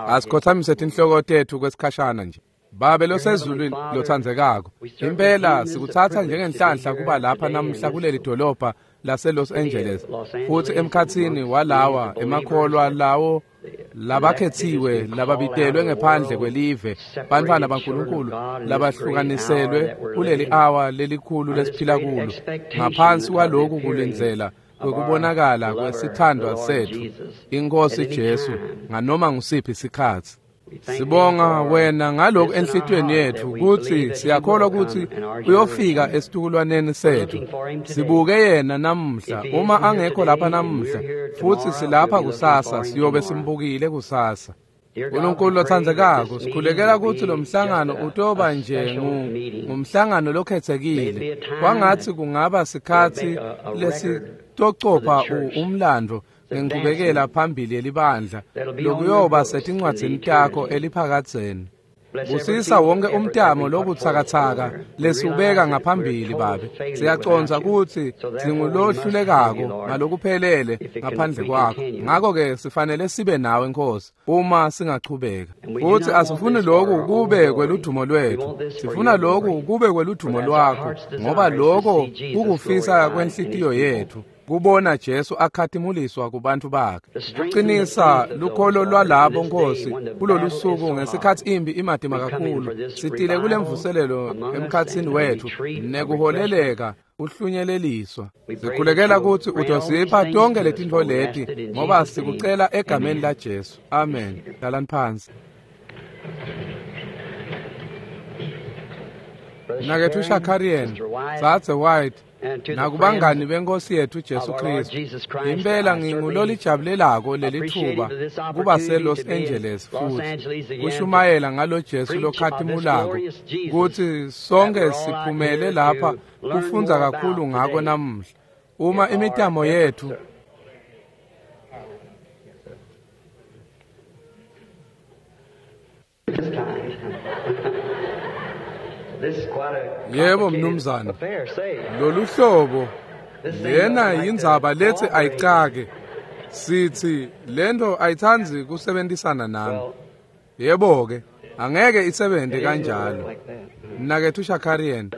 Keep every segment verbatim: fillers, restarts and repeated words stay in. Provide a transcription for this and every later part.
Asikhothamise tinhloko tetfu kwesikhashana nje. Babe losezulwini lotsandzekako, impela sikutsatsa njengenhlanhla kuba lapha namuhla kuleli dolobha lase Los Angeles, futhi emkhatsini walawa emakholwa lawo labakhetsiwe lababitelwe ngephandle kwelive, bantfwana baNkulunkulu labahlukaniselwe kuleli awa lelikhulu lesiphila kulo, ngaphansi kwaloku kulindzela kwekubonakala kwesithandwa setfu iNkhosi Jesu nganoma ngusiphi sikhatsi. Sibonga wena ngalokhu enhlitiyweni yetfu kutsi siyakholwa kutsi uyofika esitukulwaneni setfu. Sibuke yena namuhla, uma angekho lapha namuhla futhi silapha kusasa, siyobe simbukile kusasa. Nkulunkulu lotsandzekako, sikhulekela kutsi lo mhlangano utoba nje ngumhlangano lokhetsekile. Kwangatsi kungaba sikhatsi lesitocopha umlando ngenkubekela phambili yelibandla lokuyoba setincwadzini takho eliphakadzeni. Busisa wonke umtamo lobutsakatsaka lesubeka ngaphambili Babe. Siyacondza kutsi singulohlulekako ngalokuphelele ngaphandle kwakho, ngakho-ke sifanele sibe nawe Nkosi uma singachubeka. Futsi asifuni lokhu kube kweludumo lwetfu, sifuna lokhu kube kweludumo lwakho, ngoba lokho kukufisa kwenhlitiyo yetfu, kubona Jesu akhatimuliswa kubantu bakhe. Kuqinisa lukholo lwalabo Nkosi kulolu suku ngesikhatsi impi imatima kakhulu. Sitile kulemvuselelo emkhatsini wetfu nekuholeleka uhlunyeleliswa. Sikhulekela kutsi utosipha tonke letintfo leti, ngoba sikucela egameni la Jesu. Amen. Hlalani phansi. Mnaketfu Shakarian, Dzadze White, nakubangani benkosi yetfu Jesu Kristu, impela ngingulolijabulelako lelitfuba kuba se-Los Angeles futhi kushumayela ngalo Jesu lokhatimulako, kutsi sonke siphumele lapha kufundza kakhulu ngako namuhla. Uma imitamo yetfu Yebo mnumzane, lolu hlobo lena yindzaba letsi ayicake. Sithi lento ayitsandzi kusebenzisana nami. Yebo ke, angeke isebente kanjalo. Mnaketfu Shakarian,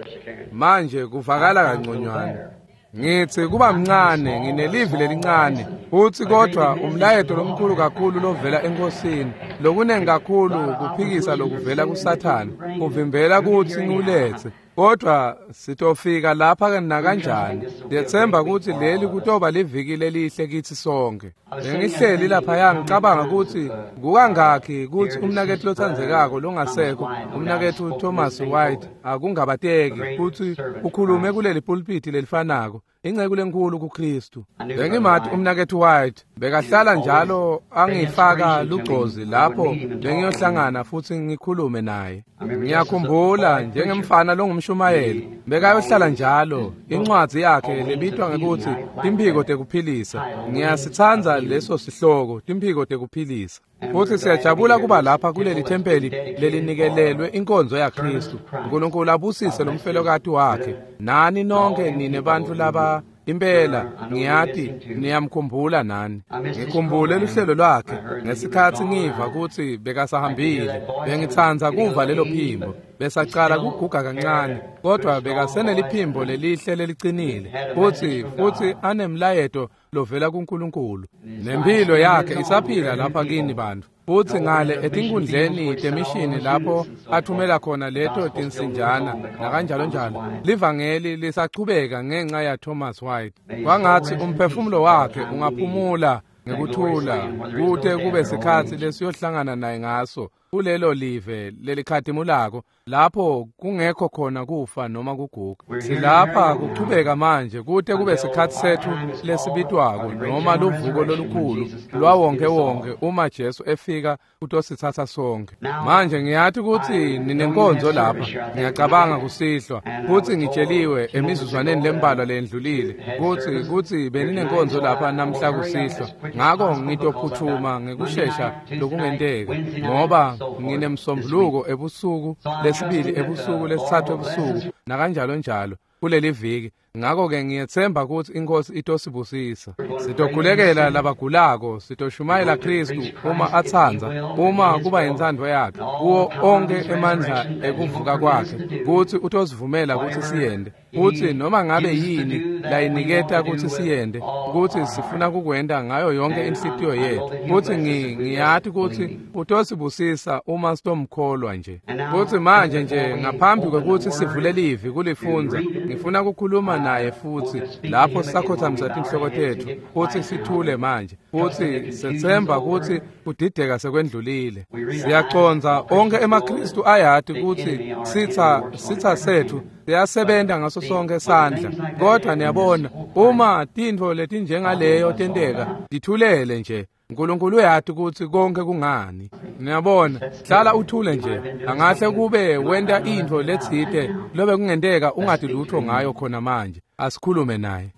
manje kuvakala kanconywana. Ngithi kuba mncane, nginelivi lelincane, futhi kodwa umlayeto lomkhulu kakhulu lovela enkosini, lokunengi kakhulu kuphikisa lokuvela kuSathane, kuvimbela kutsi ngiwulethe. Kodwa sitofika lapha nakanjani. Ngiyetsemba kutsi leli kutoba liviki lelihle kitsi sonke. Bengihleli laphaya ngicabanga kutsi kukangakhi kutsi umnaketfu lotsandzekako longasekho, umnaketfu Thomas White, akungabateki kutsi ukhulume kuleli pulpiti lelifanako, inceku lenkhulu kuKristu. Bengimati umnaketfu White, bekahlala njalo angifaka lugcozi lapho bengiyohlangana futhi ngikhulume naye. Ngiyakhumbula njengemfana longumshumayeli, bekayohlala njalo incwadzi yakhe lebitwa ngekutsi Timphiko Tekuphilisa. Ngiyasitsandza leso sihloko, Timphiko Tekuphilisa. Futhi siyajabula kuba lapha kuleli thempeli lelinikelelwe inkonzo yaKristu. Unkulunkulu abusise lomfelokati wakhe. Nani nonke nine bantfu laba impela ngiyati niyamkhumbula nani. Ngikhumbule luhlelo lwakhe ngesikhatsi ngiva kutsi bekasahambile. Bengitsandza kuva lelo phimbo. Besacala kuguga kancane, kodwa bekaseneliphimbo lelihle lelicinile, futhi futhi anemlayeto lovela kuNkulunkulu. Nempilo yakhe isaphila lapha kini bantu. Futhi ngale etinkundleni temishini lapho athumela khona leto tinsinjana nakanjalo njalo, livangeli lisachubeka ngenxa ya Thomas White. Kwangatsi umphefumulo wakhe ungaphumula ngekuthula kute kube sikhatsi lesiyohlangana naye ngaso kulelo live lelikhatimulako lapho kungekho khona kufa noma kuguga. Silapha kuchubeka manje kute kube sikhatsi setfu lesibitwako noma luvuko lolukhulu lwawonke wonke uma Jesu efika kutositsatsa sonke. Manje ngiyati kutsi ninenkonzo lapha, ngiyacabanga kusihlwa, kutsi ngitsheliwe emizuzwaneni lembalwa lendlulile kutsi kutsi beninenkonzo lapha namhla kusihlwa. Ngako ngitophuthuma ngekushesha lokungenteka, ngoba nginemsombuluko ebusuku, lesibili ebusuku, lesithathu ebusuku, nakanjalo njalo. kuleli viki. Ngakho-ke ngiyethemba ukuthi inkosi itosibusisa. Sitokhulekela labagulako, sitoshumayela Kristu uma atsandza, uma kuba yintsandvo yakhe, kuwo onke emandla ekuvuka kwakhe, kutsi utosivumela kutsi siyende. Futsi noma ngabe yini layiniketa kutsi siyende, kutsi sifuna kukwenta ngayo yonke inhlitiyo yetfu. Futsi ngiyati kutsi utosibusisa uma sitomkholwa nje. Futsi manje nje ngaphambi kwekutsi sivule livi kulifundza, ngifuna kukhuluma naye futsi lapho sisakhothamisa tinhloko tetfu futsi sithule manje. Futsi sethemba kutsi kudideka sekwendlulile. Siyacondza onke emaKristu ayati kutsi sitsa sitsa setfu siyasebenta ngaso sonke sandla. Kodwa niyabona, uma tintfo letinjengaleyo tenteka, tithulele nje. Nkulunkulu uyati kutsi konke kungani. Niyabona, hlala uthule nje. Angahle kube wenta intfo letsite lobe kungenteka ungati lutho ngayo khona manje. Asikhulume naye.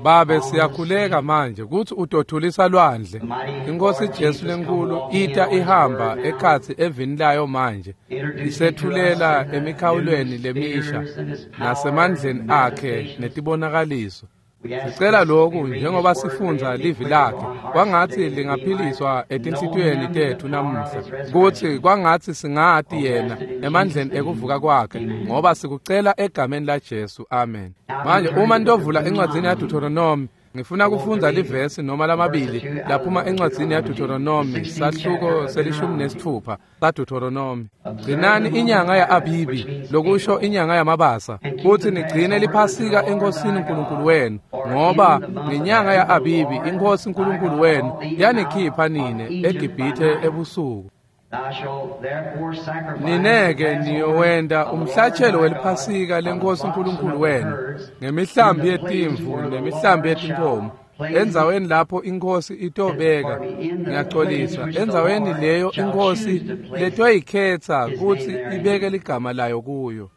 Babe, siyakhuleka manje kutsi utothulisa lwandle. Inkosi Jesu lenkulu ita ihamba ekhatsi evini layo manje, isethulela emikhawulweni lemisha nasemandleni akhe netibonakaliso. Sicela lokhu njengoba sifundza livi lakhe, kwangatsi lingaphiliswa etinhlitiyweni tetfu namuhla, kutsi kwangatsi singati yena emandleni ekuvuka kwakhe, ngoba sikucela egameni laJesu, amen. Manje uma nitovula encwadzini yaDeuteronomy, ngifuna kufundza livesi noma lamabili laphuma encwadzini yaDeuteronomy, sahluko selishumi nesitfupha saDeuteronomy. Gcinani inyanga ya-Abibi, lokusho inyanga yamabasa, kutsi nigcine liphasika eNkosini Nkulunkulu wenu, ngoba ngenyanga ya-Abibi iNkhosi Nkulunkulu wenu yanikhipha nine eGibhithe ebusuku. Nineke niyowenta umhlatshelo weliphasika leNkhosi Nkulunkulu wenu ngemihlambi yetimvu nemihlambi yetinkhomo, endzaweni lapho iNkhosi itobeka, ngiyaxolisa, endzaweni leyo iNkhosi letoyikhetsa kutsi ibeke ligama layo kuyo.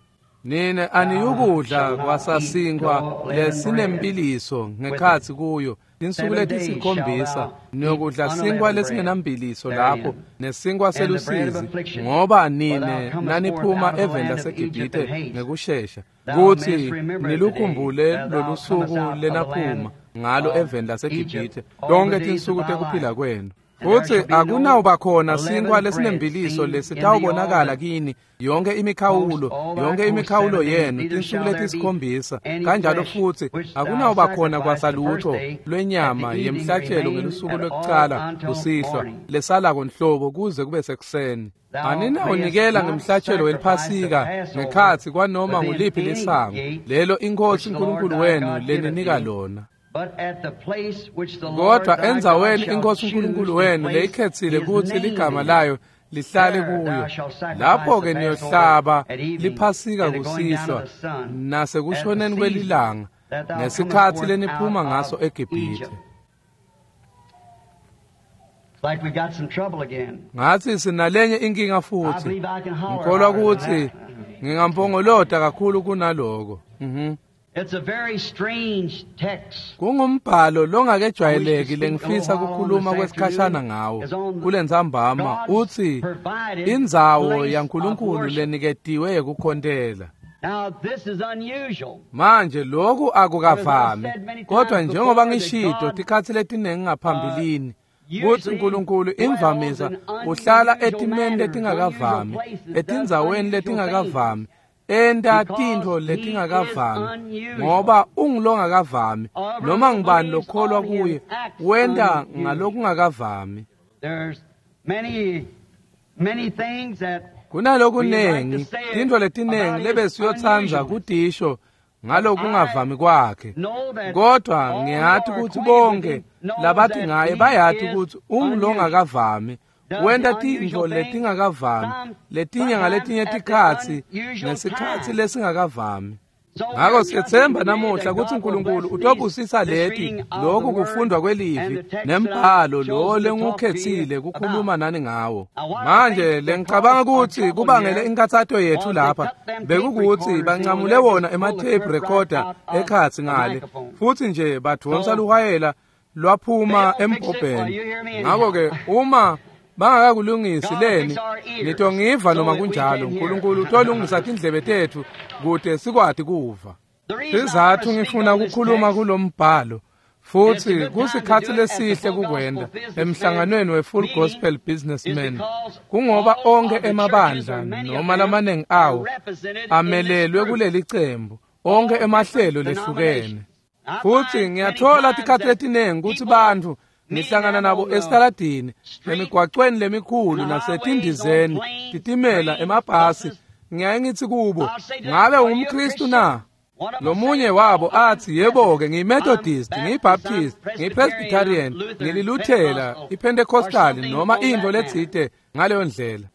Nine aniyukudla kwasasinkwa lesinembiliso ngekhatsi kuyo tinsuku letisikhombisa, niyokudla sinkwa lesingenambiliso lapho nesinkwa selusizi, ngoba nine naniphuma eveni laseGibhithe ngekushesha, kutsi nilukhumbule lolusuku lenaphuma ngalo eveni laseGibhithe tonkhe tinsuku tekuphila kwenu. Futsi akunawuba khona sinkwa lesinembiliso lesitawubonakala kini yonke imikhawulo, yonke imikhawulo yenu tinsuku letisikhombisa. Kanjalo futsi akunawuba khona kwasalutho lwenyama yemhlatshelo ngelusuku lwekucala kusihlwa lesalako nhlobo kuze kube sekuseni. Aninawunikela ngemhlatshelo weliphasika ngekhatsi kwanoma nguliphi lisango lelo iNkhosi Nkulunkulu wenu leninika lona. Kodwa endzaweni iNkhosi Nkulunkulu wenu leyikhetsile kutsi ligama layo lihlale kuyo, lapho-ke niyohlaba liphasika kusihlwa nasekushoneni kwelilanga ngesikhatsi leniphuma ngaso eGibhithe. Ngatsi sinalenye inkinga futsi. Ngikholwa kutsi ngingampongolota kakhulu kunaloko. Mhm. It's a very strange text. Kungumbhalo longakejwayeleki lengifisa kukhuluma kwesikhashana ngawo kulentsambama, utsi indzawo yaNkulunkulu leniketiwe yekukhontela. Now this is unusual. Manje lokhu akukavami, kodwa njengoba ngishito tikhatsi letinengi ngaphambilini kutsi Nkulunkulu imvamisa uhlala etimeni letingakavami, etindzaweni letingakavami, enta tintfo letingakavami, ngoba ungulongakavami. Noma ngubani lokholwa kuye wenta ngalokungakavami. There's many many things that Kunalokunengi, tintfo letinengi lebesiyotsandza kutisho ngalokungavami kwakhe, kodwa ngiyati kutsi bonke labathi ngaye bayati kutsi ungulongakavami. Wenta tintfo letingakavami, letinye ngaletinye tikhatsi ngesikhatsi lesingakavami. Ngako siyethemba namuhla kutsi Nkulunkulu utobusisa leti lokhu kufundwa kwelivi nembhalo lo lengukhetsile kukhuluma nani ngawo. Manje lengicabanga kutsi kubangele inkathato yethu lapha bekukuthi bancamule wona ema-tape recorder ekhatsi ngale, futsi nje badvonsa luhwayela lwaphuma embhobheni. Ngako-ke uma Bangakakulungisi leni nitongiva noma kunjalo. uNkulunkulu utolungisa tindlebe tetfu kute sikwati kuva. Sizathu ngifuna kukhuluma kulombhalo futhi kusikhatsi lesihle kukwenda emhlanganweni we-Full Gospel Businessmen, kungoba onke emabandla noma lamaningi awo amelelwe kuleli cembu, onke emahlelo lehlukene. Futhi ngiyathola tikhatsi letiningi kutsi bantfu ngihlangana nabo esitaladini, emigwacweni lemikhulu nasetindizeni, titimela, emabhasi. Ngiyaye ngithi kubo, ngabe ungumKristu na? Lomunye wabo athi, yebo-ke, ngiyiMethodist, ngiyiBaptist, ngiyiPresbyterian, ngiliLuthela, iPentecostal noma intfo letsite ngaleyo ndlela.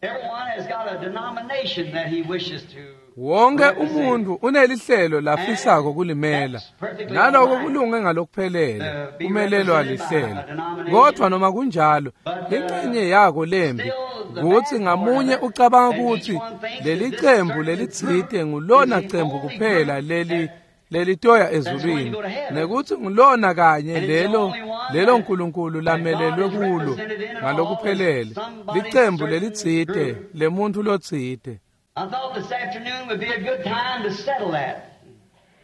Wonke umuntu unelihlelo lafisako kulimela, naloko kulunge ngalokuphelele, kumelelwa lihlelo. Kodwa noma kunjalo, ingxenye yako lembi kutsi ngamunye ucabanga kutsi leli cembu lelitsite ngulona cembu kuphela leli lelitoya ezulwini, nekutsi ngulona kanye lelo lelo uNkulunkulu lamelelwe kulo ngalokuphelele, licembu lelitsite lemuntu lotsite.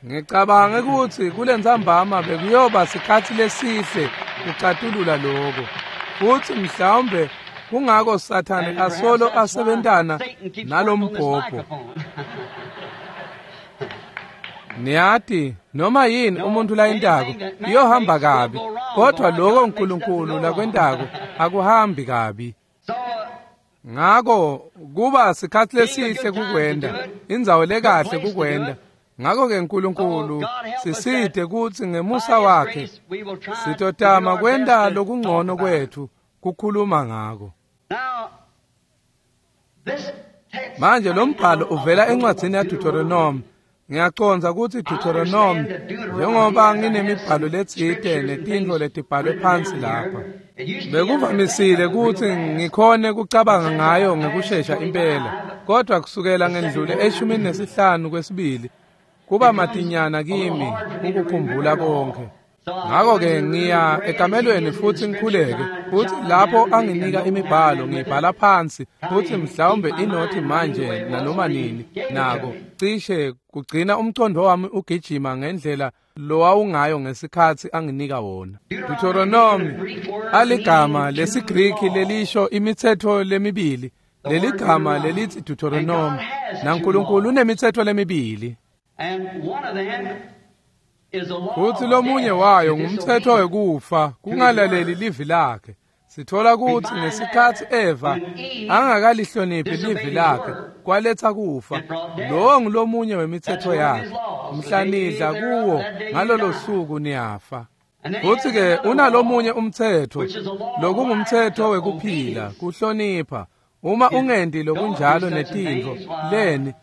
Ngicabange kutsi kulentsambama bekuyoba sikhatsi lesihle kucatulula lokho, futsi mhlawumbe kungako Sathane asolo asebentana nalombhobho. Niyati, noma yini umuntu layentako iyohamba kabi, kodwa lokho uNkulunkulu lakwentako akuhambi kabi. Ngako kuba sikhatsi lesihle kukwenda, indzawo lekahle kukwenda. Ngako-ke uNkulunkulu sisite kutsi ngemusa wakhe sitotama kwenta lokungcono kwetfu kukhuluma ngako. Manje lo mbhalo uvela encwadzini yaDeuteronomy. Ngiyacondza kutsi Deuteronomy, njengoba nginemibhalo letsite netintfo letibhalwe phansi lapha, bekuvamisile kutsi ngikhone kucabanga ngayo ngekushesha impela, kodwa kusukela ngendlule eshumini nesihlanu kwesibili kuba matinyana kimi ukukhumbula konke. Ngako-ke ngiya ekamelweni futsi ngikhuleke, futsi lapho anginika imibhalo ngiyibhala phansi, futsi mhlawumbe inothi manje nanoma nini nako cishe kugcina umcondo wami ugijima ngendlela lowawungayo ngesikhatsi anginika wona. Deuteronomy aligama lesiGriki lelisho imitsetfo lemibili. Leligama lelithi Deuteronomy, naNkulunkulu unemitsetfo lemibili. Futsi lomunye wayo ngumtsetfo wekufa, kungalaleli livi lakhe. Sithola kutsi ngesikhatsi Eva angakalihloniphi livi lakhe, kwaletsa kufa. Lowo ngulomunye wemitsetfo yakhe. Mhla nidla kuwo ngalolo suku niyafa. Futsi-ke unalomunye umtsetfo, lokungumtsetfo wekuphila, kuhlonipha. Uma ungendi lokunjalo netintfo leni,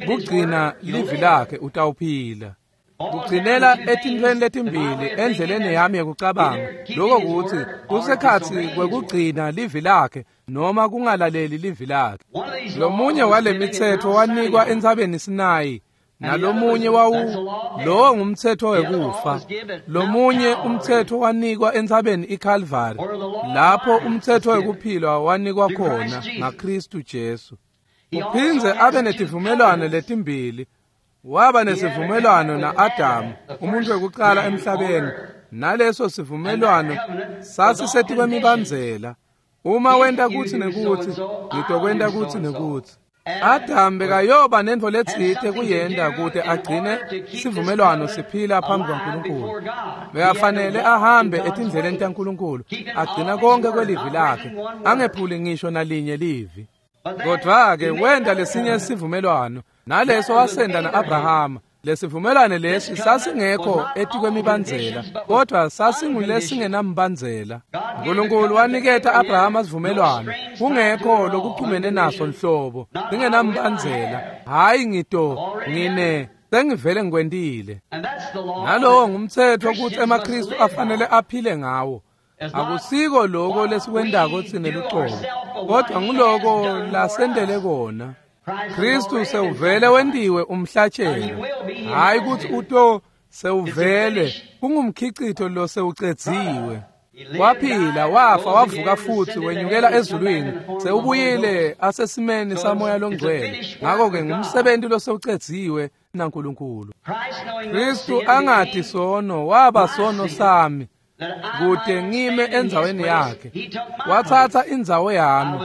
kugcina livi lakhe utawuphila. Kugcinela etintfweni letimbili endleleni yami yekucabanga, lokho kutsi kusekhatsi kwekugcina livi lakhe noma kungalaleli livi lakhe. Lomunye wale mitsetfo wanikwa entsabeni Sinayi, nalomunye wawu lowo ngumtsetfo wekufa. Lomunye umtsetfo wanikwa entsabeni iKalvari, lapho umtsetfo wekuphila wanikwa khona ngaKristu Jesu. Uphindze abe netivumelwano letimbili. Waba nesivumelwano na-Adamu, umuntu wekuqala emhlabeni, naleso sivumelwano sasisetikwe-mibandzela. Uma wenta kutsi nekutsi, ngitokwenta kutsi nekutsi. Adamu bekayoba nentfo letsite kuyenta kute agcine sivumelwano siphila phambi kwaNkulunkulu. Bekafanele ahambe etindleleni taNkulunkulu, agcina konke kwelivi lakhe, angephuli ngisho nalinye livi. Kodwa-ke wenta lesinye sivumelwano, naleso wasenda na-Abrahama. Lesivumelwano lesi sasingekho etikwemibandzela, kodwa sasingulesingenambandzela. uNkulunkulu waniketa Abrahama sivumelwano, kungekho lokuchumene naso nhlobo, singenambandzela. Hhayi ngito, ngine, sengivele ngikwentile. Nalowo ngumtsetfo kutsi emaKristu afanele aphile ngawo. Akusiko lokho lesikwentako tsine lucobo, kodwa nguloko lasentele kona. Kristu sewuvele wentiwe umhlatshelo, hhayi kutsi uto sewuvele kungumkhicito lo sewucedziwe. Waphila, wafa, wavuka futsi wenyukela ezulwini, sewubuyile asesimeni saMoya loNgcwele. Ngako-ke ngumsebenti losewucedziwe naNkulunkulu. Kristu angati sono, waba sono sami, kute ngime endzaweni yakhe. Watsatsa indzawo yami.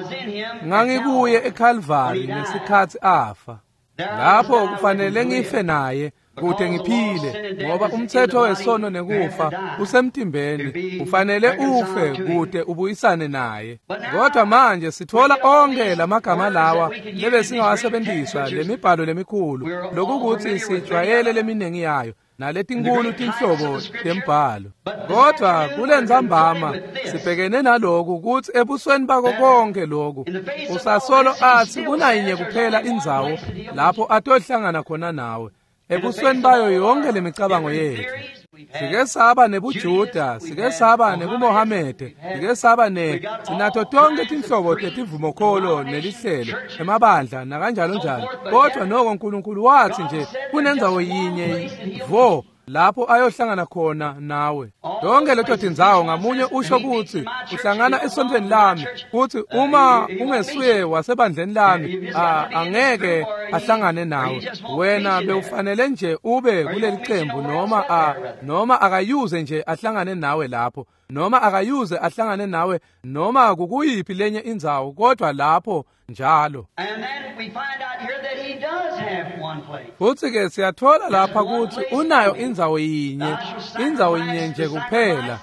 Ngangikuye eKalvari ngesikhatsi afa. Lapho kufanele ngife naye kute ngiphile, ngoba umtsetfo wesono nekufa usemtimbeni, ufanele ufe kute ubuyisane naye. Kodwa manje sitfola onkhe lamagama lawa lebesingawasebenzisa, lemibhalo lemikhulu, lokukuthi sijwayele leminingi yayo naletinkulu tinhlobo tembhalo. Kodwa kulentsambama sibhekene naloku kutsi ebusweni bako konke loku usasolo atsi kunayinye kuphela indzawo lapho atohlangana khona nawe, ebusweni bayo yonke lemicabango yethu. Sike saba nebuJuda, sike saba nebuMohamede, sike saba ne sinato tonke tinhlobo tetivumokholo nelihlelo, emabandla nakanjalo njalo. Kodwa noko uNkulunkulu wathi nje kunendzawo yinye vo lapho ayohlangana khona nawe. Tonke leto tindzawo ngamunye usho kutsi uhlangana esontfweni lami, kutsi uma ungesuye wasebandleni lami angeke ahlangane nawe. Wena bewufanele nje ube kuleli qembu, noma a noma akayuze nje ahlangane nawe lapho, noma akayuze ahlangane nawe noma kukuyiphi lenye indzawo, kodwa lapho njalo. Futsi ke siyatfola lapha kutsi unayo indzawo yinye, indzawo yinye nje kuphela.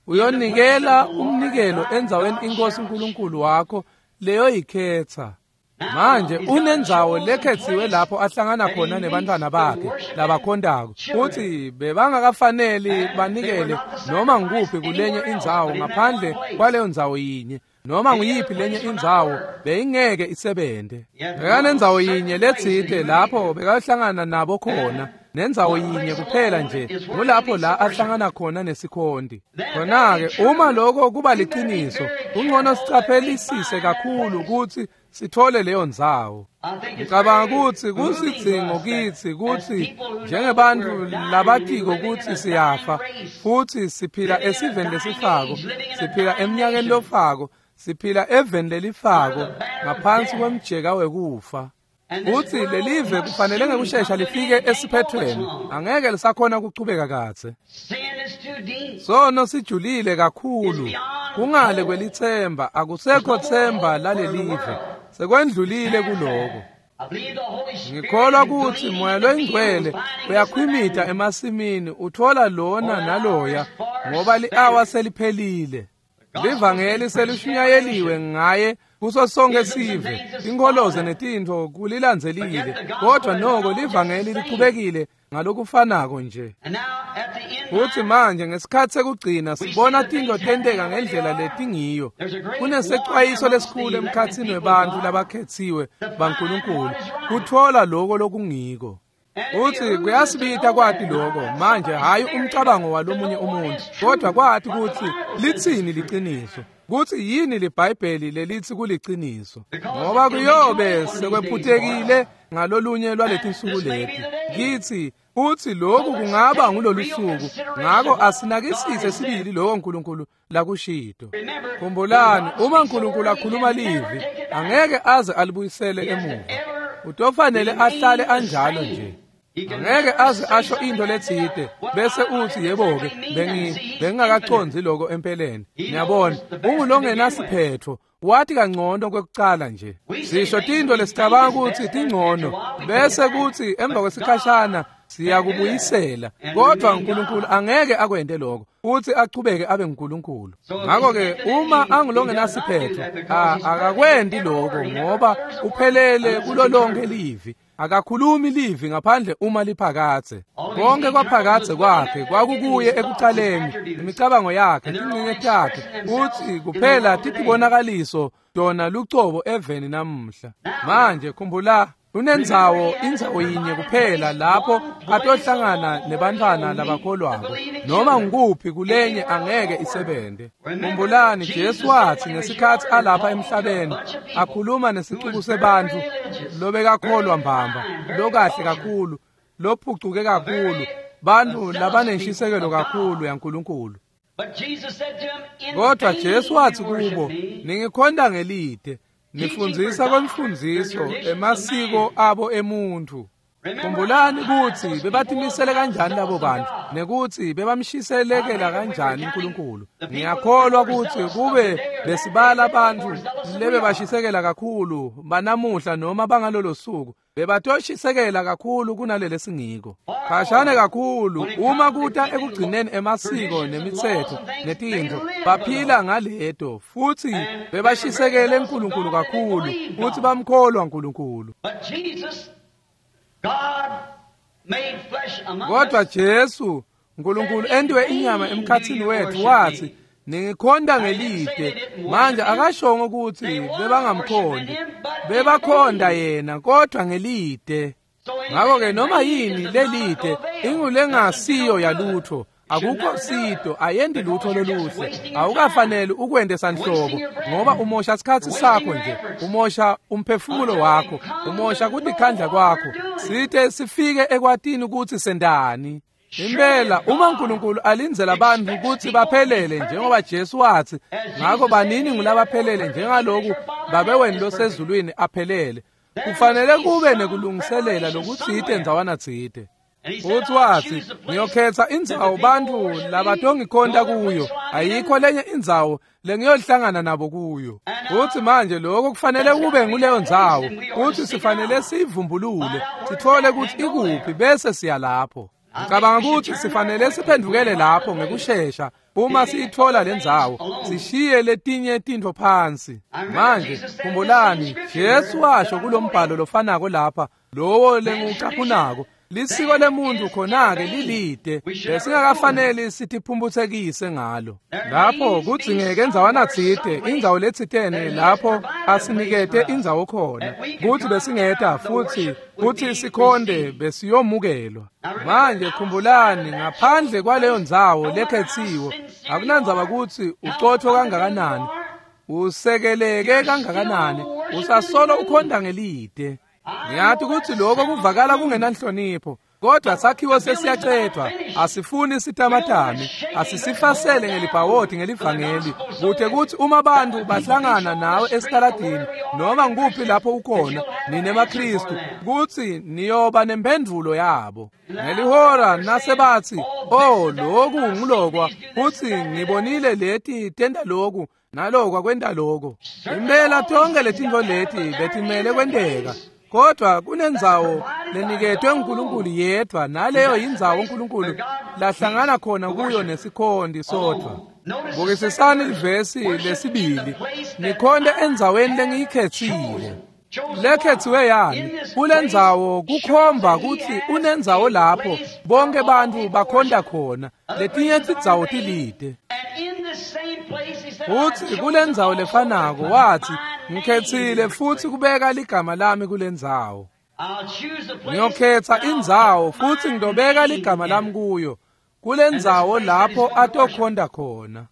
Uyonikela umnikelo endzaweni iNkosi uNkulunkulu wakho leyoyikhetsa. Manje unendzawo lekhetsiwe lapho ahlangana khona nebantwana bakhe labakhondako, futsi bebangakafaneli banikele noma ngukuphi kulenye indzawo ngaphandle kwaleyo ndzawo yinye. Noma nguyiphi lenye indzawo beyingeke isebente. Bekanendzawo yinye letsite lapho bekahlangana nabo khona, nendzawo yinye kuphela nje ngulapho la ahlangana khona nesikhonti. Khona-ke uma lokho kuba liciniso, kungcono sicaphelisise kakhulu kutsi sithole leyo ndzawo. Ngicabanga kutsi kusidzingo kitsi kutsi njengebantfu labatiko kutsi siyafa futsi siphila esiveni lesifako, siphila eminyakeni lofako, siphila eveni lelifako ngaphansi kwemjeka wekufa. Kutsi lelive kufanele ngekushesha lifike esiphethweni, angeke lisakhona kuchubeka kadze. Sono sijulile kakhulu, kungale kwelitsemba, akusekho tsemba lalelive, sekwendlulile kuloko. Ngikholwa kutsi Moya loyiNgcwele uyakhwimita emasimini, uthola lona naloya, ngoba li-awa seliphelile. Livangeli selishunyayeliwe ngaye kuso sonke sive, tinkholoze netintfo kulilandzelile, kodwa noko livangeli lichubekile ngalokufanako nje. Futsi manje ngesikhatsi sekugcina sibona tintfo tenteka ngendlela letingiyo. Kunesecwayiso lesikhulu emkhatsini webantfu labakhetsiwe baNkulunkulu kutfola loko lokungiko. Futsi kuyasibita kwati loko manje, hhayi umcabango walomunye umuntu, kodwa kwati kutsi litsini liciniso, kutsi yini liBhayibheli lelitsi kuliciniso, ngoba kuyobe sekwephutekile ngalolunye lwaletinsuku leti. Kitsi utsi lokhu kungaba ngulolusuku, ngako asinakisise sibili lokho uNkulunkulu lakushito. Khumbulani, uma uNkulunkulu akhuluma livi, angeke aze alibuyisele emuva. Utofanele ahlale anjalo nje. Angeke aze asho into letsite bese utsi yebo-ke bengi bengingakacondzi loko empeleni. Niyabona, ungulongenasiphetfo, wathi kangcono kwekucala nje. Sisho tintfo lesicabanga kutsi tingcono bese kutsi emva kwesikhashana siyakubuyisela, kodwa uNkulunkulu angeke akwente lokho, futhi achubeke abe nguNkulunkulu. Ngakho-ke uma angulongenasiphetfo, akakwenti lokho ngoba uphelele kulo lonke livi. Akakhulumi livi ngaphandle uma liphakadze. Konke kwaphakadze kwakhe kwakukuye ekucaleni, imicabango yakhe, tincinye takhe, utsi kuphela titibonakaliso tona lucobo eveni namuhla. Manje khumbula, unendzawo, indzawo yinye kuphela lapho atohlangana nebantfwana labakholwako, noma ngukuphi kulenye angeke isebente. Khumbulani, Jesu watsi ngesikhatsi alapha emhlabeni akhuluma nesicuku sebantfu lobekakholwa mbamba, lokahle kakhulu, lophucuke kakhulu, bantfu labanenshisekelo kakhulu yaNkulunkulu. Kodwa Jesu wathi kubo, ningikhonta ngelide, nifundzisa kwemfundziso emasiko abo emuntfu. Khumbulani kutsi bebatimisele kanjani labo bantu nekutsi bebamshiselekela kanjani uNkulunkulu. Ngiyakholwa kutsi kube besibala abantu lebebashisekela kakhulu banamuhla noma bangalolo suku bebatoshisekela kakhulu kunalele singiko. Khashane kakhulu uma kuta ekugcineni emasiko nemitsetfo netintfo baphila ngaleto futsi bebashisekele uNkulunkulu kakhulu futsi bamkholwa uNkulunkulu. Kodwa Jesu uNkulunkulu entiwe inyama emkhatsini wethu wathi ningikhonta ngelide. Manje akashongo ukuthi bebangamkhondi, bebakhonda yena kodwa ngelide. Ngakho-ke noma yini lelide ingulengasiyo yalutho, akukho sito, ayendi lutho loluhle, awukafanele ukwente sanhlobo ngoba umosha sikhatsi sakho nje, umosha umphefumulo wakho, umosha kutikhandla kwakho site sifike ekwatini ukuthi sendani. Impela uma uNkulunkulu alindzela abantu kutsi baphelele njengoba Jesu wathi, ngakho banini ngulabaphelele njengaloku Babe wenu losezulwini aphelele, kufanele kube nekulungiselela lokutsite ndzawana tsite. Futhi wathi ngiyokhetha indzawo bantu labatongikhonta kuyo, ayikho lenye indzawo lengiyohlangana nabo kuyo. Futhi manje lokho kufanele kube nguleyo ndzawo, futhi sifanele siyivumbulule sithole ukuthi ikuphi bese siya lapho. Ngicabanga ukuthi sifanele siphendukele lapho ngekushesha uma siyithola lendzawo, sishiye letinye tintfo phansi. Manje khumbulani Jesu washo kulombhalo lofanako lapha, lowo lengucaphunako, lisiko lemuntu khona-ke lilide, besingakafaneli sitiphumphutsekise ngalo. Lapho kudzingeke endzawana tsite, indzawo letsitene lapho asinikete indzawo khona, kutsi besingeta futsi kutsi sikhonde besiyomukelwa. Manje khumbulani, ngaphandle kwaleyo ndzawo lekhetsiwe, akunandzaba kutsi ucotfo kangakanani, usekeleke kangakanani, usasolo ukhonda ngelide. Ngiyathi kutsi lokho kuvakala kungenanhlonipho, kodwa sakhiwo sesiyacedwa, asifuni sitamatame, asisifasele ngelibhawodi ngelivangeli, kute kutsi uma bantu bahlangana nawe esitaladini noma ngikuphi lapho ukhona nine maKristu, kutsi niyoba nemphendvulo yabo. Ngelihora nasebathi, oh loku ngulokwa, kutsi ngibonile leti tenta loku nalokwa kwenta loko. Impela tonke letintfo leti betimele kwenteka, kodwa kunendzawo leniketwe uNkulunkulu yedwa, naleyo yindzawo uNkulunkulu lahlangana khona kuyo nesikhonti sodvwa. Bukisisani livesi lesibili, nikhonte endzaweni lengiyikhetsile. Lekhetsiwe yani? Kulendzawo kukhomba kutsi unendzawo lapho bonke bantfu bakhonta khona, letinye tindzawo tilide. Futsi kulendzawo lefanako wathi, ngikhetsile futsi kubeka ligama lami kulendzawo. Ngiyokhetha indzawo futsi ngitobeka ligama lami kuyo, kulendzawo lapho atokhonta khona.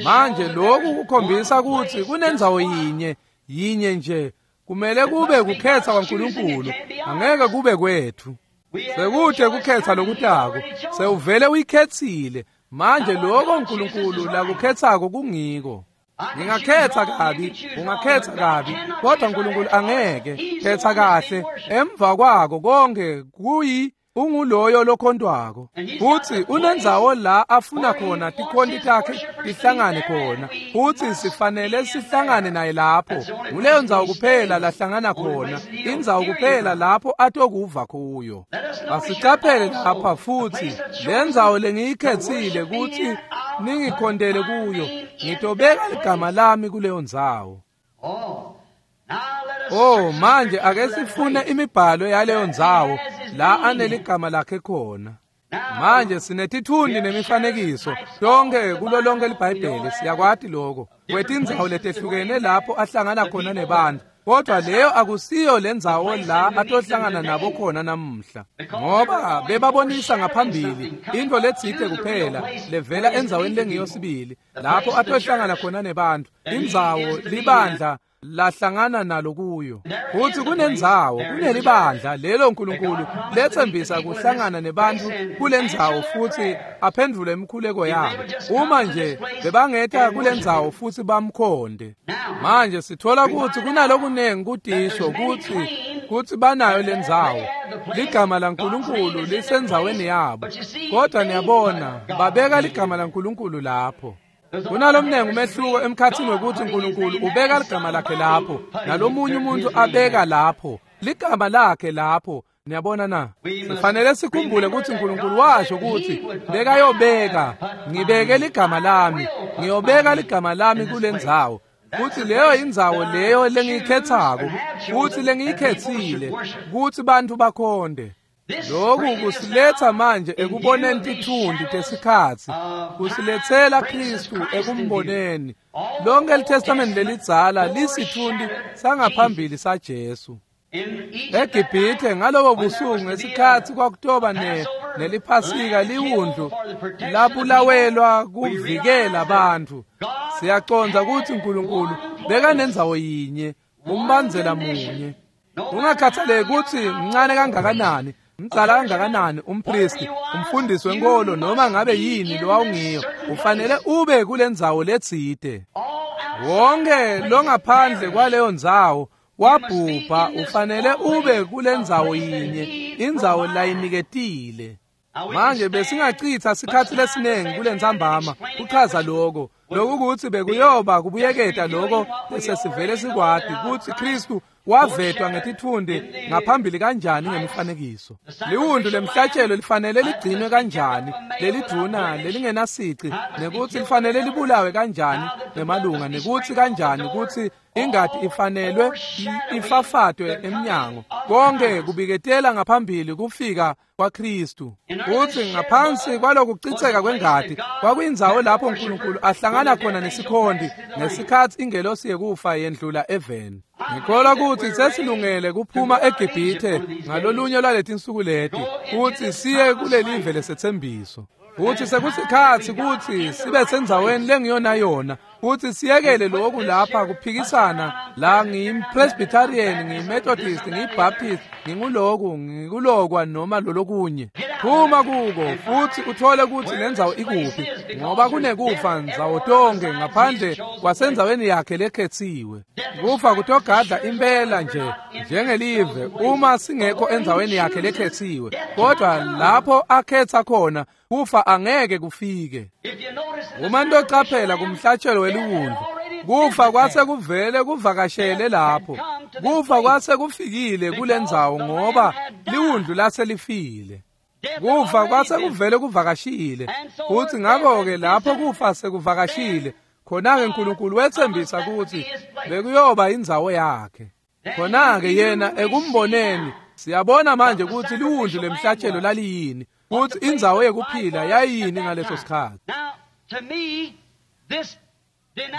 Manje lokhu kukhombisa kutsi kunendzawo yinye, yinye nje, kumele kube kukhetha kwaNkulunkulu, angeke kube kwethu. Sekude kukhetha lokutako, sewuvele uyikhetsile. Manje lokho uNkulunkulu lakukhetsako kungiko. Ngingakhetha kabi, ungakhetha kabi, kodwa uNkulunkulu angeke. Khetha kahle, emva kwako konke kuyi unguloyo lokhontwako. Futsi unendzawo la afuna khona tikhonti takhe tihlangane khona, futsi sifanele sihlangane naye lapho. Nguleyo ndzawo kuphela lahlangana khona, indzawo kuphela lapho atokuva kuyo. Asicaphele lapha futsi lendzawo lengiyikhetsile kutsi ningikhontele kuyo, ngitobeka ligama lami kuleyo ndzawo. Oh, manje ake sifune imibhalo yaleyo ndzawo la aneligama lakhe khona. Manje sinetithundi nemifanekiso tonke kulo lonke liBhayibheli, siyakwati lokho, kwetindzawo letehlukene lapho ahlangana khona nebantu. Kodwa leyo akusiyo lendzawo la atohlangana nabo khona namuhla, ngoba bebabonisa ngaphambili into letsite kuphela levela endzaweni lengiyo sibili lapho atohlangana khona nebantu, indzawo libandla lahlangana nalo kuyo. Futhi kunendzawo, kunelibandla lelo uNkulunkulu lethembisa kuhlangana nebantu kulendzawo futhi aphendvule imikhuleko yabo. Uma nje bebangeta kulendzawo futhi bamkhonde. Manje sithola ukuthi kunalokunengi kudisho ukuthi kuthi banayo lendzawo. Ligama laNkulunkulu lisendzaweni yabo. Kodwa niyabona, babeka ligama laNkulunkulu lapho. Kunalomnengi umehluko emkhathini wekuthi uNkulunkulu ubeka ligama lakhe lapho nalomunye umuntu abeka lapho ligama lakhe lapho. Niyabona na? Sifanele sikhumbule ukuthi uNkulunkulu washo ukuthi bekayobeka, ngibeke ligama lami, ngiyobeka ligama lami kulendzawo. Futhi leyo indzawo leyo lengiyikhethako futhi lengiyikhethile ukuthi bantu bakhonde. Lokhu kusiletha manje ekuboneni tithundi tesikhatsi, kusilethela Kristu ekumboneni. Lonke iTestament lelidzala lisithundi sangaphambili saJesu. EGibhithe ngalobo busuku ngesikhatsi kwakutoba ne neliphasika liwundlu labulawelwa kuvikela abantu. Siyacondza ukuthi uNkulunkulu bekanendzawo yinye, umbandzela munye. Ungakhathaleki ukuthi mncane kangakanani, mdzala kangakanani umpristi, umfundisi wenkolo noma ngabe yini lowawungiyo, ufanele ube kulendzawo letsite. Wonke longaphandle kwaleyo ndzawo wabhubha, ufanele ube kulendzawo yinye, indzawo layiniketile. Manje besingachitha sikhatsi lesinengi kulentsambama kuchaza lokho. Lokukuthi bekuyoba kubuyeketa lokho lesesivele sikwati ukuthi Kristu wavetwa ngetitfundi ngaphambili kanjani ngemifanekiso. Liwundlu lemhlatshelo lifanele ligcinwe kanjani, lelidvuna lelingenasici, nekuthi lifanele libulawe kanjani ngemalunga, nekuthi kanjani kutsi ingati ifanelwe ifafatwe emnyango. Konke kubiketela ngaphambili kufika kwaKristu. Kuthi ngaphansi kwalokucitseka kwengati kwakuyindzawo lapho uNkulunkulu ahlangana khona nesikhonti ngesikhatsi ingelosi yekufa yendlula eveni. Ngikholwa ukuthi sesilungele kuphuma eGibhithe ngalolunye lwaletinsuku leti kuthi siye kulelive lesethembiso. Futhi sekusikhatsi kutsi sibe sendzaweni lengiyona yona, futhi siyekele lokhu lapha kuphikisana la ngiyimpresbyterian, ngiyimethodist, ngiyibaptist, nginguloku, ngikulokwa noma lolokunye. Phuma kuko futhi uthole ukuthi lendzawo ikuphi, ngoba kunekufa ndzawo tonke ngaphandle kwasendzaweni yakhe lekhetsiwe. Kufa kutogadla impela nje njengelive uma singekho endzaweni yakhe lekhetsiwe, kodwa lapho akhetha khona kufa angeke kufike. Uma ntocaphela kumhlatshelo weliwundlu, kufa kwase kuvele kuvakashele lapho. Kufa kwase kufikile kulendzawo ngoba liwundlu laselifile. Kufa kwase kuvele kuvakashile, futhi ngakho-ke lapho kufa sekuvakashile, khona-ke uNkulunkulu wethembisa ukuthi bekuyoba indzawo yakhe. Khona-ke yena ekumboneni siyabona manje ukuthi liwundlu lemhlatshelo laliyini, ukuthi indzawo yekuphila yayini ngaleso sikhatsi.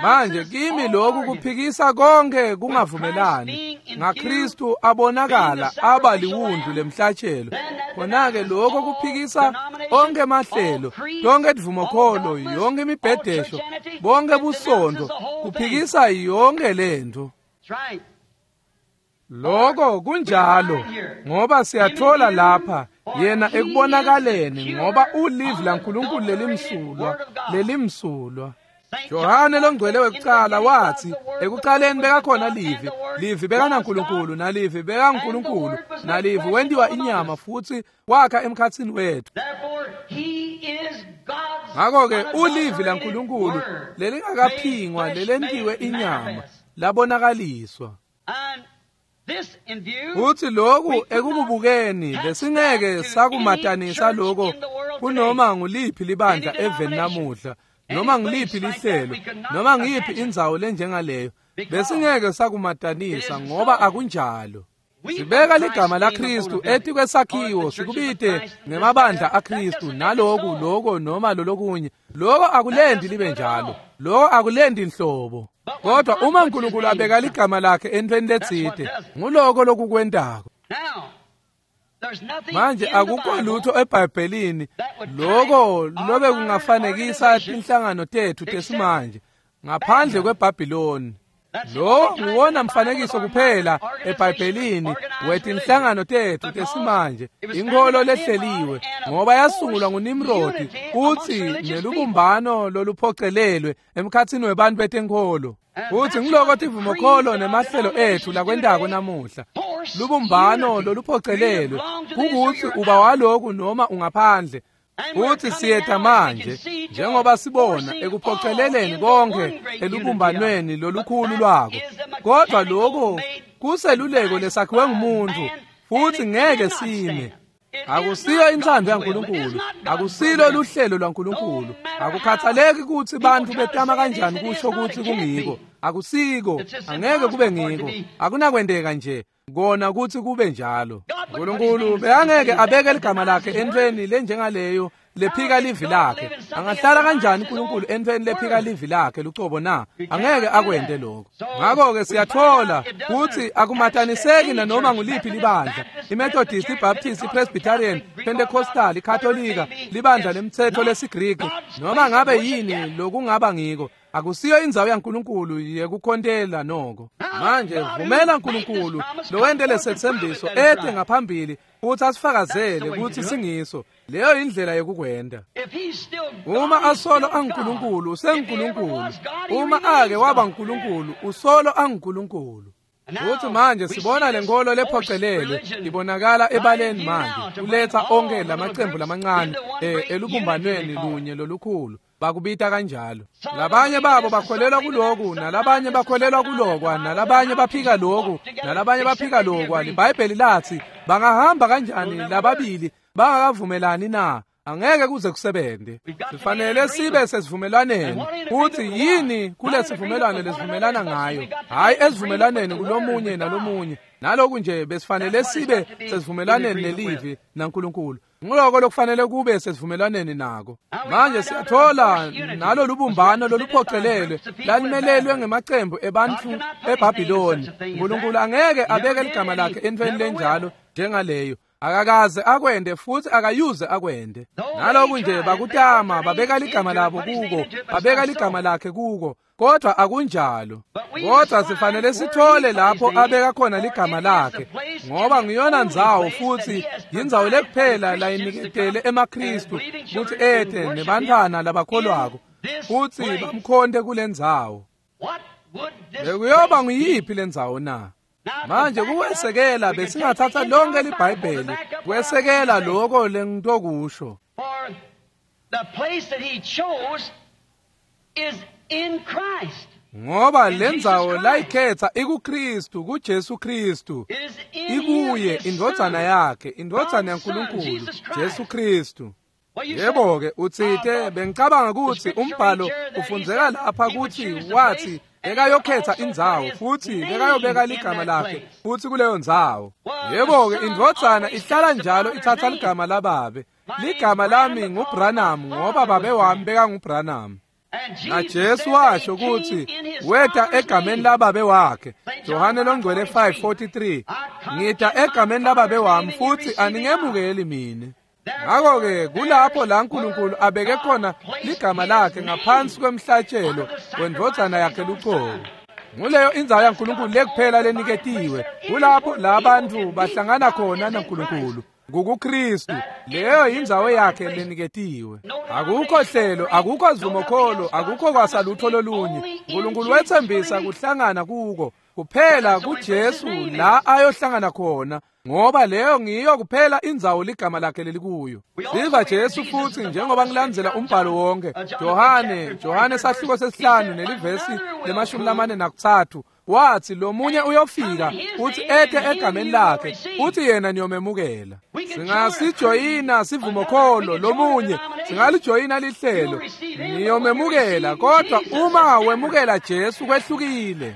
Manje kimi lokhu kuphikisa konke kungavumelani ngaKristu abonakala aba liwundlu lemhlatshelo. Khona-ke lokho kuphikisa onke mahlelo, tonke tivumokholo, yonke imibhedesho, bonke busondo, kuphikisa yonke lento. Lokho kunjalo ngoba siyathola lapha yena ekubonakaleni ngoba ulivi laNkulunkulu lelimsulwa, lelimsulwa. Johane longcwele wekucala wathi ekucaleni bekakhona livi, livi bekanaNkulunkulu, nalivi bekaNkulunkulu, nalivi wentiwa inyama futhi wakha emkhatsini wethu. Ngakho-ke ulivi laNkulunkulu lelingakaphingwa lelentiwe inyama labonakaliswa. Futhi lokhu ekukubukeni besingeke sakumatanisa lokho kunoma nguliphi libandla eveni namuhla, noma ngiliphi lihlelo, noma ngiyiphi indzawo lenjengaleyo, besingeke sakumatanisa ngoba akunjalo. Sibeka ligama laKristu etikwesakhiwo sikubite ngemabandla aKristu naloku loko noma lolokunye. Loko akulendi libe njalo, loko akulendi inhlobo. Kodwa uma uNkulunkulu abeka ligama lakhe entweni letsite, nguloko lokukwentako. Manje akukho lutho eBhayibhelini loko lobe kungafanekisa tinhlangano tethu tesimanje ngaphandle kweBhabhiloni. Lo nguwona mfanekiso kuphela eBhayibhelini wetinhlangano tetfu tesimanje, inkholo lehleliwe, ngoba yasungulwa nguNimrodi kutsi nelubumbano loluphocelelwe emkhatsini webantfu betenkholo. Futsi ngiloko tivumokholo nemahlelo etfu lakwentako namuhla. Lubumbano loluphocelelwe kukutsi uba waloku noma ungaphandle. Futsi siyeta manje njengoba sibona ekuphoceleleni konke elubumbanweni lolukhulu lwako. Kodwa lokho kuseluleko lesakhiwe ngumuntu futhi ngeke sime. Akusiyo inthando yaNkulunkulu, akusilo luhlelo lwaNkulunkulu. Akukhathaleki kutsi bantfu betama kanjani kusho kutsi kungiko. Akusiko, angeke kube ngiko. Akunakwenteka nje kona kutsi kube njalo. uNkulunkulu bekangeke abeke ligama lakhe entweni lenjengaleyo lephika livi lakhe. Angahlala kanjani uNkulunkulu entweni lephika livi lakhe lucobo na? Angeke akwente lokho. Ngakho-ke siyathola kutsi akumataniseki nanoma nguliphi libandla, iMethodist, iBaptist, iPresbyterian, Pentecostal, iKatolika, libandla lemtsetfo lesiGriki, noma ngabe yini lokungaba ngiko. Akusiyo indzawo yaNkulunkulu yekukhontela noko. Manje vumela uNkulunkulu lowente lesetsembiso ete ngaphambili futhi asifakazele kutsi singiso. Leyo indlela yekukwenta. Uma asolo anguNkulunkulu, usenguNkulunkulu. Uma ake waba uNkulunkulu, usolo anguNkulunkulu. Futhi manje sibona lenkolo lephocelelwe ibonakala ebaleni manje, kuletsa onke lamacembu lamancane elubumbanweni lunye lolukhulu. Bakubita kanjalo. Labanye babo bakholelwa kuloku, nalabanye bakholelwa kulokwa, nalabanye baphika loku, nalabanye baphika lokwa. LiBhayibheli lathi bangahamba kanjani lababili bangakavumelani na? Angeke kuze kusebente. Sifanele sibe sesivumelwaneni. Futhi yini kulesivumelwano lesivumelana ngayo? Hayi esivumelwaneni kulomunye nalomunye. Naloku nje besifanele sibe sesivumelwaneni nelivi naNkulunkulu. Nguloko lokufanele kube sesivumelwaneni nako. Manje siyathola nalo lubumbano loluphocelelwe lalimelelwe ngemacembu ebantfu eBhabhiloni. uNkulunkulu angeke abeke ligama lakhe entweni lenjalo njengaleyo. Akakaze akwende futhi akayuze akwende. Naloku nje bakutama babeka ligama labo kuko, babeka ligama lakhe kuko, kodwa akunjalo. Kodwa sifanele sithole lapho abeka khona ligama lakhe, ngoba ngiyona ndzawo futhi yindzawo lekuphela layiniketele emaKristu kutsi ete nebantfwana labakholwako futhi bamkhonte kule ndzawo. Bekuyoba nguyiphi le ndzawo na? Manje kuwesekela besingathatha lonke liBhayibheli kwesekela lokho lengitokusho. Ngoba lendzawo layikhetha ikuKristu, kuJesu Kristu, ikuye indvodzana yakhe, indvodzana yaNkulunkulu, Jesu Kristu. Yebo-ke utsite bengicabanga kutsi umbhalo ufundzeka lapha kutsi wathi bekayokhetha indzawo futhi bekayobeka ligama lakhe futhi kuleyo ndzawo. Yebo-ke indvodzana ihlala njalo ithatha ligama lababe. Ligama lami nguBranham ngoba babe wami bekanguBranham. NaJesu washo kutsi weta egameni lababe wakhe. Johane longcwele five forty-three. Ngita egameni lababe wami futhi aningemukeli mine. Ngakho-ke kulapho la uNkulunkulu abeke khona ligama lakhe ngaphansi kwemhlatshelo wendvodzana yakhe lucobo. Nguleyo indzawo yaNkulunkulu lekuphela leniketiwe. Kulapho la bantfu bahlangana khona naNkulunkulu. NgukuKristu. Leyo indzawo yakhe leniketiwe. Akukho hlelo, akukho sivumokholo, akukho kwasalutho lolunye. uNkulunkulu wetsembisa kuhlangana kuko kuphela kuJesu la ayohlangana khona, ngoba leyo ngiyo kuphela indzawo ligama lakhe lelikuyo. Siva Jesu futhi njengoba ngilandzela umbhalo wonke. Johane, Johane sahluko sesihlanu nelivesi lemashumi lamane nakutsatfu wathi lomunye uyofika uthi ete egameni lakhe uthi yena niyomemukela. Singasijoyina sivumokholo lomunye, singalijoyina lihlelo, niyomemukela, kodwa uma wemukela Jesu kwehlukile.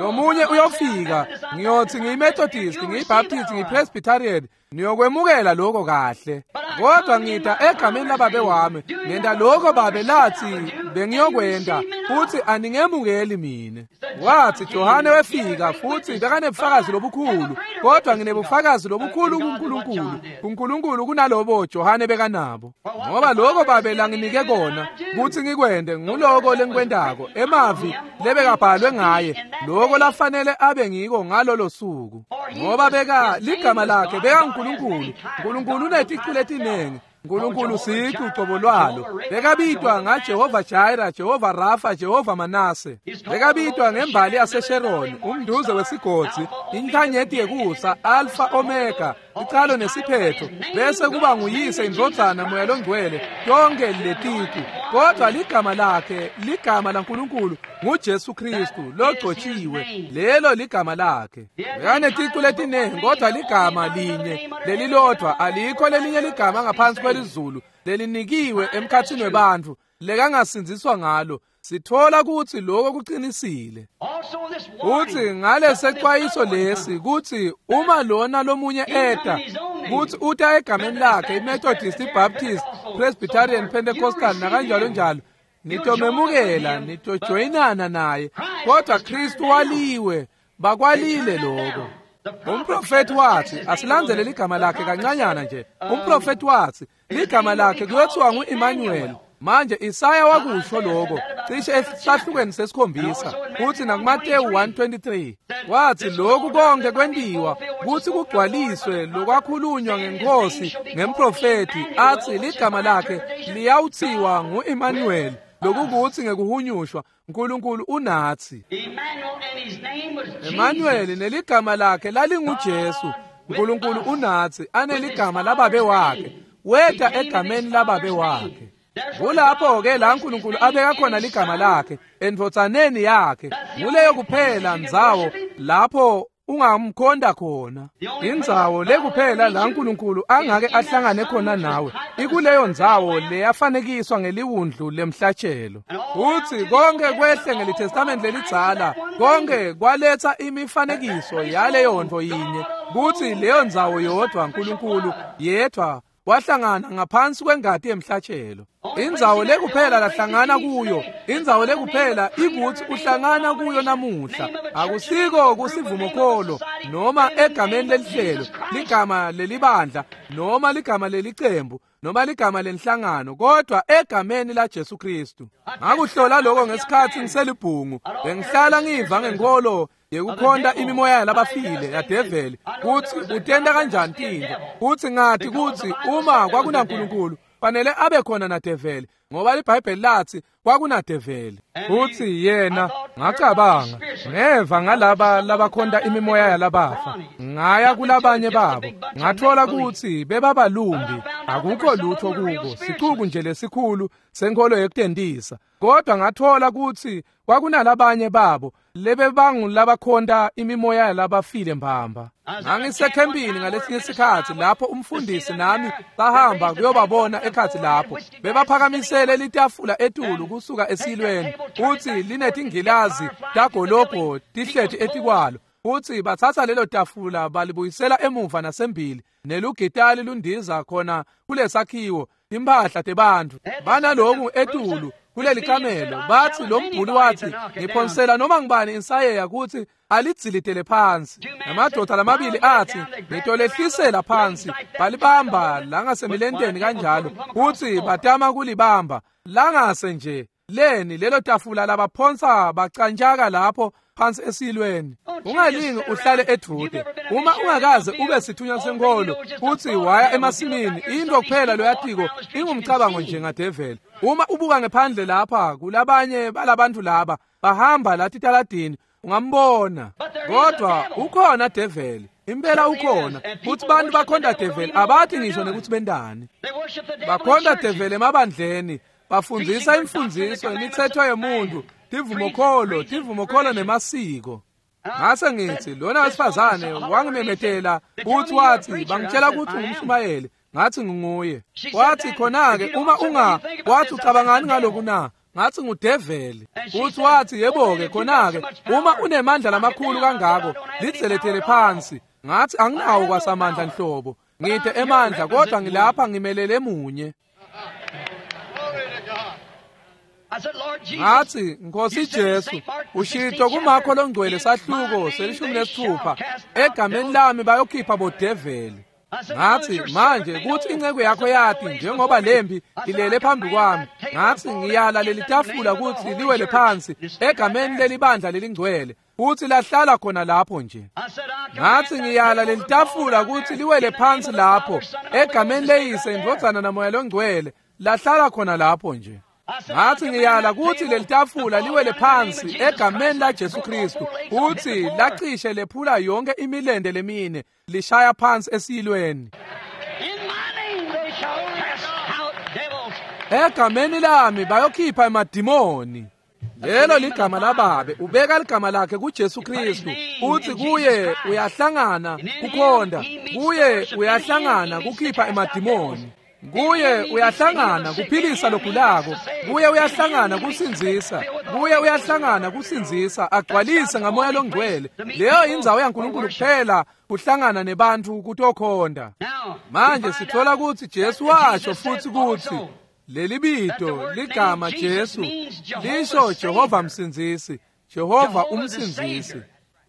Lomunye uyofika, ngiyothi ngiyiMethodist, ngiyiBaptist, ngiyiPresbyterian, niyokwemukela lokho kahle. Kodwa ngita egameni lababe wami, ngenta lokho babe lathi bengiyokwenta, Futhi aningemukeli mine. Wathi Johane wefika futhi bekanebufakazi lobukhulu, kodwa nginebufakazi lobukhulu kuNkulunkulu. KuNkulunkulu kunalobo Johane bekanabo. Ngoba lokho babe langinike kona kuthi ngikwende nguloko lengikwendako, emavi lebekabhalwe ngaye, lokho lafanele abe ngiko ngalolo suku. Ngoba beka ligama lakhe bekaNkulunkulu. uNkulunkulu uneticu letinengi. uNkulunkulu sicu ucobo lwalo. Bekabitwa ngaJehova Jireh, Jehova Rafa, Jehova Manase. Bekabitwa ngembali yaseSharon, umduze wesigodzi, inkanyeti yekusa, Alpha Omega, icalo nesiphetho, bese kuba nguyise, indvodzana, Moya loNgcwele, tonke leticu. Kodwa ligama lakhe, ligama laNkulunkulu nguJesu Kristu logcotshiwe, lelo ligama lakhe. Bekaneticu letinengi, kodwa ligama linye lelilodwa, alikho lelinye ligama ngaphansi kwelizulu lelinikiwe emkhathini webantfu lekangasindziswa ngalo. Sithola kutsi lokho kuqinisile. Uthi ngalesexwayiso lesi kutsi uma lona lomunye eta kutsi uta egameni lakhe, iMethodist, iBaptist, Presbyterian, Pentecostal nakanjalo njalo, nitomemukela, nitojoyinana naye, kodwa Kristu waliwe, bakwalile lokho. Umprofeti wathi, asilandzele ligama lakhe kancanyana nje. Umprofeti wathi ligama lakhe kuyothiwa ngu-Emmanuel. Manje Isaya wakusho lokho cishe esahlukweni sesikhombisa, futhi nakuMateyu one twenty-three wathi lokhu konke kwentiwa kuthi kugcwaliswe lokwakhulunywa ngenkosi ngemprofeti, athi ligama lakhe liyawuthiwa ngu-Emmanuel, lokukuthi ngekuhunyushwa uNkulunkulu unathi. Emmanuel neligama lakhe lalinguJesu, uNkulunkulu unathi, aneligama lababe wakhe, weta egameni lababe wakhe. Kulapho ke la uNkulunkulu abeka khona ligama lakhe endvodzaneni yakhe. Nguleyo kuphela ndzawo lapho ungamkhonda khona. Indzawo lekuphela la uNkulunkulu angake ahlangane khona nawe ikuleyo ndzawo leyafanekiswa ngeliwundlu lemhlatshelo. Uthi konke kwehle ngelitestament lelidzala, konke kwaletha imifanekiso yaleyo nto yinye, kuthi leyo ndzawo yodwa uNkulunkulu yedwa wahlangana ngaphansi kwengati yemhlatshelo. Indzawo lekuphela lahlangana kuyo, indzawo lekuphela ikuthi uhlangana kuyo namuhla, akusiko kusivumokholo noma egameni lelihlelo, ligama lelibandla noma ligama lelicembu noma ligama lenhlangano, kodwa egameni la Jesu Kristu. Ngakuhlola lokho ngesikhathi ngiselibhungu, bengihlala ngiva ngenkolo yekukhonta imimoya yalabafile yadeveli, kuthi utenda kanjani tintfo, kuthi ngathi kuthi uma kwakunaNkulunkulu fanele abe khona nadeveli, ngoba iBhayibheli lathi kwakunadeveli. Futhi yena ngacabanga ngeva ngalaba labakhonta imimoya yalabafa, ngaya kulabanye babo ngathola ukuthi bebabalumbi, akukho lutho kubo, sicuku nje lesikhulu senkolo yekutendisa. Kodwa ngathola ukuthi kwakunalabanye babo lebebangulabakhonta imimoya yalabafile mbamba. Ngangisekhempini ngalesinye isikhathi lapho umfundisi nami bahamba kuyobabona ekhathi lapho bebaphakamisele litafula etulu kusuka esilweni, uthi linetingilazi tagolobho tihleti etikwalo. Uthi bathatha lelo tafula balibuyisela emuva nasembili, nelugitali lundiza khona kulesakhiwo, timphahla tebantfu banaloku etulu kuleli kamelo. Bathi lo mbhuli wathi ngiphonsela noma ngibani insayeya ukuthi alidzilitele phansi. Namadoda lamabili athi ngitolehlisela phansi, balibamba langasemilenteni kanjalo, uthi batama kulibamba langase nje leni lelo tafula labaphonsa bacanjaka lapho phansi esilweni. Ungalingi uhlale edude uma ungakaze ube sithunywa senkolo uthi waya emasimini, into kuphela loyatiko ingumcabango nje ngadeveli. Uma ubuka ngephandle lapha kulabanye balabantu laba bahamba lathi taladini, ungambona, kodwa ukhona develi, impela ukhona. Futhi bantu bakhonda develi abathi ngisho nekuthi bendani, bakhonda develi emabandleni, bafundzisa imfundziso imithetho yemuntu, tivumokholo, tivumokholo nemasiko. Ngase ngithi lona wesifazane wangimemetela uthi wathi bangitshela ukuthi ungumshumayeli, ngathi nginguye. Wathi khona-ke uma unga, wathi ucabangani ngaloku na? Ngathi ngudeveli. Uthi wathi yebo-ke khona-ke uma unemandla lamakhulu kangako lidzeletele phansi. Ngathi anginawo kwasamandla nhlobo, ngide emandla kodwa ngilapha ngimelele munye. Ngathi, Nkosi Jesu, ushito kuMakho longcwele sahluko selishumi nesithupha, egameni lami bayokhipha bodeveli. Ngathi, manje kuthi inceku yakho yathi njengoba lempi ilele phambi kwami, ngathi ngiyala leli tafula ukuthi liwele phansi egameni lelibandla lelingcwele, futhi lahlala khona lapho nje. Ngathi ngiyala leli tafula ukuthi liwele phansi lapho egameni leyise, indvodzana namoya longcwele, lahlala khona lapho nje. Ngathi ngiyala ukuthi leli tafula liwele phansi egameni la Jesu Kristu, futhi lacishe lephula yonke imilende lemine, lishaya phansi esiyilweni. Egameni lami bayokhipha emadimoni. Lelo ligama lababe, ubeka ligama lakhe kuJesu Kristu, uthi kuye uyahlangana kukhonda, kuye uyahlangana kukhipha emadimoni, kuye uyahlangana kuphilisa logulako, kuye uyahlangana kusindzisa, kuye uyahlangana kusindzisa, agcwalise ngamoya longcwele. Leyo indzawo yaNkulunkulu kuphela kuhlangana nebantu kutokhonda. Manje sithola ukuthi Jesu washo futhi ukuthi leli bito ligama Jesu lisho Jehova msindzisi, Jehova umsindzisi.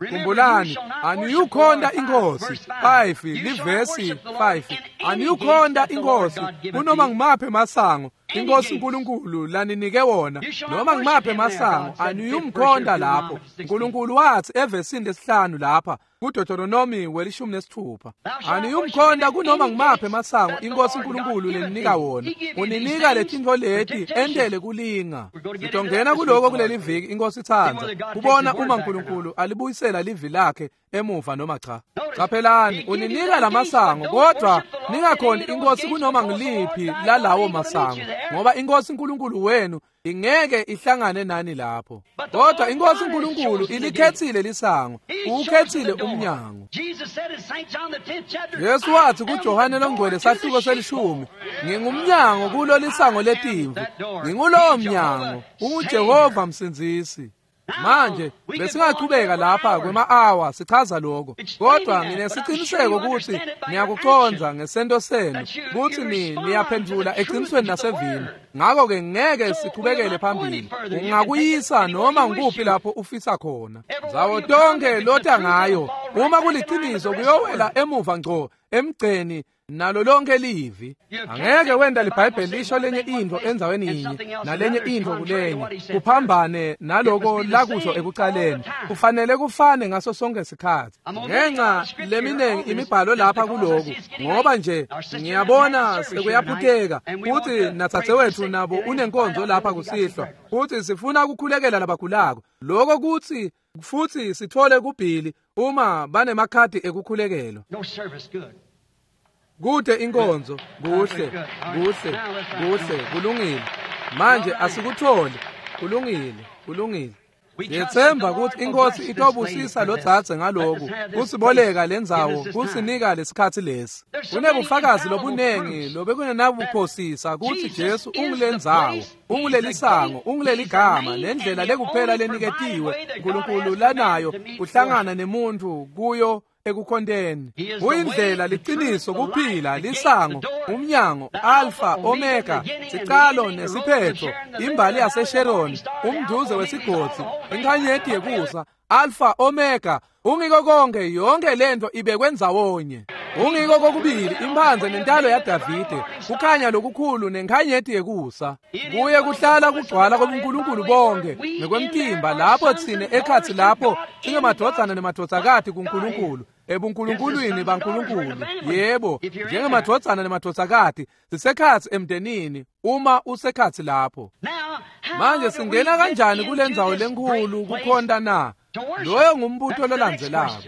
Khumbulani, aniyukhonda inkosi five livesi five, aniyukhonda inkosi kunoma ngimaphi emasango inkosi uNkulunkulu laninike wona, noma ngimaphi emasango aniyumkhonda lapho. uNkulunkulu wathi evesini lesihlanu lapha kuDeuteronomy welishumi nesithupha, aniyumkhonda kunoma ngimaphi emasango inkosi uNkulunkulu leninika wona, uninika letintfo leti entele kulinga. Sitongena kuloko kuleli viki inkosi itsandza kubona uma uNkulunkulu alibuyisela livi lakhe emuva noma cha. Qaphelani, uninika lamasango kodwa ningakhoni inkosi kunoma ngiliphi lalawo masango, ngoba inkosi uNkulunkulu wenu ingeke ihlangane nani lapho. Kodwa inkosi uNkulunkulu ilikhethile lisango, ukhethile umnyango. Jesu wathi kuJohane longcwele sahluko selishumi, ngingumnyango kulo lisango letimvu, ngingulowo mnyango, unguJehova msindzisi. Manje besingachubeka lapha kwema-awa sichaza lokho, kodwa nginesiqiniseko ukuthi niyakucondza ngesento senu ukuthi ni niyaphendula eqinisweni nasevini. Ngakho-ke ngeke sichubekele phambili. Ungakuyisa noma ngikuphi lapho ufisa khona, ndzawo tonke lota ngayo, uma kuliqiniso kuyowela emuva ngco emgceni nalo lonke livi. Angeke wenda liBhayibheli lisho lenye intfo endzaweni yinye nalenye intfo kulenye kuphambane naloko lakusho ekucaleni. Kufanele kufane ngaso sonke isikhathi. Ngenxa leminingi imibhalo lapha kuloku, ngoba nje ngiyabona sekuyaphutheka futhi natsatse wethu nabo unenkonzo lapha kusihlwa, futhi sifuna ukukhulekela labagulako. Lokho kuthi futhi sithole kubhili uma banemakhadi ekukhulekelo. Kude inkonzo, kuhle, kuhle, kuhle, kulungile. Manje asikutholi, kulungile, kulungile. Ngiyethemba ukuthi inkosi itobusisa lo dzadze ngaloku, kusiboleka lendzawo, kusinika lesikhatsi lesi. Kunebufakazi lobunengi lobekungenabuphosisa kutsi Jesu ungulendzawo, ungulelisango, unguleligama, nendlela lekuphela leniketiwe uNkulunkulu lanayo kuhlangana nemuntu kuyo ekukhonteni. Uyindlela, liqiniso, kuphila, lisango, umnyango, Alpha, Omega, sicalo nesiphetho, imbali yaseSharon, umduze wesigodzi, inkanyeti yekusa, Alpha, Omega, ungiko konke, yonke lento ibekwe ndzawonye. Ungiko kokubili, imphanze nentalo yaDavide, kukhanya lokukhulu nenkhanyeti yekusa. Kuye kuhlala kugcwala kobuNkulunkulu bonke nekwemtimba, lapho tsine ekhatsi lapho singemadvodzana nemadvodzakati kuNkulunkulu, ebunkulunkulwini baNkulunkulu. Yebo, njengemadvodzana nemadvodzakati sisekhatsi emndenini uma usekhatsi lapho. Manje singena kanjani kulendzawo lenkhulu kukhonta na? Loyo ngumbuto lolandzelako.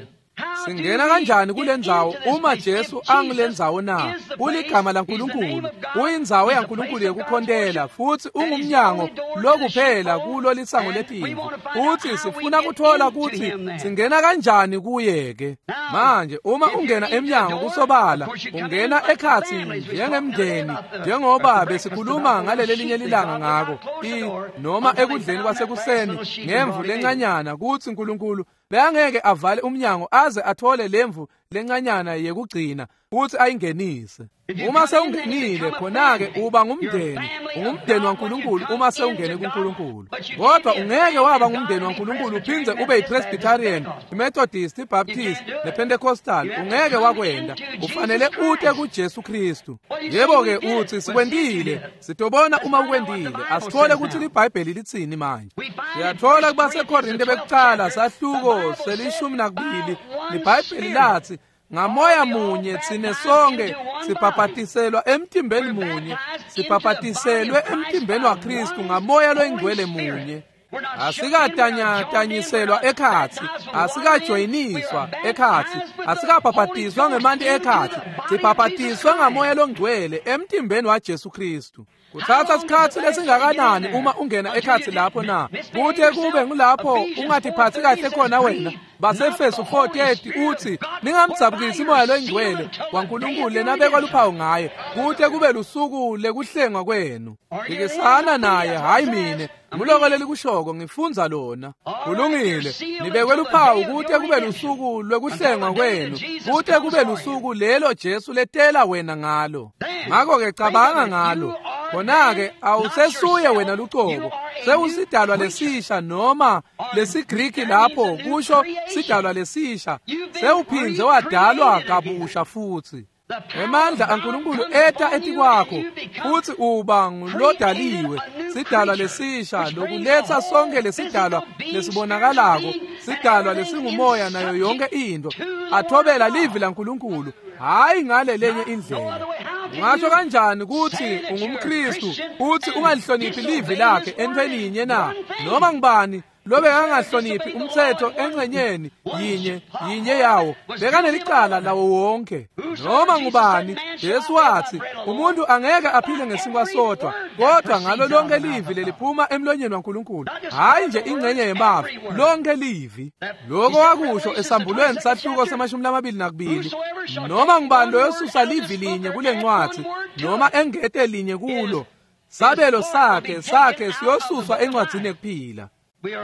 Singena kanjani kulendzawo uma Jesu angulendzawo na? Uligama laNkulunkulu, uyindzawo yaNkulunkulu yekukhontela, futhi ungumnyango lokuphela kulo lisango letimvu. Futhi sifuna kuthola kutsi singena kanjani kuye ke. Manje uma ungena emnyango kusobala, ungena ekhatsi njengemndeni, njengoba besikhuluma ngaleli linye lilanga ngako, i noma ekudleni kwasekuseni ngemvu lencanyana, kutsi uNkulunkulu beyangeke avale umnyango aze athole lemvu lencanyana yekugcina futsi ayingenise. Uma sewungenile khona-ke uba ngumndeni, ungumndeni waNkulunkulu uma sewungene kuNkulunkulu. Kodwa ungeke waba ngumndeni waNkulunkulu uphindze ube yiPresbyterian, iMethodist, iBaptist nePentecostal. Ungeke wakwenda. Ufanele ute kuJesu Kristu. Yebo-ke utsi sikwentile, sitobona uma ukwentile. Asithole kutsi liBhayibheli litsini manje. Siyatfola kubaseKorinte bekucala sahluko selishumi nakubili, liBhayibheli latsi ngamoya munye tsine sonke sibhabhatiselwa emtimbeni munye, sibhabhatiselwe emtimbeni waKristu ngamoya loyingcwele munye. Asikatanyatanyiselwa ekhatsi, asikajoyiniswa ekhatsi, asikabhabhatiswa ngemanti ekhatsi, sibhabhatiswa ngamoya longcwele emtimbeni waJesu Kristu. Kutsatsa sikhatsi lesingakanani uma ungena ekhatsi lapho na? Kute kube ngulapho ungatiphatsi kahle khona wena. Basefeso four thirty utsi ningamdzabukisi moya loyingcwele waNkulunkulu lenabekwa luphawu ngaye kute kube lusuku lekuhlengwa kwenu. Phikisana naye, hayi mine. Nguloko lelikushoko, ngifundza lona. Kulungile, nibekwe luphawu kute kube lusuku lwekuhlengwa kwenu, kute kube lusuku lelo Jesu letela wena ngalo. Ngakho-ke cabanga ngalo. Khona-ke awusesuye wena lucobo, sewusidalwa lesisha, noma lesiGriki lapho kusho sidalwa lesisha, sewuphindze wadalwa kabusha futsi. Emandla aNkulunkulu eta etikwakho futsi uba ngulodaliwe, sidalwa lesisha lokuletsa sonke lesidalwa lesibonakalako, sidalwa lesingumoya nayo yonke into, athobela livi laNkulunkulu, hayi ngale lenye indlela. Ungasho kanjani kutsi ungumKristu futsi ungalihloniphi livi lakhe entfweni yinye na? Noma ngubani lobekangahloniphi umtsetfo engcenyeni yinye yinye yawo bekanelicala lawo wonke. Noma ngubani, Jesu watsi umuntu angeke aphile ngesinkwa sodwa, kodwa ngalo lonke livi leliphuma emlonyeni waNkulunkulu. Hayi nje ingcenye yemavi, lonke livi. Lokho wakusho esambulweni sahluko semashumi lamabili nakubili. Noma ngubani loyosusa livi linye kule ncwadzi noma engete linye kulo, sabelo sakhe sakhe siyosuswa encwadzini yekuphila.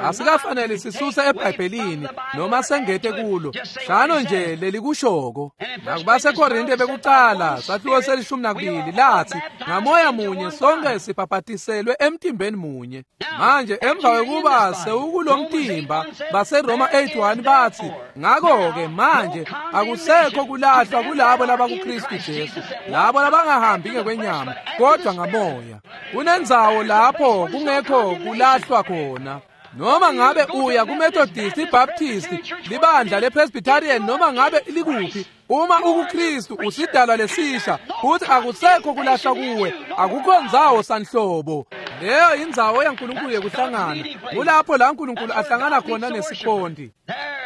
Asikafanele sisuse eBhayibhelini noma sengete kulo, shano nje lelikushoko. NakubaseKorinte bekucala sahluko selishumi nakubili latsi ngamoya munye sonke sibhabhatiselwe emtimbeni munye. Manje emva kwekuba sewukulomtimba, baseRoma eight one batsi ngakho-ke manje akusekho kulahlwa kulabo labakuKristu Jesu, labo labangahambi ngekwenyama kodwa ngamoya. Kunendzawo lapho kungekho kulahlwa khona. Noma ngabe uya kuMethodist, iBaptist, libandla lePresbyterian, noma ngabe likuphi, uma ukuKristu usidalwa lesisha futhi akusekho kulahlwa kuwe, akukho ndzawo sanhlobo. Leyo indzawo yaNkulunkulu yekuhlangana. Kulapho la uNkulunkulu ahlangana khona nesikhonti.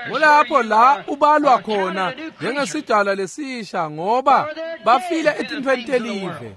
Kulapho la ubalwa khona njengesidalwa lesisha, ngoba bafile etintfweni telive.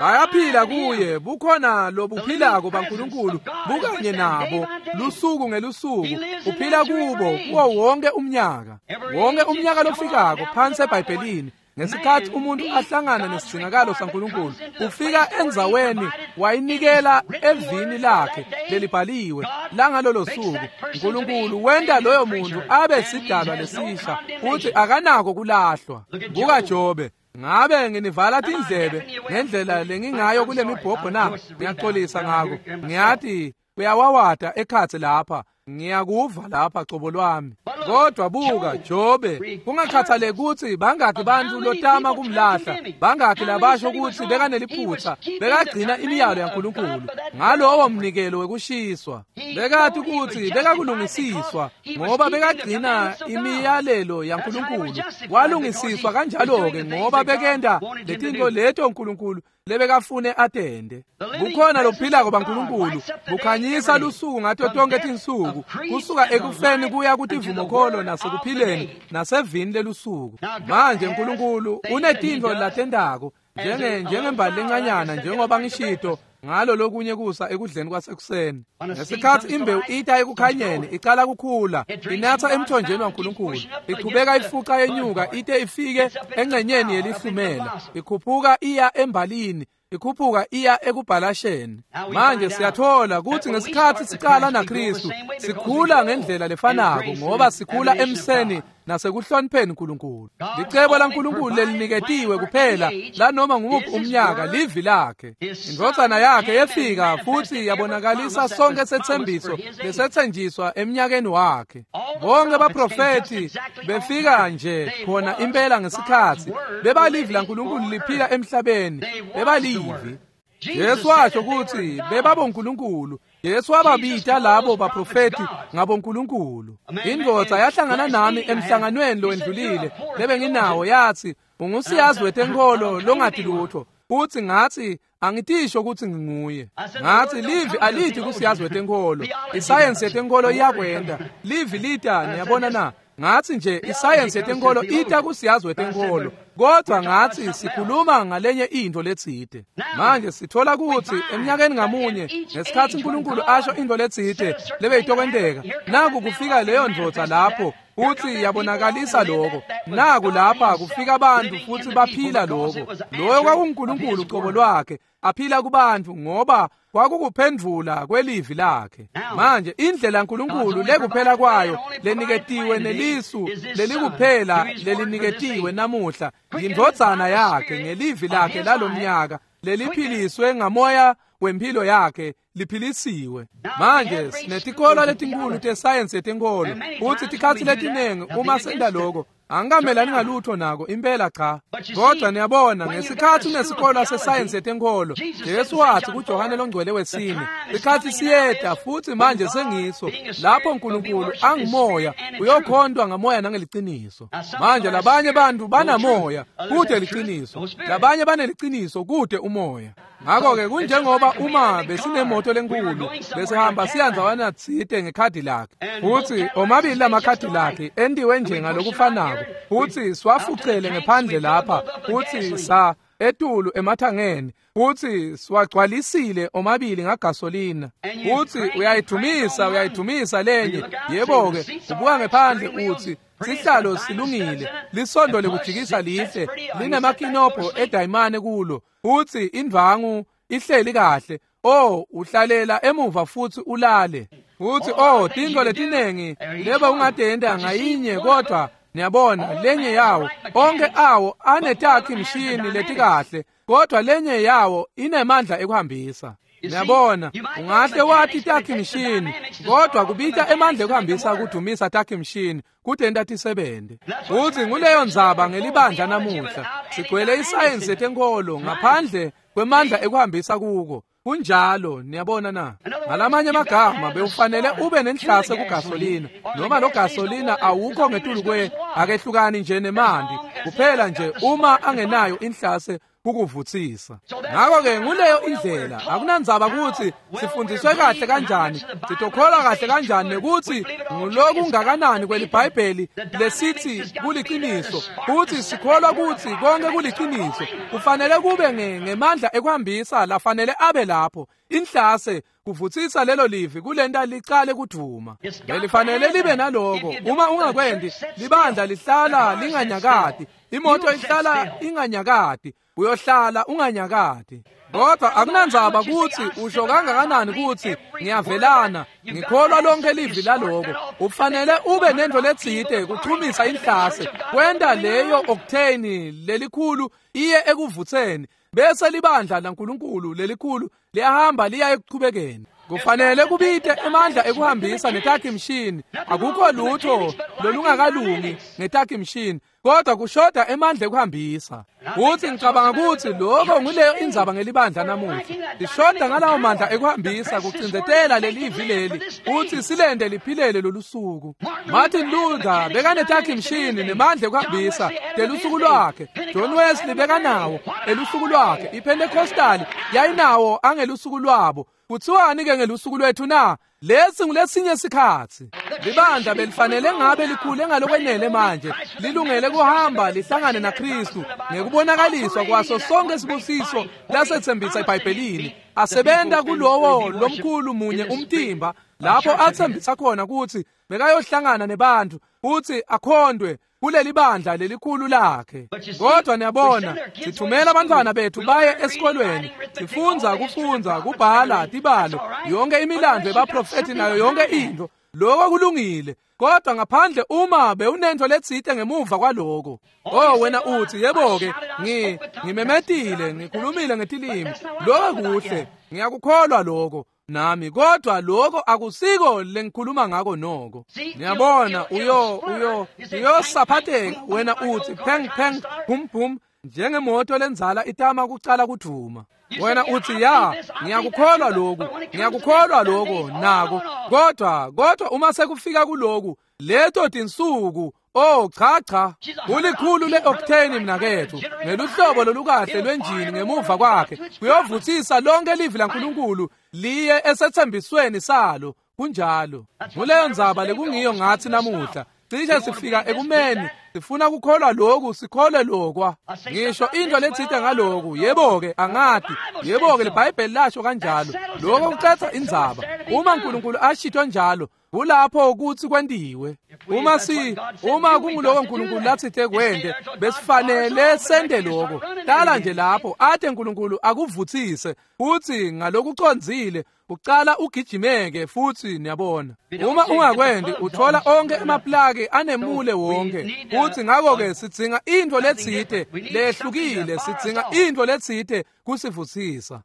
Bayaphila kuye, bukhona lobuphilako baNkulunkulu bukanye nabo lusuku ngelusuku. Uphila kubo kuwo wonke umnyaka, wonke umnyaka lofikako phansi eBhayibhelini. Ngesikhathi umuntu ahlangana nesidingakalo saNkulunkulu, ufika endzaweni wayinikela evini lakhe lelibhaliwe langalolo suku. uNkulunkulu wenta loyo muntu abe sidalwa lesisha futhi akanako kulahlwa. Buka Jobe. Ngabe nginivala tindlebe ngendlela lengingayo kule mibhobho na? Ngiyaxolisa ngako. Ngiyathi kuyawawata ekhatsi lapha, ngiyakuva lapha cobo lwami. Kodwa buka Jobe, kungakhathaleki kutsi bangakhi bantfu lotama kumlahla, bangakhi labasho kutsi bekaneliphutsa, bekagcina imiyalo yaNkulunkulu ngalowo mnikelo wekushiswa. Bekati kutsi bekakulungisiswa ngoba bekagcina imiyalelo yaNkulunkulu. Walungisiswa kanjalo-ke ngoba bekenta letintfo leto uNkulunkulu lebekafune atende. Bukhona lophilako baNkulunkulu bukhanyisa lusuku ngato tonke tinsuku, kusuka ekufeni kuya kutivumokholo nasekuphileni nasevini lelusuku. Manje uNkulunkulu unetintfo latentako njenge njengembali lencanyana, njengoba ngishito ngalo lokunye kusa ekudleni kwasekuseni. Ngesikhathi imbewu ita ekukhanyeni icala kukhula, inatha emthonjeni waNkulunkulu, ichubeka ifuca yenyuka ite ifike engcenyeni yelihlumela, ikhuphuka iya embalini Ikhuphuka iya ekubhalasheni. Manje siyathola ukuthi ngesikhathi siqala naKristu sikhula ngendlela lefanako ngoba sikhula emseni nasekuhlonipheni uNkulunkulu. Licebo laNkulunkulu leliniketiwe kuphela lanoma ngumuphi umnyaka livi lakhe. Indvodzana yakhe yefika futhi yabonakalisa sonke setsembiso lesetsenjiswa eminyakeni wakhe. Bonke baprofeti befika nje khona impela ngesikhathi bebalivi laNkulunkulu liphila emhlabeni, bebalivi. Jesu washo ukuthi bebabonkulunkulu. Jesu wababita labo baprofeti ngabonkulunkulu. Indvodza yahlangana nami emhlanganweni lowendlulile lebenginawo yathi ungusiyazi wetenkolo longathi lutho. Futhi ngathi angitisho ukuthi nginguye. Ngathi livi alithi kusiyazi wetenkolo. Isayensi yetenkolo iyakwenda. Livi lita niyabona na? Ngathi nje isayensi yetenkolo ita kusiyazi wetenkolo. Kodwa ngathi sikhuluma ngalenye into letsite. Manje sithola ukuthi eminyakeni ngamunye ngesikhathi uNkulunkulu asho into letsite lebeyitokwenteka, naku kufika leyo ndvodza lapho uthi yabonakalisa lokho. Naku lapha kufika abantu futhi baphila lokho. Loyo kwakuNkulunkulu uqobo lwakhe aphila kubantu ngoba kwakukuphendvula kwelivi lakhe. Manje indlela uNkulunkulu lekuphela kwayo leniketiwe nelisu lelikuphela leliniketiwe namuhla yindvodzana yakhe ngelivi lakhe lalomnyaka leliphiliswe ngamoya wempilo yakhe liphilisiwe. Manje sinetikolo letinkulu tesayensi yetenkolo futhi tikhatsi letinengi uma senta lokho angikamelani ngalutho nako impela cha. Kodwa niyabona ngesikhathi unesikolo sesayensi yetenkolo, Jesu wathi kuJohane longcwele wesine, isikhathi siyeta futhi manje sengiso lapho uNkulunkulu angumoya uyokhontwa ngamoya nangeliciniso. Manje labanye bantu banamoya kude liciniso, labanye baneliciniso kude umoya. Ngakho-ke kunjengoba uma besinemoto lenkulu besihamba siyanzawana tsite ngekhadi lakhe, futhi omabili lamakhadi lakhe entiwe nje ngalokufanako, futhi siwafucele ngephandle lapha futhi sa etulu emathangeni futhi siwagcwalisile omabili ngagasolina, futhi uyayidumisa uyayidumisa lenye. Yebo-ke ubuka ngephandle uthi sihlalo silungile, lisondo lekujikisa lihle, linemakinobho edayimane kulo, futhi indvangu ihleli kahle. Oh, uhlalela emuva futhi ulale. Futhi oh, tintfo letinengi leba ungatenda ngayinye, kodwa niyabona lenye yawo onke awo anetakhi mshini letikahle, kodwa lenye yawo inemandla ekuhambisa. Niyabona ungahle wathi takhi mshini, kodwa kubita emandla ekuhambisa kudumisa takhi mshini kutenta tisebente. Futhi nguleyo ndzaba ngelibandla namuhla, sigcwele isayensi yetenkolo ngaphandle kwemandla ekuhambisa kuko. Kunjalo, niyabona na? Ngalamanye amagama bewufanele ube nenhlase kugasolina, noma lo gasolina awukho ngetulu kwe akehlukani nje nemanti, kuphela nje uma angenayo inhlase kukuvuthisa. Ngakho-ke nguleyo indlela, akunandzaba ukuthi sifundiswe kahle kanjani, sitokholwa kahle kanjani nekuthi ngulokungakanani kweliBhayibheli lesithi kuliciniso, futhi sikholwa ukuthi konke kuliciniso. Kufanele kube ngemandla ekuhambisa lafanele abe lapho. Inhlase kuvuthisa lelo livi kulenta licale kudvuma. Belifanele libe naloko. Uma ungakwendi, libandla lihlala linganyakati, imoto ihlala inganyakati, uyohlala unganyakati. Kodwa akunandzaba ukuthi usho kangakanani ukuthi ngiyavelana, ngikholwa lonke livi laloko. Ufanele ube nento letsite kuchumisa inhlase, kwenta leyo octane lelikhulu iye ekuvutheni, bese libandla laNkulunkulu lelikhulu liyahamba liya ekuchubekeni. Kufanele kubite emandla ekuhambisa netakhi mshini. Akukho lutho lolungakalungi ngetakhi mshini, kodwa kushoda emandla ekuhambisa. Futhi ngicabanga ukuthi lokho nguleyo indzaba ngelibandla namuhla. Lishoda ngalawo mandla ekuhambisa kucindzetela lelivi leli futhi silende liphilele lolusuku. Martin Luther bekanetakhi mshini nemandla ekuhambisa delusuku lwakhe. John Wesley bekanawo elusuku lwakhe. IPentecostal yayinawo angelusuku lwabo. Kuthiwani ke ngelusuku lwethu na? Lesi ngulesinye sikhathi. Libandla belifanele ngabe likhule ngalokwenele manje, lilungele kuhamba lihlangane naKristu ngekubonakaliswa kwaso sonke sibusiso lasethembisa eBhayibhelini. Asebenta kulowo lomkhulu munye umtimba lapho athembisa khona ukuthi Bekayohlangana nebantu futhi akhondwe kuleli bandla lelikhulu lakhe. Kodwa niyabona, sithumela abantwana bethu baye esikolweni, sifundza kufundza, kubhala tibalo, yonke imilando yebaprofethi nayo yonke into. Lokho kulungile, kodwa ngaphandle uma bewunento letsite ngemuva kwaloko. Oh wena uthi, yebo-ke, ngi ngimemetile, ngikhulumile ngetilimi. Lokho kuhle, ngiyakukholwa lokho nami, kodwa lokho akusiko lengikhuluma ngako noko. Niyabona, uyo uyo uyosaphatheka. Wena uthi pheng pheng bum bum, njengemoto lenzala itama kucala kudvuma. Wena uthi, ya, ngiyakukholwa lokhu, ngiyakukholwa lokho nako, kodwa kodwa uma sekufika kuloku leto tinsuku, oh cha cha, ulikhulu le-octane mnakethu, ngeluhlobo lolukahle lwenjini ngemuva kwakhe, kuyovuthisa lonke livi laNkulunkulu liye esethembisweni salo. Kunjalo. Nguleyo ndzaba lekungiyo ngathi namuhla. Cishe sifika ekumeni sifuna kukholwa lokhu, sikholwe lokwa. Ngisho into letsite ngaloku, yebo-ke angati, yebo-ke liBhayibheli lasho kanjalo. Lokho kucetha indzaba. Uma uNkulunkulu ashito njalo, kulapho ukuthi kwentiwe. Uma si uma kunguloko uNkulunkulu latsite kwente, besifanele sente lokho. Hlala nje lapho ate uNkulunkulu akuvuthise futhi ngalokucondzile ucala ugijimeke futhi niyabona. Uma ungakwendi uthola onke emaplaki anemule wonke. Futhi ngakho-ke sidzinga into letsite lehlukile, sidzinga into letsite kusivuthisa.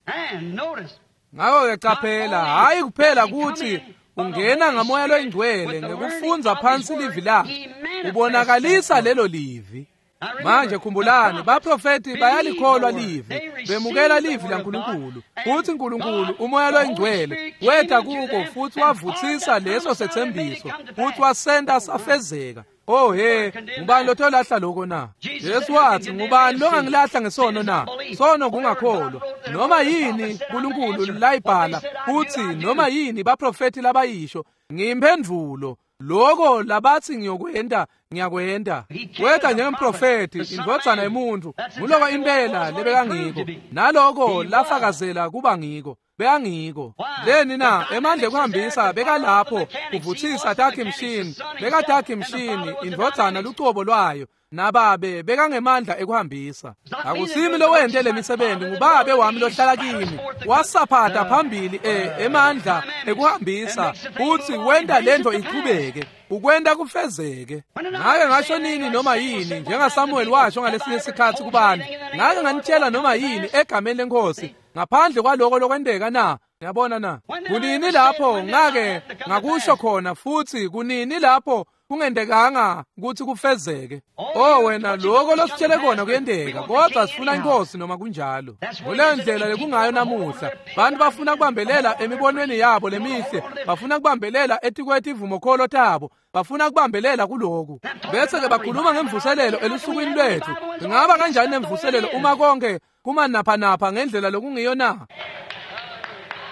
Ngakho-ke qaphela, hhayi kuphela ukuthi ungena ngamoya loyingcwele ngekufundza phansi livi lakhe, ubonakalisa lelo livi. Manje khumbulani, baprofethi bayalikholwa livi, bemukela livi laNkulunkulu. Futhi uNkulunkulu umoya loyingcwele weta kubo futhi wavuthisa leso sethembiso futhi wasenta safezeka. Oh he, ngubani lotolahla lokho na? Jesu wathi, ngubani longangilahla ngesono na? Sono kungakholwa. Noma yini uNkulunkulu layibhala futhi noma yini baprofethi labayisho, ngiyimphendvulo. Lokho labathi ngiyokwenta, ngiyakwenta. Weta njengemprofethi, indvodzana yemuntu, nguloko impela lebekangiko. Naloko lafakazela kuba ngiko. Bekangiko. Leni na? Emandla ekuhambisa bekalapho kuvuthisa takhe mshini, bekatakhe mshini indvodzana lucobo lwayo. Nababe bekangemandla ekuhambisa. Akusimi lowente lemisebenzi, ngubabe wami lohlala kimi. Wasaphatha phambili e emandla ekuhambisa futhi wenta lento ichubeke, ukwenta kufezeke. Ngake ngasho nini noma yini, njengaSamuel washo ngalesinye sikhathi kubantu, ngake nganitshela noma yini egameni lenkosi ngaphandle kwaloko lokwenteka na? Niyabona na? Kunini lapho ngake ngakusho khona futhi kunini lapho kungentekanga ukuthi kufezeke? Oh wena, lokho lositshele kona kuyenteka, kodwa sifuna inkosi noma kunjalo. Kuleyo ndlela lekungayo namuhla. Bantu bafuna kubambelela emibonweni yabo lemihle, bafuna kubambelela etikwetivumokholo tabo, bafuna kubambelela kuloku. Bese ke bakhuluma ngemvuselelo elusukwini lwethu. Ingaba kanjani nemvuselelo uma konke kumanaphanapha ngendlela lokungiyo na?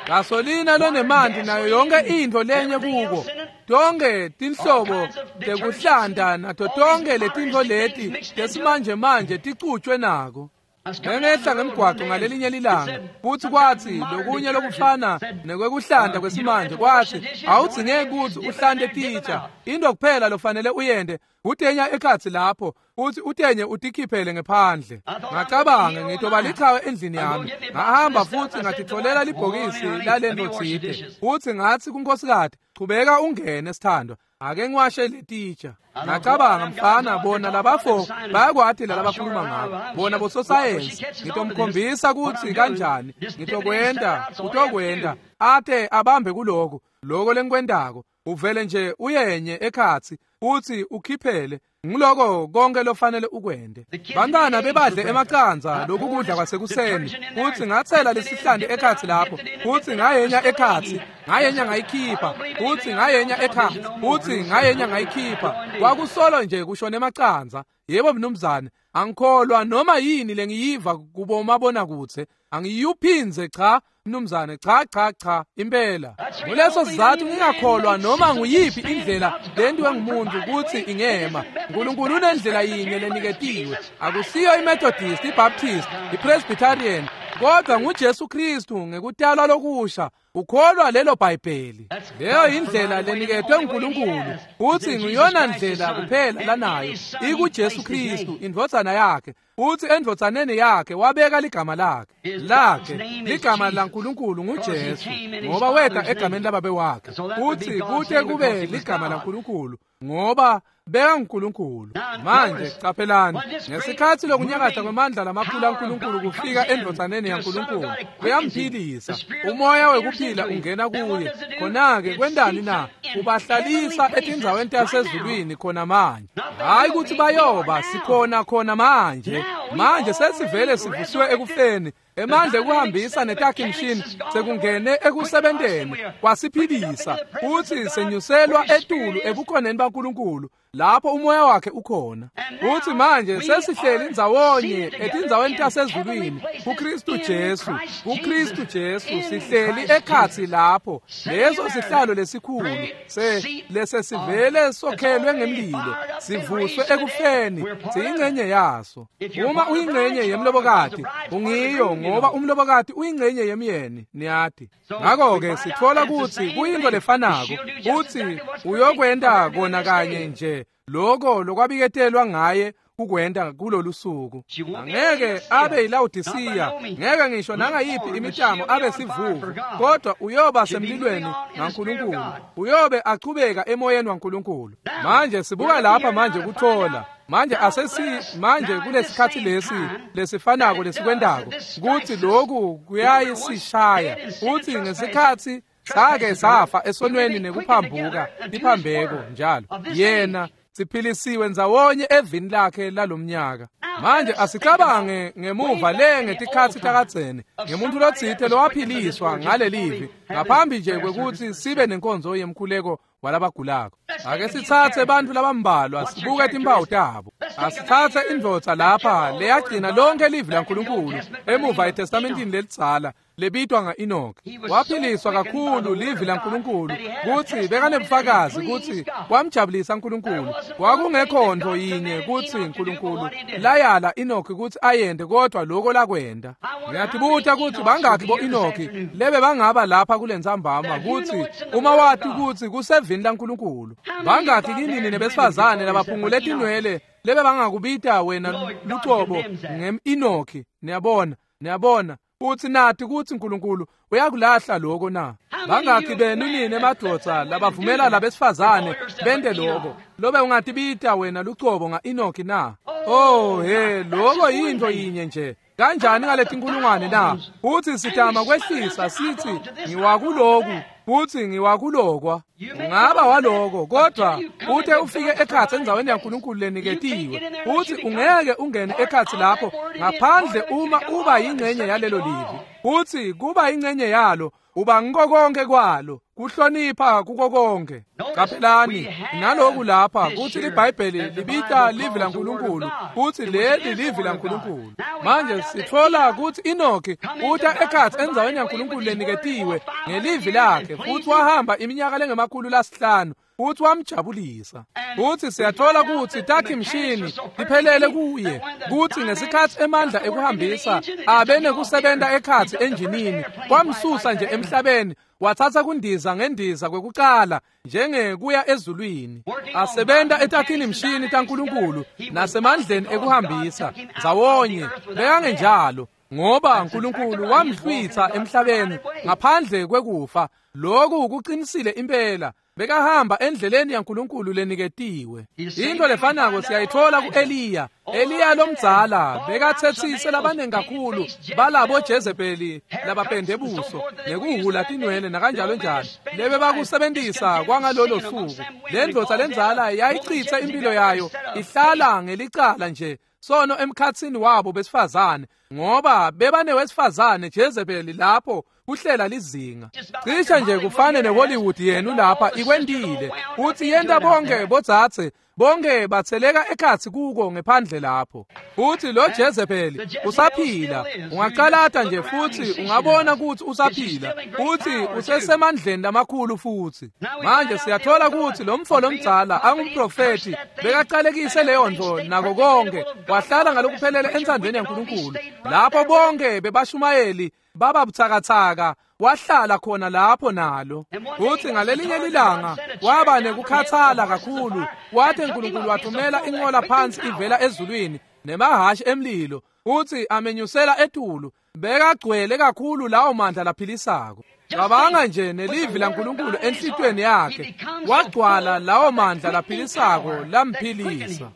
Gasolina lonemanti nayo yonke into lenye kuko. Tonke tinhlobo tekuhlanta nato tonke letintfo leti tesimanje manje ticutshwe nako. Ngengehla ngemgwaqo ngalelinye lilanga, futhi kwathi lokunye lokufana nekwekuhlanta kwesimanje, kwathi awudzingeki ukuthi uhlante titsha, into kuphela lofanele uyente utenya ekhatsi lapho futhi utenye utikhiphele ngephandle. Ngacabanga ngitoba lichawe endlini yami. Ngahamba futhi ngatitholela libhokisi lalento tsite, futhi ngathi kunkosikati, chubeka ungene sithandwa, ake ngiwashe letitsha. Ngacabanga, mfana, bona labafo bayakwati lalabakhuluma ngabo, bona bososayensi. Ngitomkhombisa ukuthi kanjani ngitokwenta, utokwenta ate abambe kuloko loko lengikwentako. Uvele nje uyenye ekhatsi futhi ukhiphele, ngiloko konke lofanele ukwente. Bantwana bebadle emacandza lokhu kudla kwasekuseni, futhi ngathela lesihlandi ekhatsi lapho, futhi ngayenya ekhatsi, ngayenya ngayikhipha, futhi ngayenya ekhatsi, futhi ngayenya ngayikhipha. Kwakusolo nje kushona emacandza. Yebo mnumzane, angikholwa noma yini lengiyiva kubomabonakudze, angiyuphindze cha mnumzane, cha cha cha impela. Nguleso sizathu ngingakholwa noma nguyiphi indlela lentiwe ngumuntu ukuthi ingema. uNkulunkulu unendlela yinye leniketiwe, akusiyo iMethodist, iBaptist, iPresbyterian, Kodwa nguJesu Kristu ngekutalwa lokusha ukholwa lelo Bhayibheli. Leyo indlela leniketwe uNkulunkulu uthi nguyona ndlela kuphela lanayo ikuJesu Kristu indvodzana yakhe. Uthi endvodzaneni yakhe wabeka ligama lakhe lakhe ligama laNkulunkulu nguJesu ngoba weta egameni lababe wakhe. Uthi kute kube ligama laNkulunkulu ngoba beka uNkulunkulu. Manje qaphelani ngesikhathi lokunyakatha kwamandla lamakhulu aNkulunkulu kufika endvodzaneni yaNkulunkulu kuyamphilisa umoya wekuphila ungena kuye. Khona-ke kwendani na? Ubahlalisa etindzaweni tasezulwini khona manje. Hayi ukuthi bayoba sikhona khona manje. Manje sesivele sivusiwe ekufeni emandla ekuhambisa netakhi-mshini sekungene ekusebenteni kwasiphilisa uthi senyuselwa etulu ebukhoneni baNkulunkulu lapho umoya wakhe ukhona. Uthi manje sesihleli ndzawonye etindzaweni tasezulwini kuKristu Jesu kuKristu Jesu sihleli ekhatsi lapho leso sihlalo lesikhulu se lesesivele sokhelwe ngemlilo sivuswe ekufeni siyingcenye yaso. Uma uyingcenye yemlobokati ungiyo ngoba umlobokati uyingcenye yemyeni niyati. Ngakho-ke sithola ukuthi kuyinto lefanako uthi uyokwenta kona kanye nje lokho lokwabiketelwa ngaye kukwenta kulolu suku. Angeke abe yiLawodisiya, ngeke ngisho nangayiphi imitamo abe sivuvu, kodwa uyoba semlilweni ngaNkulunkulu, uyobe achubeka emoyeni waNkulunkulu. Manje sibuka lapha manje kuthola manje asesi manje kulesikhathi lesi lesifanako lesikwendako kuthi lokhu kuyayisishaya uthi ngesikhathi sake safa esonweni nekuphambuka iphambeko njalo yena siphilisiwe ndzawonye evini lakhe lalomnyaka. Manje asicabange ngemuva le ngetikhatsi takadzeni ngemuntu lotsite lowaphiliswa ngalelivi ngaphambi nje kwekuthi sibe nenkonzo yemkhuleko walabagulako. Ake sitsatse bantfu labambalwa sibuke timphawu tabo. Asitsatse indvodza lapha leyagcina lonke livi laNkulunkulu emuva eTestamentini lelidzala lebitwa nga-Enoki. Waphiliswa kakhulu livi laNkulunkulu kutsi bekanebufakazi kutsi kwamjabulisa uNkulunkulu. Kwakungekho nto yinye kutsi uNkulunkulu layala Enoki kutsi ayende kodwa lokho lakwenda. Ngiyatibuta kutsi bangakhi bo-Enoki lebe bangaba lapha kulentsambama kutsi uma wati kutsi kusevini laNkulunkulu. Bangakhi kinini nebesifazane labaphungule tinwele lebe bangakubita wena lucobo ngem-Enoki. Niyabona, niyabona uthi nathi kuthi uNkulunkulu uyakulahla lokho na? Bangakhi benu nini emadvodza labavumela labesifazane bente lokho lobe ungatibita wena lucobo nga-Enoki na? Oh he, lokho yinto yinye nje. Kanjani ngaletinkulungwane na? Uthi sitama kwehlisa sithi ngiwakuloku uthi ngiwakulokwa. Ungaba waloko kodwa uthe ufike ekhatsi endzaweni yaNkulunkulu leniketiwe uthi ungeke ungene ekhatsi lapho ngaphandle uma uba yingcenye yalelo livi. Uthi kuba yingcenye yalo uba ngiko konke kwalo kuhlonipha kuko konke. Qaphelani naloku lapha kuthi liBhayibheli libita livi laNkulunkulu kuthi leli livi laNkulunkulu. Manje sithola kuthi Enoki uta ekhatsi endzaweni yaNkulunkulu leniketiwe ngelivi lakhe futhi wahamba iminyaka lengemakhulu lasihlanu futhi wamjabulisa. Futhi siyathola ukuthi takhi-mshini iphelele kuye kuthi ngesikhathi emandla ekuhambisa abe nekusebenta ekhatsi enjinini kwamsusa nje emhlabeni wathatha kundiza ngendiza kwekucala njengekuya ezulwini asebenta etakhini-mshini taNkulunkulu nasemandleni ekuhambisa ndzawonye. Bekangenjalo ngoba uNkulunkulu wamhlwitha emhlabeni ngaphandle kwekufa. Lokhu kuqinisile impela. Bekahamba endleleni yaNkulunkulu leniketiwe. Into lefanako siyayithola ku-Eliya. Eliya lomdzala bekathethise labanengi kakhulu balabo Jezebeli labapende buso nekuhhula tinwele nakanjalo njalo lebe bakusebentisa kwangalolo suku. Le ndvodza lendzala yayichitha impilo yayo ihlala ngelicala nje sono emkhatsini wabo besifazane ngoba bebanewesifazane Jezebeli lapho kuhlela lizinga. Cishe nje kufane neHollywood yenu lapha ikwentile uthi yenta bonke bodzadze Bonke batheleka ekhatsi kuko ngephandle lapho. Futhi lo Jezebeli usaphila. Ungaqalata nje futhi ungabona ukuthi usaphila. Futhi usesemandleni lamakhulu futhi. Manje siyathola ukuthi lo mfo lomdzala angumprofeti bekaqalekise leyo nto nako konke. Wahlala ngalokuphelele entsandvweni yaNkulunkulu. Lapho bonke bebashumayeli baba buthakathaka wahlala khona lapho nalo. Futhi ngalelinye lilanga waba nekukhathala kakhulu, wathi uNkulunkulu wathumela inqola phansi ivela ezulwini nemahashi emlilo, futhi amenyusela etulu. Bekagcwele kakhulu lawo mandla laphilisako. Cabanga nje nelivi laNkulunkulu enhlitweni yakhe, wagcwala lawo mandla laphilisako lamphilisa.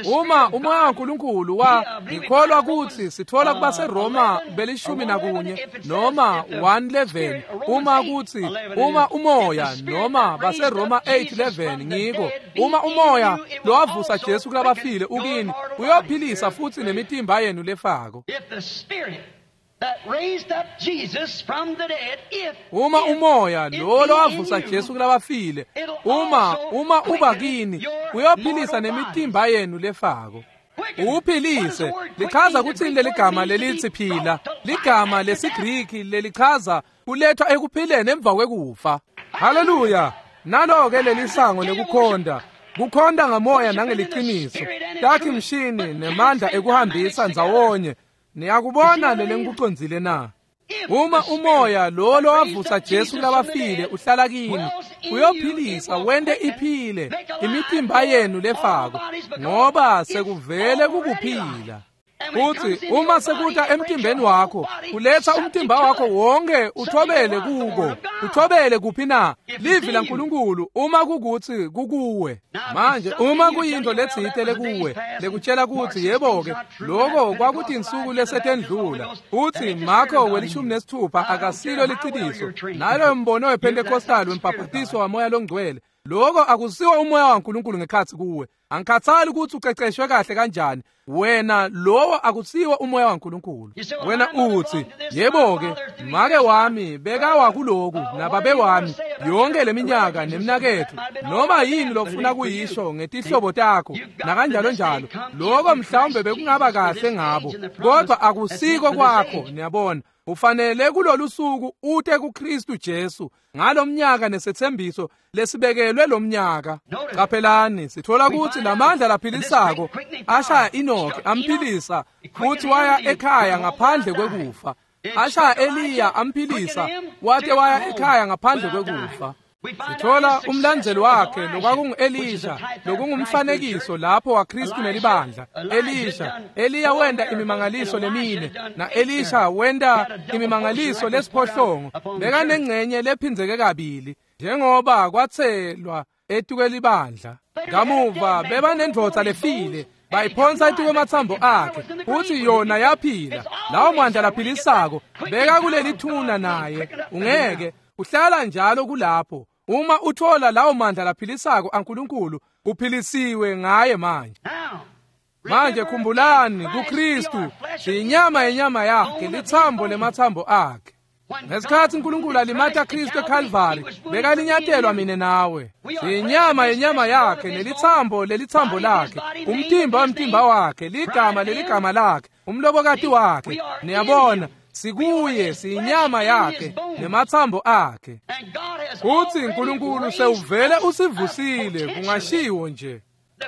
Uma umoya waNkulunkulu wa ngikholwa ukuthi sithola kubaseRoma belishumi nakunye noma one eleven, uma kuthi uma umoya noma baseRoma eight eleven ngiko, uma umoya lowavusa Jesu kulabafile ukini, uyophilisa futhi nemitimba yenu lefako. Uma umoya lo lowavusa Jesu kulabafile, uma uma uba kini, uyophilisa nemitimba yenu lefako. Uphilise lichaza ukuthi leli gama lelithi phila, ligama lesiGriki lelichaza kulethwa ekuphileni emva kwekufa. Haleluya! Nalo ke lelisango lekukhonda, kukhonda ngamoya nangeliqiniso, takhi mshini nemandla ekuhambisa ndzawonye. Niyakubona lele ngikucondzile na? Uma umoya lo lowavusa Jesu kulabafile uhlala kini, uyophilisa wente iphile imitimba yenu lefako, ngoba sekuvele kukuphila. Futhi uma sekuta emtimbeni wakho, uletha umtimba wakho wonke uthobele kuko. Uthobele kuphi na? Livi laNkulunkulu uma kukuthi kukuwe. Manje uma kuyinto letsite lekuwe, lekutshela ukuthi yebo ke, lokho kwakuthi insuku lesetendlula. Uthi Marko welishumi nesithupha akasilo liqiniso. Nalo mbono wePentecostal wembhaphatiso wamoya longcwele. Lokho akusiwo umoya waNkulunkulu ngekhathi kuwe. Angikhathali ukuthi uqeqeshwe kahle kanjani, wena lowo akusiwo umoya waNkulunkulu. Wena uthi yebo ke, make wami bekawa kuloku nababe wami yonke leminyaka nemnakethu, noma yini lofuna kuyisho ngetihlobo takho nakanjalo njalo, lokho mhlawumbe bekungaba kahle ngabo, kodwa akusiko kwakho. Niyabona, ufanele kulolu suku ute kuKristu Jesu ngalomnyaka nesethembiso lesibekelwe lomnyaka. Qaphelani, sithola ukuthi lamandla laphilisako ashaya Enoch amphilisa, futhi waya ekhaya ngaphandle kwekufa. Ashaya Eliya amphilisa, wate waya ekhaya ngaphandle kwekufa. Sithola umlandzeli wakhe lokwakungu-Elisha, lokungumfanekiso lapho waKristu nelibandla. Elisha, Eliya wenda imimangaliso lemine, na-Elisha wenda imimangaliso lesiphohlongo. Bekanengcenye lephindzeke kabili, njengoba kwatselwa etukwelibandla. Kamuva bebanendvodza lefile, bayiphonsa etukwemathambo akhe, futhi yona yaphila. Lawo mandla laphilisako beka kuleli thuna naye, ungeke uhlala njalo kulapho. Uma uthola lawo mandla laphilisako aNkulunkulu, uphilisiwe ngaye manje. Manje khumbulani, kuKristu siyinyama yenyama yakhe, lithambo lemathambo akhe. Ngesikhathi uNkulunkulu alimata Kristu eCalvary, bekalinyatelwa mina nawe. Siyinyama yenyama yakhe, nelithambo lelithambo lakhe, umtimba wemtimba wakhe, ligama leligama lakhe, umlobokati wakhe. Niyabona, sikuye, siyinyama yakhe nemathambo akhe. Futhi uNkulunkulu sewuvele usivusile, kungashiwo nje.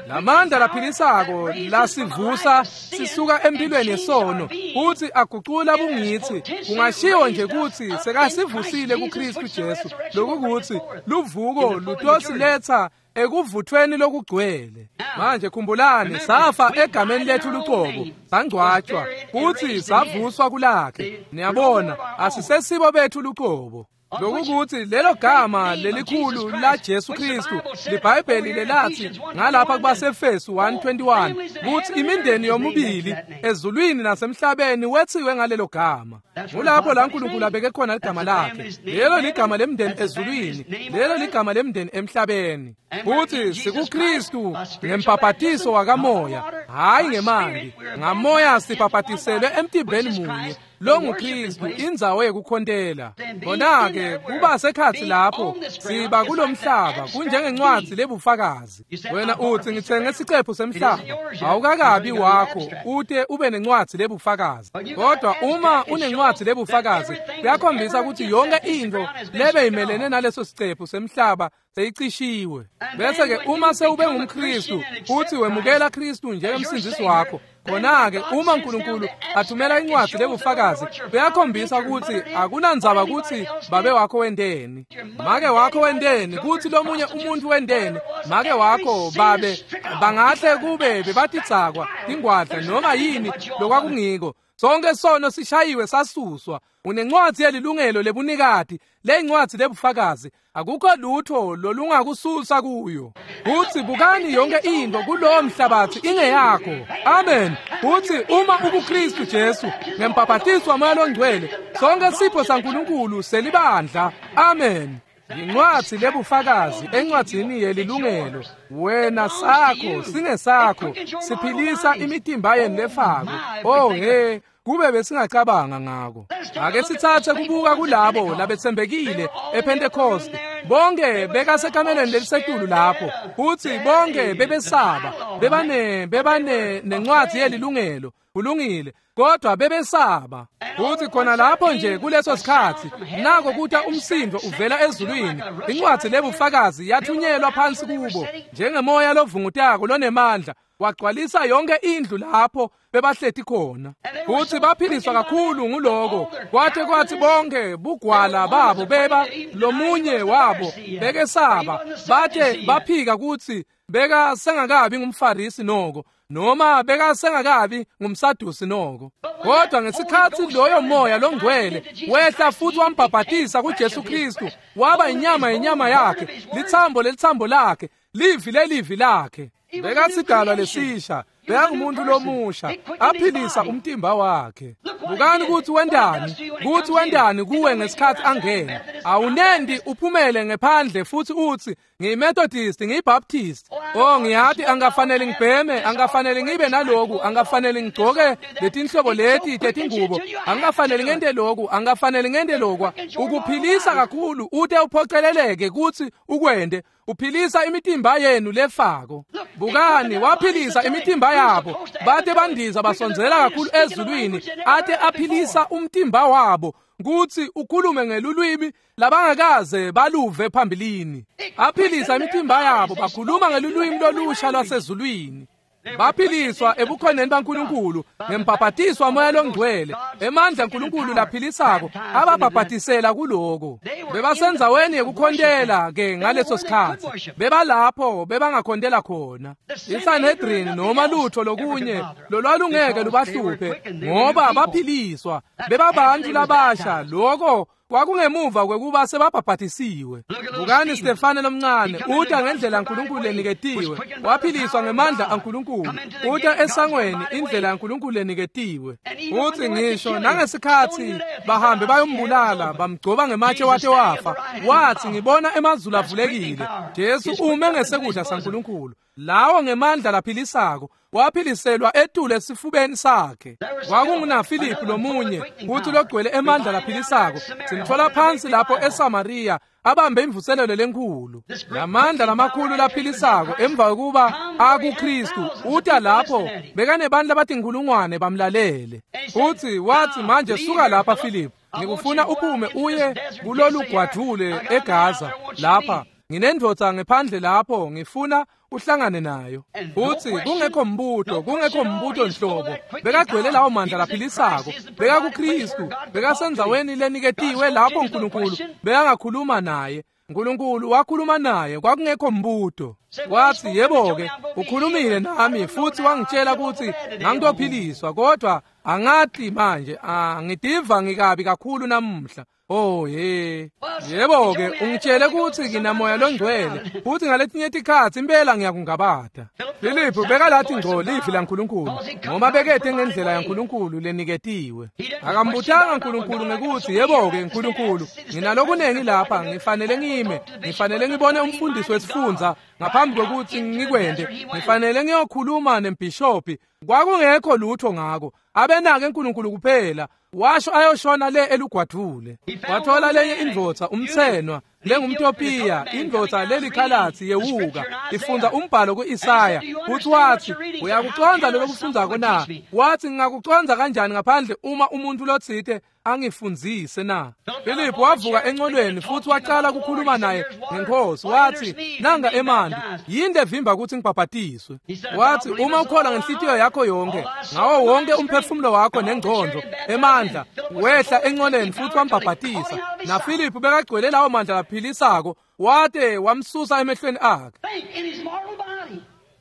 Lamandla laphilisako lasivusa sisuka empilweni yesono, futhi agucula bungithi. Kungashiwo nje ukuthi sekasivusile kuKristu Jesu, lokukuthi luvuko lutosiletha ekuvuthweni lokugcwele. Manje khumbulani, safa egameni lethu luqobo, sangcwatshwa futhi savuswa kulakhe. Niyabona, asisesibo bethu luqobo. Lokukuthi lelo gama lelikhulu la Jesu Kristu, liBhayibheli lelathi ngalapha kubaseFesu one twenty-one kuthi imindeni yomubili ezulwini nasemhlabeni wethiwe ngalelo gama. Ngulapho la uNkulunkulu abeke khona igama lakhe. Lelo ligama lemndeni ezulwini, lelo ligama lemndeni emhlabeni. Futhi sikuKristu ngempapatiso wakamoya, hayi ngemanti. Ngamoya sipapatiselwe emtimbeni munye, longuKristu, indzawo yekukhontela. Khona-ke kuba sekhatsi lapho siba kulomhlaba kunjengencwadzi lebufakazi. Wena utsi ngitsenge sicephu semhlaba, awukakabi wakho ute ube nencwadzi lebufakazi. Kodwa uma unencwadzi lebufakazi kuyakhombisa ukuthi yonke intfo lebeyimelene naleso sicephu semhlaba seyicishiwe. Bese-ke uma sewube ngumKristu futhi wemukela Kristu njengemsindzisi wakho, khona-ke uma uNkulunkulu athumela incwadzi lebufakazi kuyakhombisa ukuthi akunandzaba kutsi babe wakho wenteni, make wakho wenteni, kutsi lomunye umuntu wenteni, make wakho babe bangahle kube bebatidzakwa tingwadla noma yini lokwakungiko, sonke sono sishayiwe sasuswa. Unencwadzi yelilungelo lebunikati, leyincwadzi lebufakazi, akukho lutho lolungakususa kuyo. Kutsi bukani yonke intfo kulowo mhlabathi ingeyakho. Amen. Kutsi uma ukuKristu Jesu ngembhaphatiswa waMoya Longcwele, sonke sipho saNkulunkulu selibandla. Amen. Yincwadzi lebufakazi encwadzini yelilungelo. Wena sakho singesakho, siphilisa imitimba yenu lefako. Oh he, kube besingacabanga ngako. Ake sitsatse kubuka kulabo labetsembekile ePentecost. Bonke bekasekameleni lelisetulu lapho, futsi bonke bebesaba, bebane bebane nencwadzi yelilungelo. Kulungile, kodwa bebesaba. Futhi khona lapho nje kuleso sikhatsi nako kuta umsindo uvela ezulwini, incwadzi lebufakazi yathunyelwa phansi kubo njengemoya lovungutako lonemandla, wagcwalisa yonke indlu lapho bebahleti khona. Futhi baphiliswa kakhulu nguloko kwathe kwathi bonke bugwala babo beba lomunye wabo bekesaba, bathe baphika kutsi beka sengakabi ngumFarisi noko, noma beka sengakabi ngumSadusi noko. Kodwa ngesikhatsi loyo moya longcwele wehla futhi wambhabhatisa kuJesu Kristu, waba inyama yenyama yakhe, lithambo lelithambo lakhe, livi lelivi lakhe. Bekasidalwa lesisha, bekangumuntu lomusha, aphilisa umtimba wakhe. Bukani kutsi wentani, kutsi wentani kuwe ngesikhatsi angena. Awunendi uphumele ngephandle futhi utsi ngiyiMethodist, ngiyiBaptist. Oh, ngiyati angafanele ngibheme, angafanele ngibe naloku, angafanele ngigcoke letinhlobo leti tetingubo, angafanele ngente loku, angafanele ngente lokwa. Ukuphilisa kakhulu ute uphoceleleke kutsi ukwente. Uphilisa imitimba yenu lefako. Bukani, waphilisa imitimba yabo, bate bandiza basondzela kakhulu ezulwini, ate aphilisa umtimba wabo kutsi ukhulume ngelulwimi labangakaze baluve phambilini. Aphilisa imitimba yabo, bakhuluma ngelulwimi lolusha lwasezulwini. Baphiliswa ebukhoneni baNkulunkulu ngembhaphatiswa waMoya Longcwele, emandla aNkulunkulu laphilisako ababhabhatisela kuloko. Bebasendzaweni yekukhontela ke ngaleso sikhatsi, bebalapho bebangakhontela khona. ISanhedrin noma lutho lokunye lolwalungeke lubahluphe, ngoba baphiliswa, bebabantu labasha. Loko kwakungemuva kwekuba sebabhabhatisiwe. Bukani Stefane lomncane uta ngendlela yaNkulunkulu leniketiwe, waphiliswa ngemandla aNkulunkulu, uta esangweni indlela yaNkulunkulu leniketiwe. Uthi ngisho nangesikhatsi bahambe bayombulala, bamgcoba ngematshe wate wafa, wathi ngibona emazulu avulekile, Jesu ume ngesekudla saNkulunkulu. Lawo ngemandla laphilisako, waphiliselwa etulu esifubeni sakhe. KwakungunaFiliphu lomunye futhi logcwele emandla laphilisako, simthola phansi lapho eSamariya abambe imvuselelo lenkulu. Lamandla lamakhulu laphilisako emva kokuba akuKristu uta lapho bekanebandla labatinkhulungwane bamlalele. Uthi wathi manje suka lapha Philip, ngikufuna uphume uye kulolu gwadvule eGaza lapha. Nginendvodza ngephandle lapho ngifuna uhlangane nayo. Futhi kungekho mbuto, kungekho mbuto nhlobo. Bekagcwele lawo mandla laphilisako, bekakuKristu, bekasendzaweni leniketiwe lapho uNkulunkulu bekangakhuluma naye. uNkulunkulu wakhuluma naye, kwakungekho mbuto. Wathi yebo-ke ukhulumile nami futhi wangitshela ukuthi ngangitophiliswa, kodwa angati manje, angitiva ngikabi kakhulu namuhla. Oh ye, yebo-ke ungitshele ukuthi nginamoya longcwele futhi ngaletinye tikhatsi impela ngiyakungabata. Filiphu bekalathi ngco livi laNkulunkulu ngoba bekete ngendlela yaNkulunkulu leniketiwe. Akambutanga uNkulunkulu ngekuthi yebo-ke Nkulunkulu nginalokunengi lapha, ngifanele ngime, ngifanele ngibone umfundisi wesifundza Ngaphambi kokuthi ngikwende ngifanele ngiyokhuluma nembhishophi. Kwakungekho lutho ngako. Abenake uNkulunkulu kuphela. Washo ayoshona le elugwadvule. Wathola lenye indvodza umtsenwa lengumTopiya, indvodza lelikhalatsi yewuka ifundza umbhalo kuIsaya. Uthi wathi uyakucondza lokufundzako na? Wathi ngingakucondza kanjani ngaphandle uma umuntu lotsite angifundzise na? Philip wavuka encolweni futhi waqala ukukhuluma naye ngenkosi. Wathi nanga emanti, yini levimba ukuthi ngibhabhatiswe? Wathi uma ukholwa ngenhlitiyo yakho yonke ngawo wonke umphefumulo wakho nengqondo emandla, wehla encoleni futhi wambhabhatisa. Na Philip bekagcwele lawo mandla laphilisako, wate wamsusa emehlweni akhe.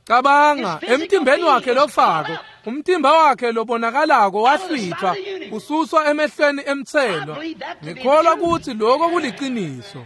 Cabanga emtimbeni wakhe lofako, umtimba wakhe lobonakalako wahlwithwa ususwa emehlweni emtselwa. Ngikholwa ukuthi lokho kuliqiniso.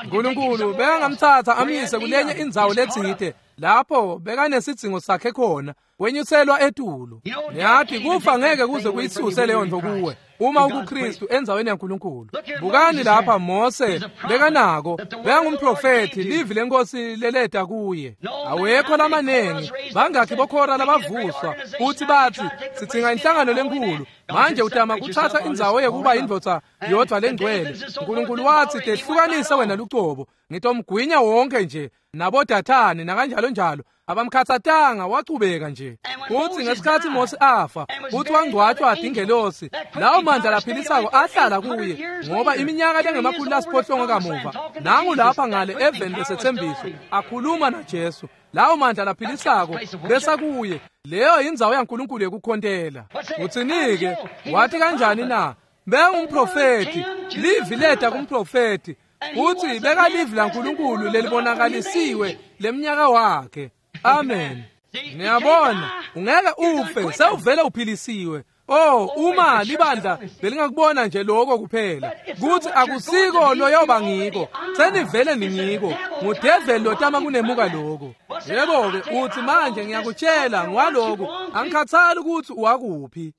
uNkulunkulu bekangamthatha amyise kulenye indzawo letsite lapho bekanesidzingo sakhe khona, wenyuselwa etulu. Niyathi kufa ngeke kuze kuyisuse leyo nto kuwe uma ukuKristu endzaweni yaNkulunkulu. Bukani lapha Mose bekanako, bekangumprofethi, livi lenkosi leleta kuye. Awekho lamanengi bangakhi bokhora labavuswa uthi bathi sidzinga inhlangano lenkulu. Manje utama kuthatha indzawo yekuba indvodza yodwa lengcwele. uNkulunkulu wathi tehlukanise wena lucobo, ngitomgwinya wonke nje nabodathani nakanjalo njalo. Abamkhathatanga, wachubeka nje. Uthi ngesikhathi Mose afa uthi wangcwatshwa ingelosi, lawo mandla laphilisako ahlala kuye ngoba iminyaka lengemakhulu lasiphohlongo kamuva nangu lapha ngale eveni lesethembiso akhuluma naJesu. Lawo mandla laphilisako besa kuye. Leyo indzawo yaNkulunkulu yekukhontela. Uthinike wathi kanjani na? Bengumprofethi, livi leta kumprofethi. Uthi bekalivi laNkulunkulu lelibonakalisiwe leminyaka wakhe. Amen. Niyabona, ungeke ufe sewuvele uphilisiwe. Oh, uma libandla belingakubona nje lokho kuphela kuthi akusiko loyoba ngiko, senivele ningiko. Ngudeveli lotama kunemuka lokho. Yebo ke uthi manje ngiyakutshela ngwaloko, angikhathali ukuthi uwakuphi.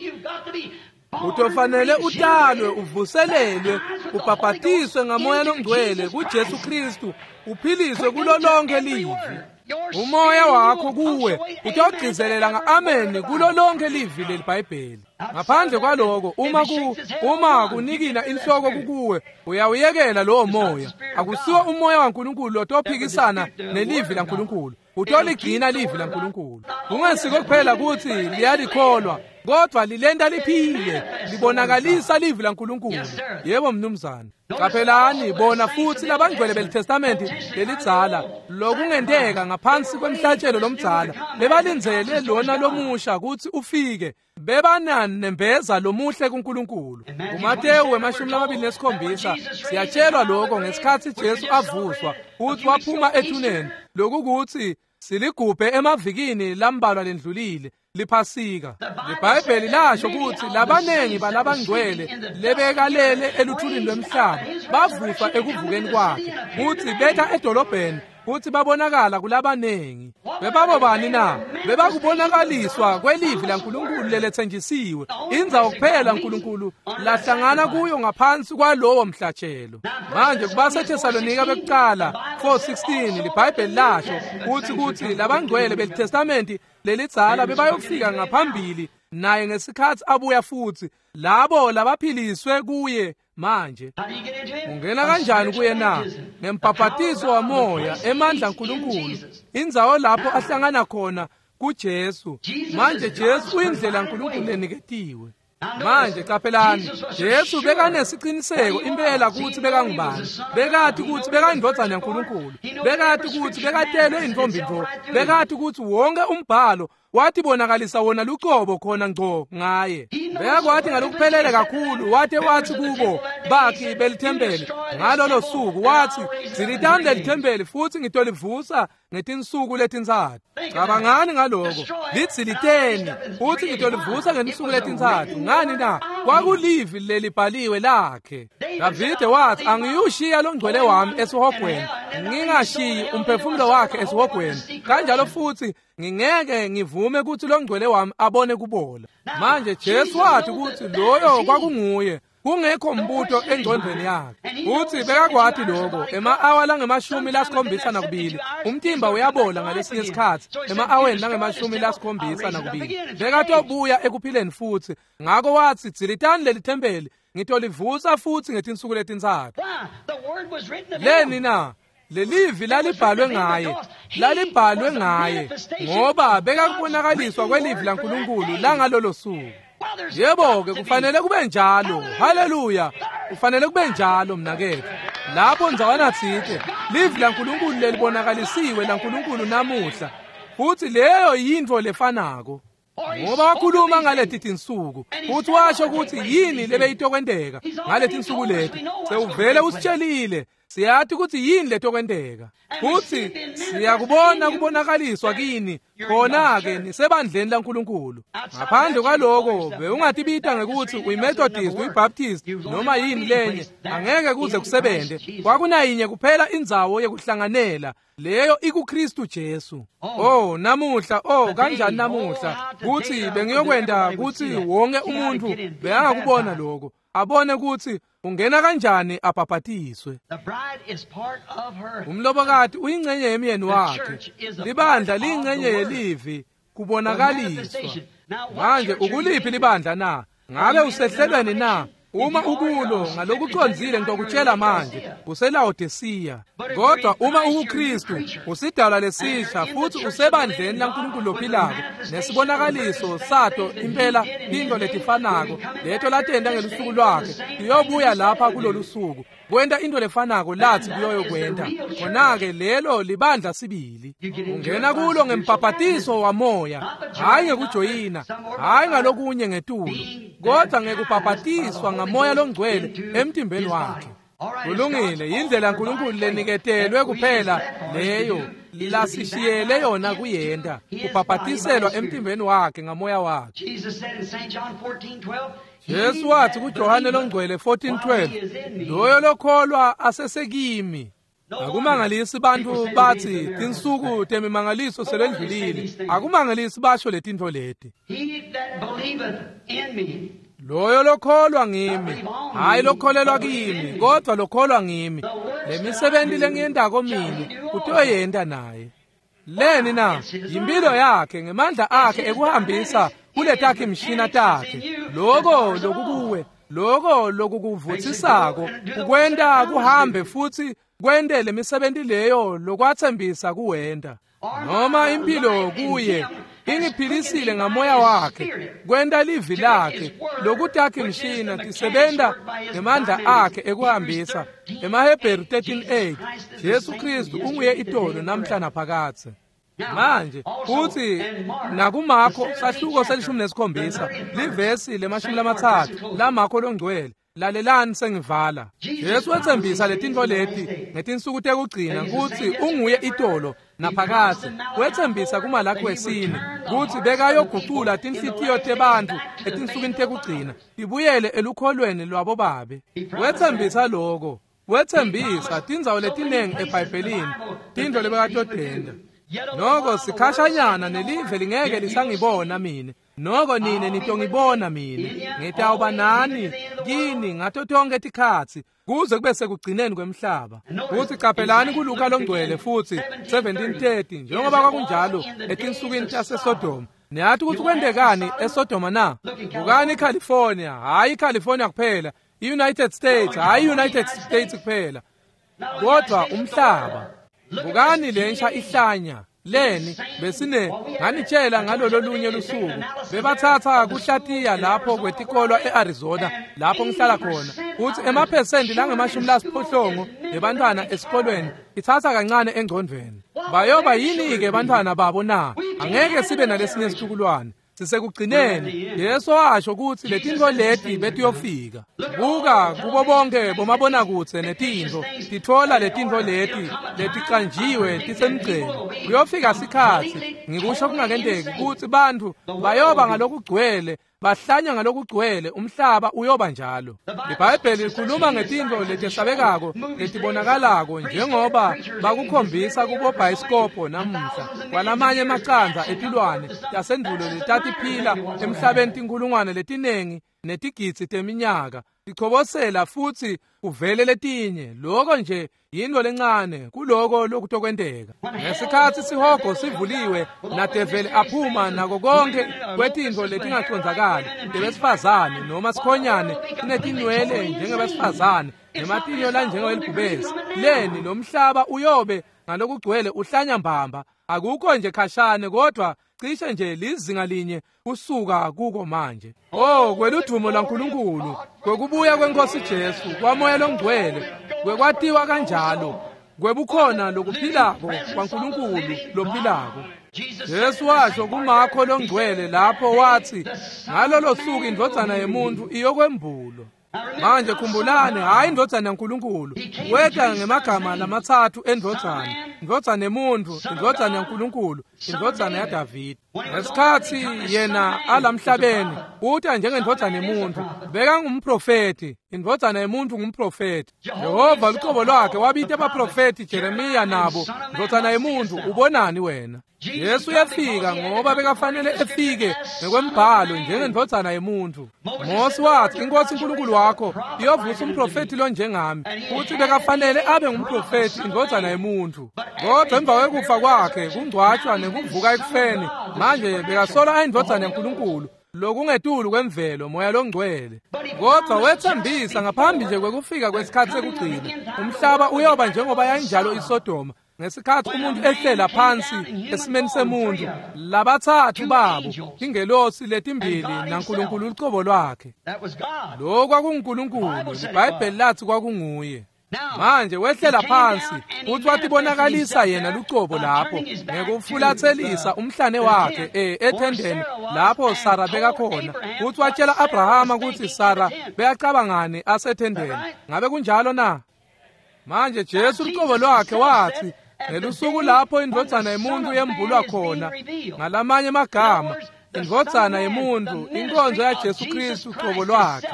Utofanele utalwe, uvuselelwe, ubhabhatiswe ngamoya longcwele kuJesu Kristu, uphiliswe kulo lonke livi. Umoya wakho kuwe utawugcizelela nga-amen kulo lonke livi leliBhayibheli. Ngaphandle kwaloko, uma ku uma kunikina inhloko kukuwe, uyawuyekela lowo moya. Akusiwo umoya waNkulunkulu lotophikisana nelivi laNkulunkulu. Utoligcina livi laNkulunkulu. Kungesiko kuphela ukuthi liyalikholwa, kodwa lilenta liphile, libonakalisa livi laNkulunkulu. Yebo mnumzane. Qaphelani bona futhi labangcwele beliTestamenti lelidzala lokungenteka ngaphansi kwemhlatshelo lomdzala bebalindzele lona lomusha ukuthi ufike, bebananembeza lomuhle kuNkulunkulu. KuMateyu wemashumi lamabili nesikhombisa siyatshelwa lokho ngesikhathi Jesu avuswa uthi waphuma ethuneni, lokukuthi siligubhe emavikini lambalwa lendlulile liphasika. LiBhayibheli lasho ukuthi labanengi balabangcwele lebekalele eluthulini lwemhlaba bavuswa ekuvukeni kwakhe, uthi betha edolobheni futhi babonakala kulabanengi. Bebabobani na? Bebakubonakaliswa kwelivi laNkulunkulu lelethenjisiwe, indzawo kuphela uNkulunkulu lahlangana kuyo ngaphansi kwalowo mhlatshelo. Manje kubaseThesalonika bekuqala four sixteen liBhayibheli lasho uthi kuthi labangcwele beliTestamenti lelidzala bebayofika ngaphambili naye ngesikhathi abuya futhi, labo labaphiliswe kuye. Manje ungena kanjani kuye na? Ngembhabhatiso wamoya, emandla kaNkulunkulu, indzawo lapho ahlangana khona kuJesu. Manje Jesu uyindlela kaNkulunkulu leniketiwe. Manje qaphelani, Jesu bekanesiqiniseko impela ukuthi bekangubani. Bekati ukuthi bekayindvodzana yaNkulunkulu, bekati ukuthi bekatelwe intombi ntfo, bekati ukuthi wonke umbhalo watibonakalisa wona lucobo khona ngco ngaye. Bekakwathi ngalokuphelele kakhulu, wate wathi kubo bakhi belithempeli ngalolo suku, wathi dzilitani lelithempeli futhi ngitolivusa ngetinsuku letintsatfu. Cabangani ngaloko, lidziliteni futhi ngitolivusa ngetinsuku letintsatfu. Ngani na? Kwakulivi lelibhaliwe lakhe. Davide wathi angiyushiya longcwele wami esihogweni, ngingashiyi umphefumulo wakhe esihogweni, kanjalo futhi ngingeke ngivume ukuthi longcwele wami abone kubola. Manje Jesu wathi ukuthi loyo kwakunguye. Kungekho mbuto engcondvweni yakhe. Futsi bekakwati lokho ema-awa langemashumi lasikhombisa nakubili. Umtimba uyabola ngalesinye isikhatsi ema-aweni langemashumi lasikhombisa nakubili. Bekatobuya ekuphileni futsi. Ngako watsi dzilitani leli thempeli ngitolivusa futsi ngetinsuku letintsatfu. Leni na? Lelivi lalibhalwe ngaye, lalibhalwe ngaye ngoba bekakubonakaliswa kwelivi laNkulunkulu langalolo suku. Yebo-ke kufanele kube njalo. Haleluya. Kufanele kube njalo mnaketfu. Lapho ndzawana tsite livi laNkulunkulu lelibonakalisiwe laNkulunkulu namuhla. Futsi leyo yintfo lefanako. Ngoba wakhuluma ngaleti tinsuku futhi washo ukuthi yini lebeyitokwenteka ngaleti tinsuku leti. Sewuvele usitshelile. Siyati ukuthi yini letokwenteka. Futhi siyakubona kubonakaliswa kini khona-ke nisebandleni laNkulunkulu. Ngaphandle kwaloko bewungatibita ngekuthi uyiMethodist, uyiBaptist noma yini lenye, angeke kuze kusebente. Kwakunayinye kuphela indzawo yekuhlanganela, leyo ikuKristu Jesu. Oh namuhla, oh kanjani namuhla kuthi bengiyokwenta kuthi wonke umuntu bekangakubona lokho, abone ukuthi ungena kanjani abhabhatiswe. Umlobokati uyingcenye yemyeni wakhe. Libandla liyingcenye yelivi kubonakaliswa. Manje ukuliphi libandla na? Ngabe usehlelweni na? Uma ukulo ngalokucondzile ngitokutshela manje useLaodicea. Kodwa uma ukuKristu usidalwa lesisha futhi usebandleni laNkulunkulu lophilako nesibonakaliso sato impela into letifanako leto latenta ngelusuku lwakhe iyobuya lapha kulolu suku kwenta into lefanako lathi kuyoyokwenta. Khona-ke lelo libandla sibili. Ungena kulo ngembhabhatiso wamoya, hhayi ngekujoyina, hhayi ngalokunye ngetulu, kodwa ngekubhabhatiswa ngamoya longcwele emtimbeni wakhe. Kulungile, indlela uNkulunkulu leniketelwe kuphela leyo lasishiyele yona kuyenta, kubhabhatiselwa emtimbeni wakhe ngamoya wakhe. Jesu wathi kuJohane longcwele fourteen twelve, loyo lokholwa asesekimi. Akumangalisi bantu bathi tinsuku temimangaliso selendlulile. Akumangalisi basho letintfo leti. Loyo lokholwa ngimi, hayi lokholelwa kimi, kodwa lokholwa ngimi. Lemisebenti lengiyentako mine utoyenta naye. Leni na? Impilo yakhe ngemandla akhe ekuhambisa kuletakhe imishina takhe. Loko lokukuwe, loko lokukuvutsisako, ukwenta kuhambe futhi kwente lemisebenti leyo lokwathembisa kuwenta. Noma impilo kuye ingiphilisile ngamoya wakhe, kwenta livi lakhe lokutakhe imishina tisebenta ngemandla akhe ekuhambisa. EmaHebheru thirteen eight, Jesu Kristu unguye itolo namhla naphakadze. Manje futhi nakuMakho sahluko selishumi nesikhombisa livesi lemashumi lamatsatfu laMakho longcwele. Lalelani sengivala. Jesu wetsembisa letintfo leti ngetinsuku tekugcina kutsi unguye itolo naphakadze. Wetsembisa kuMalaki wesine kutsi bekayogucula tinhlitiyo tebantfu etinsukwini tekugcina tibuyele elukholweni lwabo babe. Wetsembisa loko. Wetsembisa tindzawo letinengi eBhayibhelini tintfo lebekatotenta. Noko sikhashanyana nelive lingeke lisangibona mine, noko nine nitongibona mine. Ngitawuba nani kini ngato tonkhe tikhatsi kuze kube sekugcineni kwemhlaba. Futhi qaphelani kuLuka longcwele futhi seventeen thirty, njengoba kwakunjalo etinsukwini taseSodoma. Niyathi ukuthi kwentekani eSodoma na? Bukani iCalifornia, hhayi iCalifornia kuphela, i-United States, hhayi i-United States kuphela, kodwa umhlaba. Bukani lensha ihlanya leni besine nganitshela ngalolo lunye lusuku bebathatha kuhlatiya lapho kwetikolwa eArizona lapho ngihlala khona uthi emaphesenti langemashumi lasiphohlongo ebantwana esikolweni ithatha kancane engcondvweni. Bayoba yini-ke bantwana babo na? Angeke sibe nalesinye situkulwane. Sisekugcineni. Yesu washo ukuthi letintfo leti betiyofika. Buka kubo bonke bomabonakudze netintfo titfola letintfo leti leticanjiwe tisemgceni. Kuyofika sikhatsi ngikusho kungakenteki kutsi bantfu bayoba ngalokugcwele bahlanya ngalokugcwele umhlaba uyoba njalo. IBhayibheli likhuluma ngetintfo letesabekako letibonakalako njengoba bakukhombisa kubobhayisikobho namuhla kwalamanye emacandza etilwane tasendulo letatiphila emhlabeni tinkhulungwane letinengi netigidzi teminyaka tichobosela futsi kuvele letinye. Lokho nje yinto lencane kuloko lokutokwenteka. Ngesikhatsi sihogo sivuliwe nadeveli aphuma nako konke kwetintfo letingacondzakali tebesifazane noma sikhonyane sinetinwele njengebesifazane nematinyo lanjengewelibhubesi, leni lo mhlaba uyobe ngalokugcwele uhlanya mbamba. Akukho nje khashane, kodwa cishe nje lizinga linye kusuka kuko manje. Oh, kweludumo laNkulunkulu, kwekubuya kwenkosi Jesu, kwamoya longcwele, kwekwatiwa kanjalo, kwebukhona lokuphilako kwaNkulunkulu lophilako. Jesu washo kuMakho longcwele lapho wathi, ngalolo suku indvodzana yemuntu iyokwembulwa. Manje khumbulani, hayi indvodzana yaNkulunkulu, weta ngemagama lamatsatfu endvodzana, indvodzana yemuntu, indvodzana yaNkulunkulu, indvodzana yaDavide. Ngesikhatsi yena alamhlabeni, uta njengendvodzana yemuntu, bekangumprofeti, indvodzana yemuntu ngumprofeti. Jehova lucobo lwakhe wabita abaprofeti Jeremiya nabo, ndvodzana yemuntu ubonani wena? Jesu uyafika ngoba bekafanele efike ngekwembhalo njengendvodzana yemuntu. Mose wathi, inkosi uNkulunkulu wakho iyovusa umprofeti lonjengami, futhi bekafanele abe ngumprofeti, indvodzana yemuntu. Kodwa emva kwekufa kwakhe, kungcwatshwa nekuvuka ekufeni, manje bekasola ayindvodzana yaNkulunkulu, lokungetulu kwemvelo, moya longcwele. Kodwa wethembisa ngaphambi nje kwekufika kwesikhatsi sekugcina, umhlaba uyoba njengoba yayinjalo iSodoma. Ngesikhatsi umuntu ehlela phansi esimeni semuntu, labatsatfu babo, ingelosi letimbili naNkulunkulu lucobo lwakhe. Lokho kwakunguNkulunkulu, iBhayibheli lathi kwakunguye. Manje wehlela phansi futhi watibonakalisa yena lucobo lapho ngekufulatselisa umhlane wakhe e ethendeni lapho Sara bekakhona, futhi watshela Abrahama kutsi Sara bekacabangani asethendeni. Ngabe kunjalo na? Manje Jesu lucobo lwakhe wathi, ngelusuku lapho indvodzana yemuntu yembulwa khona, ngalamanye amagama, indvodzana yemuntu, inkonzo yaJesu Kristu uqobo lwakhe.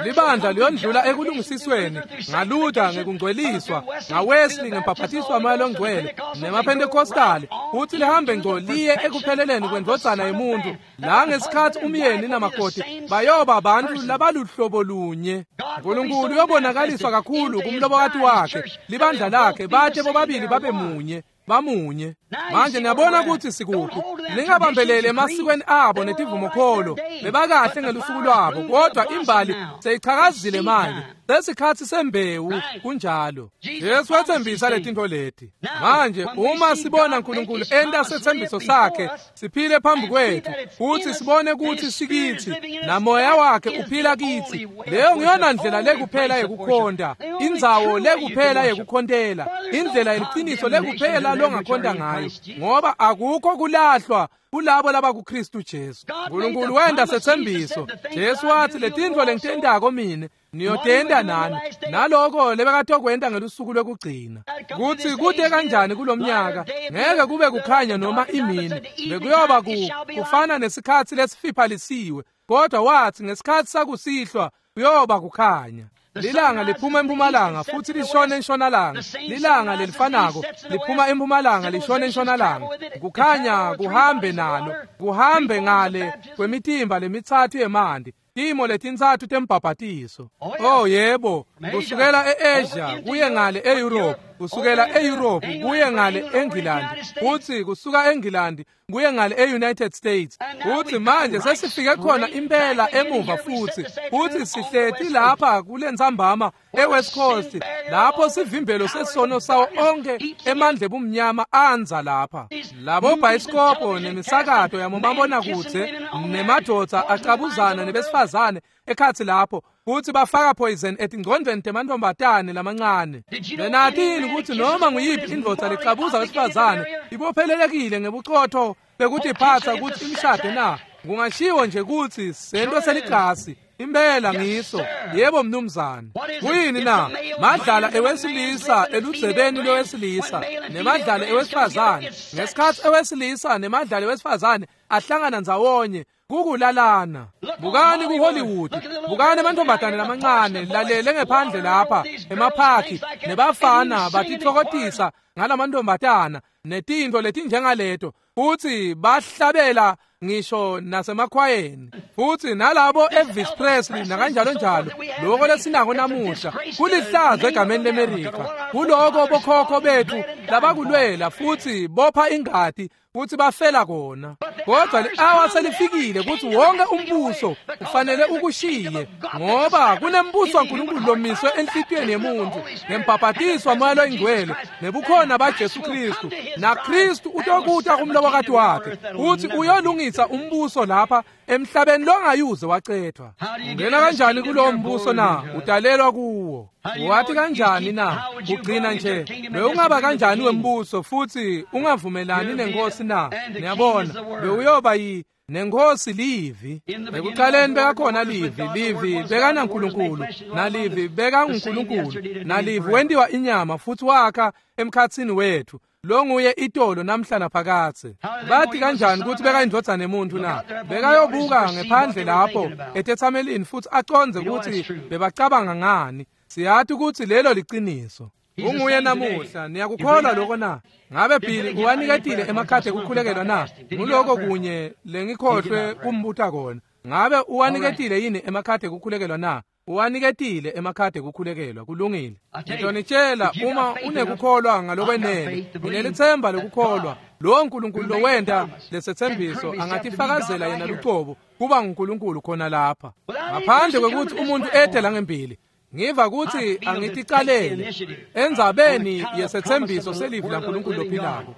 Libandla liyondlula ekulungisisweni ngaLuther ngekungcweliswa, ngaWesley ngembhaphatiswa moya longcwele, nemaPentecostali, futhi lihambe ngco liye ekupheleleni kwendvodzana yemuntu, la ngesikhatsi umyeni namakoti bayoba abantu labaluhlobo lunye. uNkulunkulu uyobonakaliswa kakhulu kumlobokati wakhe, libandla lakhe, bathe bobabili babe munye. Bamunye. Manje niyabona ukuthi sikuphi. Ningabambelele emasikweni abo netivumokholo, bebakahle ngelusuku lwabo, kodwa imbali seyichakazile manje. Sesikhatsi sembewu kunjalo. Jesu wathembisa letintfo leti. Manje uma sibona uNkulunkulu enta sethembiso sakhe, siphile phambi kwethu, futhi sibone ukuthi sikithi, namoya wakhe uphila kithi. Leyo ngiyona ndlela lekuphela yekukhonta, indzawo lekuphela yekukhontela, indlela yeliqiniso lekuphela longakhonta ngayo, ngoba akukho kulahlwa kulabo labakuKristu Jesu. uNkulunkulu wenda sethembiso. Jesu wathi, letintfo lengitentako mine niyotenta nani, naloko lebekatokwenta ngelusuku lwekugcina. Kutsi kude kanjani kulomnyaka, ngeke kube kukhanya noma imini, bekuyoba ku kufana nesikhatsi lesifiphalisiwe, kodwa wathi ngesikhatsi sakusihlwa kuyoba kukhanya. Lilanga liphuma empumalanga futhi lishone entshonalanga. Lilanga lelifanako liphuma empumalanga lishone entshonalanga. Kukhanya kuhambe nalo, kuhambe ngale kwemitimba lemitsatfu yemanti, timo letintsatfu tembhabhatiso. Oh yebo, kusukela e-Asia kuye ngale e-Europe, kusukela e-Europe kuye ngale eNgilandi, futhi kusuka eNgilandi kuye ngale e-United States. Futhi manje sesifike khona impela emuva futhi, futhi sihleti lapha kulentsambama e-West Coast, lapho sivimbelo sesono sawo onke emandla ebumnyama anza lapha. Labo bhayisikobho nemisakato yamomabonakudze nemadvodza acabuzana nebesifazane ekhatsi lapho, futhi bafaka poison etingcondvweni temantfombatane lamancane. Benatini ukuthi noma nguyiphi indvodza lecabuza wesifazane ibophelelekile ngebucotho bekutiphatsa ukuthi imshade na? Kungashiwo nje kutsi sento seligasi impela ngiso. Yebo mnumzane. Kuyini na? Madlala ewesilisa eludzebeni lwewesilisa nemadlala ewesifazane. Ngesikhatsi ewesilisa nemadlala ewesifazane ahlangana ndzawonye, kukulalana. Bukani ku-Hollywood, Bukani amantombazane lamancane lalele ngephandle lapha emaphaki nebafana batitfokotisa ngalamantombazana netintfo letinjengaleto futhi bahlabela ngisho nasemakhwayeni futhi nalabo Elvis Presley nakanjalo njalo lokho lesinako namuhla kulihlazo egameni leMerika kuloko bokhokho bethu labakulwela futhi bopha ingati futhi bafela kona kodwa li-awa selifikile ukuthi wonke umbuso ufanele ukushiye ngoba kunembuso waNkulunkulu lomiswe enhlitiyweni yemuntu ngembhabhatiso waMoya loyiNgcwele nebukhona baJesu Kristu naKristu utokuta kumlobokati wakhe futhi uyolungisa umbuso lapha emhlabeni longayuze wacethwa. Ungena kanjani kulowo mbuso na? Udalelwa kuwo. Wathi kanjani na? Ugcina nje bewungaba kanjani wembuso futhi ungavumelani nenkosi na? Niyabona bewuyoba yi nenkosi livi. Ekuqaleni bekakhona livi, livi bekanaNkulunkulu, nalivi bekanguNkulunkulu, nalivi wendiwa inyama futhi wakha emkhathini wethu. Longuye itolo namhla naphakathe. Bathi kanjani ukuthi bekayindvodzana emuntu na? Bekayobuka ngephandle lapho etethamelini futhi aconze ukuthi bebacabanga ngani. Siyathi ukuthi lelo liqiniso. Unguye namuhla, niyakukholwa lokho na? Ngabe Billy uwaniketile emakhadi ekukhulekelwa na? Nguloko kunye lengikhohlwe kumbuta kona. Ngabe uwaniketile yini emakhadi ekukhulekelwa na? Uwaniketile emakhadi ekukhulekelwa, kulungile. Ngitonitshela uma unekukholwa ngalokwenene, unelithemba lokukholwa, lo nkulunkulu lowenta lesethembiso angatifakazela yena lucobo kuba nguNkulunkulu khona lapha. Ngaphandle kwekuthi umuntu ede langembili. Ngiva ukuthi angiticalele endzabeni yesethembiso selivi laNkulunkulu lophilako.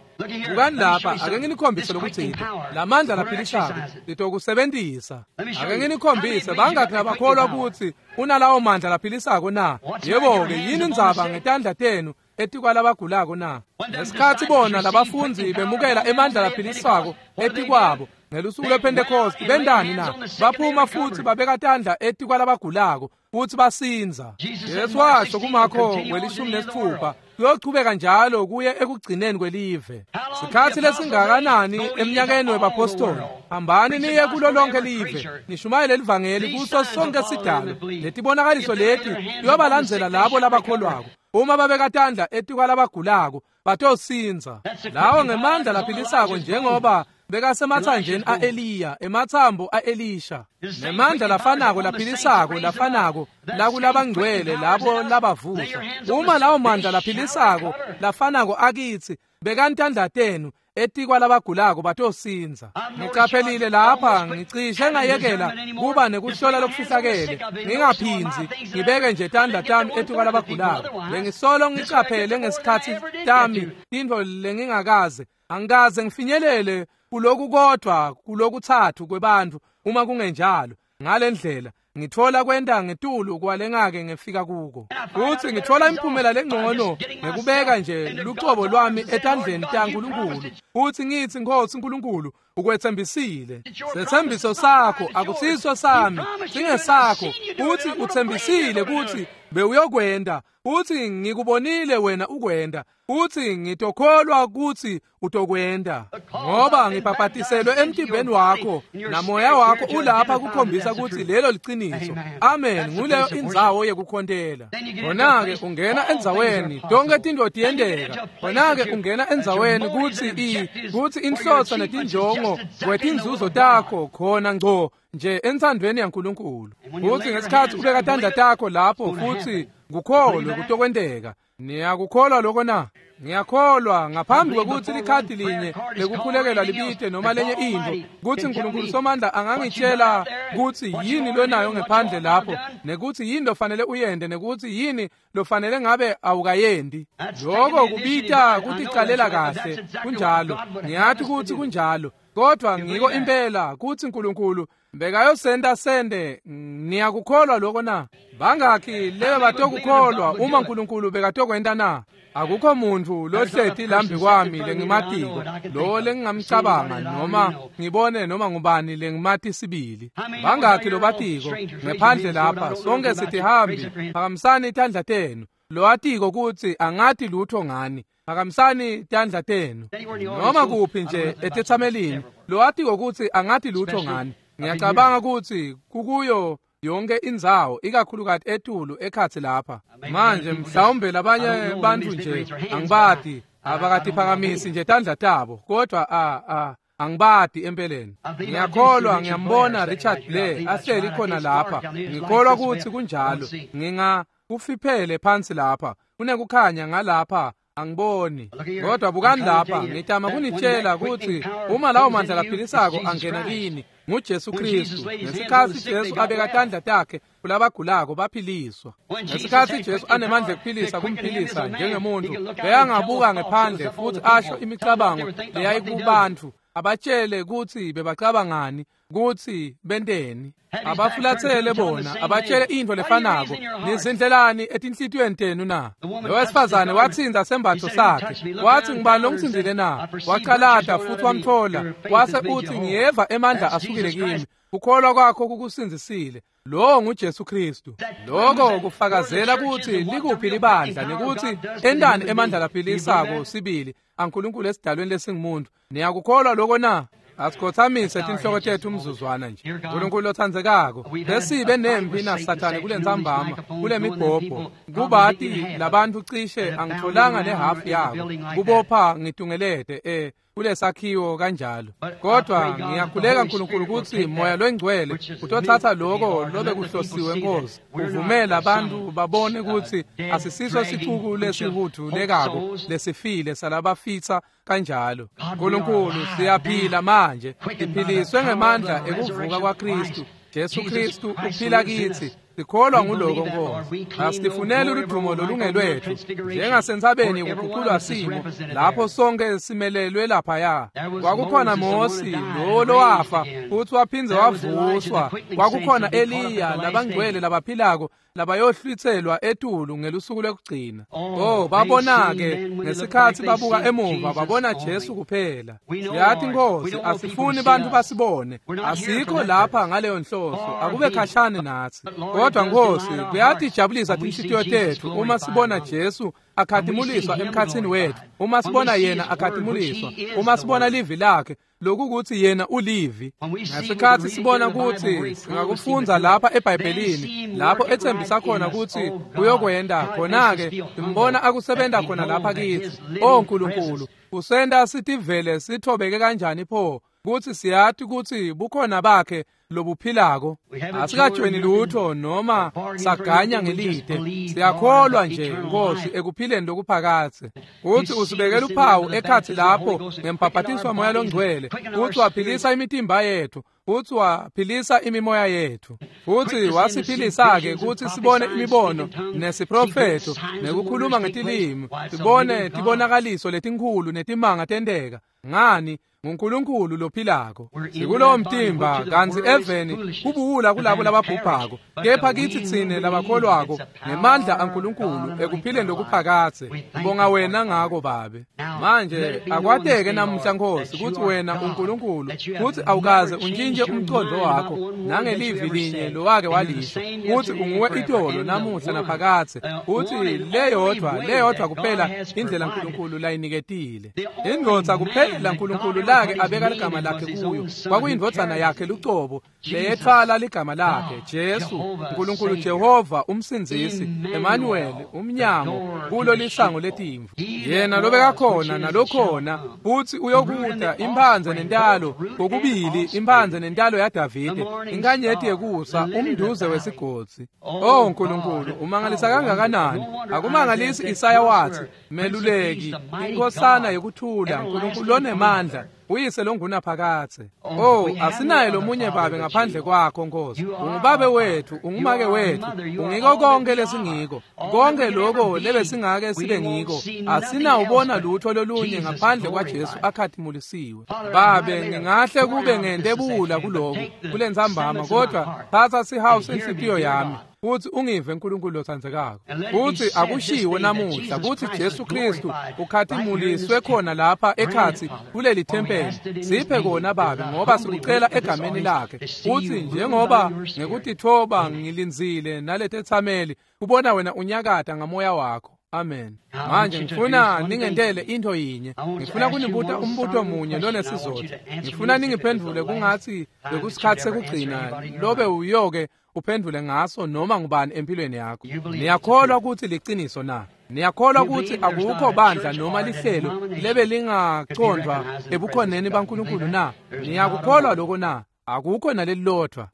Bukani lapha, ake nginikhombise lokuthi lamandla laphilisako litokusebentisa. Ake nginikhombise bangakhi labakholwa ukuthi unalawo mandla laphilisako na? Yebo-ke, yini indzaba ngetandla tenu etikwalabagulako na? Ngesikhathi bona labafundzi bemukela emandla laphilisako etikwabo ngelusuku lwePentecost bendani na? Baphuma futhi babeka tandla etikwalabagulako futhi basinza. Jesu washo kuMakho welishumi nesithupha kuyochubeka njalo kuye ekugcineni kwelive. Sikhathi lesingakanani eminyakeni webapostoli? Hambani niye kulo lonke live nishumayele livangeli kuso sonke sidalo. Letibonakaliso leti kuyobalandzela labo labakholwako. Uma babeka tandla etikwalabagulako batosinza. Lawo ngemandla laphilisako njengoba bekasemathanjeni a-Eliya, emathambo a-Elisha, nemandla lafanako laphilisako lafanako lakulabangcwele labo labavusa. Uma lawo mandla laphilisako lafanako akithi bekantandla tenu etikwalabagulako batosinza. Ngiqaphelile lapha ngicishe ngayekela kuba nekuhlola lokufihlakele ngingaphindzi ngibeke nje tandla tami etikwalabagulako. Bengisolo ngiqaphele ngesikhathi tami tintfo lengingakaze angikaze ngifinyelele kuloku kodwa kulokuthathu kwebantfu uma kungenjalo. Ngalendlela ngithola kwenta ngetulu kwalengake ngifika kuko. Futhi ngithola imiphumela lengcono ngekubeka nje lucobo lwami etandleni taNkulunkulu. Futhi ngithi Nkosi uNkulunkulu ukwethembisile. Sethembiso sakho akusiso sami, singesakho. Futhi uthembisile ukuthi bewuyokwenda. Futhi ngikubonile wena ukwenda. Futhi ngitokholwa ukuthi utokwenda. Ngoba ngibhabhatiselwe emtimbeni wakho namoya wakho ulapha kukhombisa ukuthi lelo liqiniso. Amen. Nguleyo indzawo yekukhontela. Khona-ke ungena endzaweni tonke tintfo tiyenteka. Khona-ke ungena endzaweni kutsi i kutsi inhloso netinjongo kwetinzuzo takho khona ngco nje entsandvweni yaNkulunkulu. Futhi ngesikhathi ubeka tandla takho lapho futhi kukholwe kutokwenteka. Niyakukholwa lokho na? Ngiyakholwa ngaphambi kwekuthi likhadi linye lekukhulekelwa libite noma lenye intfo kutsi uNkulunkulu Somandla angangitshela kutsi yini lonayo ngephandle lapho nekuthi yini lofanele uyende nekuthi yini lofanele ngabe awukayendi. Lokho kubita kuticalela kahle. Kunjalo, ngiyathi kutsi kunjalo, kodwa ngiko impela kutsi uNkulunkulu bekayosenda sende. Niyakukholwa lokho na? Bangakhi lebe batokukholwa uma uNkulunkulu bekatokwenta na? Akukho muntu lohleti lambi kwami lengimatiko lo lengingamcabanga noma ngibone noma ngubani lengimati sibili. Bangakhi lobatiko ngephandle lapha? Sonke sitihambi. Phakamisani tandla tenu. Lowatiko kutsi angati lutho ngani, phakamisani tandla tenu. Noma kuphi nje etethamelini lowatiko kutsi angati lutho ngani. Ngiyacabanga kutsi kukuyo yonke indzawo ikakhulukati etulu ekhatsi lapha. Manje mhlawumbe labanye bantfu nje angibati abakatiphakamisi nje tandla tabo, kodwa a a angibati empeleni. Ngiyakholwa ngiyambona Richard Blair ahleli khona lapha. Ngikholwa kutsi kunjalo. Nginga kufiphele phansi lapha. Kunekukhanya ngalapha angiboni. Kodwa bukani lapha, ngitama kunitshela kutsi uma lawo mandla laphilisako angena kini nguJesu Kristu. Ngesikhatsi Jesu abeka tandla takhe kulabagulako baphiliswa. Ngesikhatsi Jesu anemandla ekuphilisa kumphilisa njengemuntu, beyangabuka ngephandle futhi asho imicabango leyayikubantfu, abatshele kutsi bebacabangani, kutsi benteni. Abafulathele bona, abatshele intfo lefanako. Nizindlelani etinhlitiyweni tenu na? Lo wesifazane watsinza sembatfo sakhe, watsi ngibani longitsinzile na? Wacalata futhi wamthola, wase utsi ngiyeva emandla asukile kimi. Kukholwa kwakho kukusindzisile. Lo nguJesu Kristu. Lokho kufakazela kutsi likuphi libandla nekutsi entani emandla laphilisako sibili aNkulunkulu esidalweni lesingumuntu. Niyakukholwa lokho na? Asikhothamise tinhloko tethu umzuzwana nje. Nkulunkulu lotsandzekako, besibe nempi naSathane kulentsambama, kule mibhobho. Kubati labantfu cishe angitholanga nehafu yabo. Kubopha ngitungelete eh kulesakhiwo kanjalo. Kodwa ngiyakhuleka Nkulunkulu kutsi Moya loNgcwele utothatha lokho lobe kuhlosiwe Nkosi, uvumela abantu babone kutsi asisiso sicuku lesihuthu lekako lesifile salabafitsa kanjalo. Nkulunkulu, siyaphila manje, siphiliswe ngemandla ekuvuka kwaKristu. Jesu Kristu uphila kithi. Sikholwa nguloko Nkosi. Asifuneli ludumo lolungelwethu njengasentsabeni kuguculwa simo lapho sonke simelelwe laphaya. Kwakukhona Mosi lo lowafa futhi waphindze wavuswa. Kwakukhona Eliya, labangcwele labaphilako labayohlwitselwa etulu ngelusuku lwekugcina. Oh, babona-ke ngesikhatsi babuka emuva babona Jesu kuphela. Siyathi Nkosi, asifuni bantfu basibone. Asikho lapha ngaleyo nhloso, akube khashane natsi. Kodwa Nkosi, kuyatijabulisa tinhlitiyo tetfu uma sibona Jesu akhatimuliswa emkhatsini wetfu, uma sibona yena akhatimuliswa, uma sibona livi lakhe lokukuthi yena ulivi. Ngesikhatsi sibona kutsi singakufundza lapha eBhayibhelini lapho etsembisa khona kutsi uyokwenda khona-ke, simbona akusebenta khona lapha kitsi. O Nkulunkulu, usenta sitivele sithobeke kanjani pho kutsi siyati kutsi bukhona bakhe lobuphilako. Asikajweni lutho noma saganya ngelide. Siyakholwa nje Nkosi ekuphileni lokuphakadze. Kutsi usibekela uphawu ekhatsi lapho ngembhabhatiso waMoya loNgcwele, kutsi waphilisa imitimba yetfu, futsi waphilisa imimoya yetfu, futsi wasiphilisa-ke kutsi sibone imibono nesiprofetho nekukhuluma ngetilimi, sibone tibonakaliso letinkhulu netimanga tenteka. Ngani? nguNkulunkulu lophilako. Sikulowo mtimba kantsi eveni kubuwula kulabo lababhubhako, kepha kitsi tsine labakholwako ngemandla aNkulunkulu ekuphileni lokuphakadze. Ngibonga wena ngako Babe. Manje akwateke namuhla Nkosi kutsi wena uNkulunkulu, kutsi awukaze untjintje umcondvo wakho nangelivi linye lowake walisho, kutsi unguwe itolo namuhla naphakadze, kutsi leyodvwa leyodvwa kuphela indlela Nkulunkulu layiniketile. Indvodza kuphela Nkulunkulu lake abeka ligama lakhe kuyo kwakuyindvodzana yakhe lucobo leyetfwala ligama lakhe, Jesu, Nkulunkulu Jehova umsindzisi, Emmanuel, umnyango kulo lisango letimvu. Yena lobekakhona nalokhona futsi uyokuta, imphandze nentalo, kokubili imphandze nentalo yaDavide, inkanyeti yekusa, umnduze wesigodzi. Oh Nkulunkulu, umangalisa kangakanani! Akumangalisi Isaya watsi, Meluleki, inkosana yekuthula, Nkulunkulu lonemandla, uyise longunaphakadze. Oh, asinaye lomunye babe ngaphandle kwakho Nkosi. Ungubabe wethu, ungumake wethu, ungiko konke lesingiko, konke lokho lebesingake sibe ngiko. Asinawubona lutho lolunye ngaphandle kwaJesu akhatimulisiwe. Babe, ngingahle kube ngente buwula kuloku kulentsambama, kodwa thatha sihawu senhlitiyo yami futsi ungive Nkulunkulu lotsandzekako. Futsi akushiwo namuhla kutsi Jesu Kristu ukhatimuliswe khona lapha ekhatsi kuleli thempeli. Siphe kona Babe, ngoba sikucela egameni lakhe. Futsi njengoba ngekutitfoba ngilindzile naletetsameli kubona wena unyakata ngamoya wakho. Amen. Manje ngifuna ningentele into yinye. Ngifuna kunibuta umbuto munye lonesizotha. Ngifuna ningiphendvule kungathi bekusikhathi sekugcina lobe uyoke uphendvule ngaso noma ngubani empilweni yakho. Niyakholwa ukuthi liciniso na? Niyakholwa ukuthi akukho bandla noma lihlelo lebe lingacondwa ebukhoneni baNkulunkulu na? Niyakukholwa lokho na? Akukho nalelilodwa.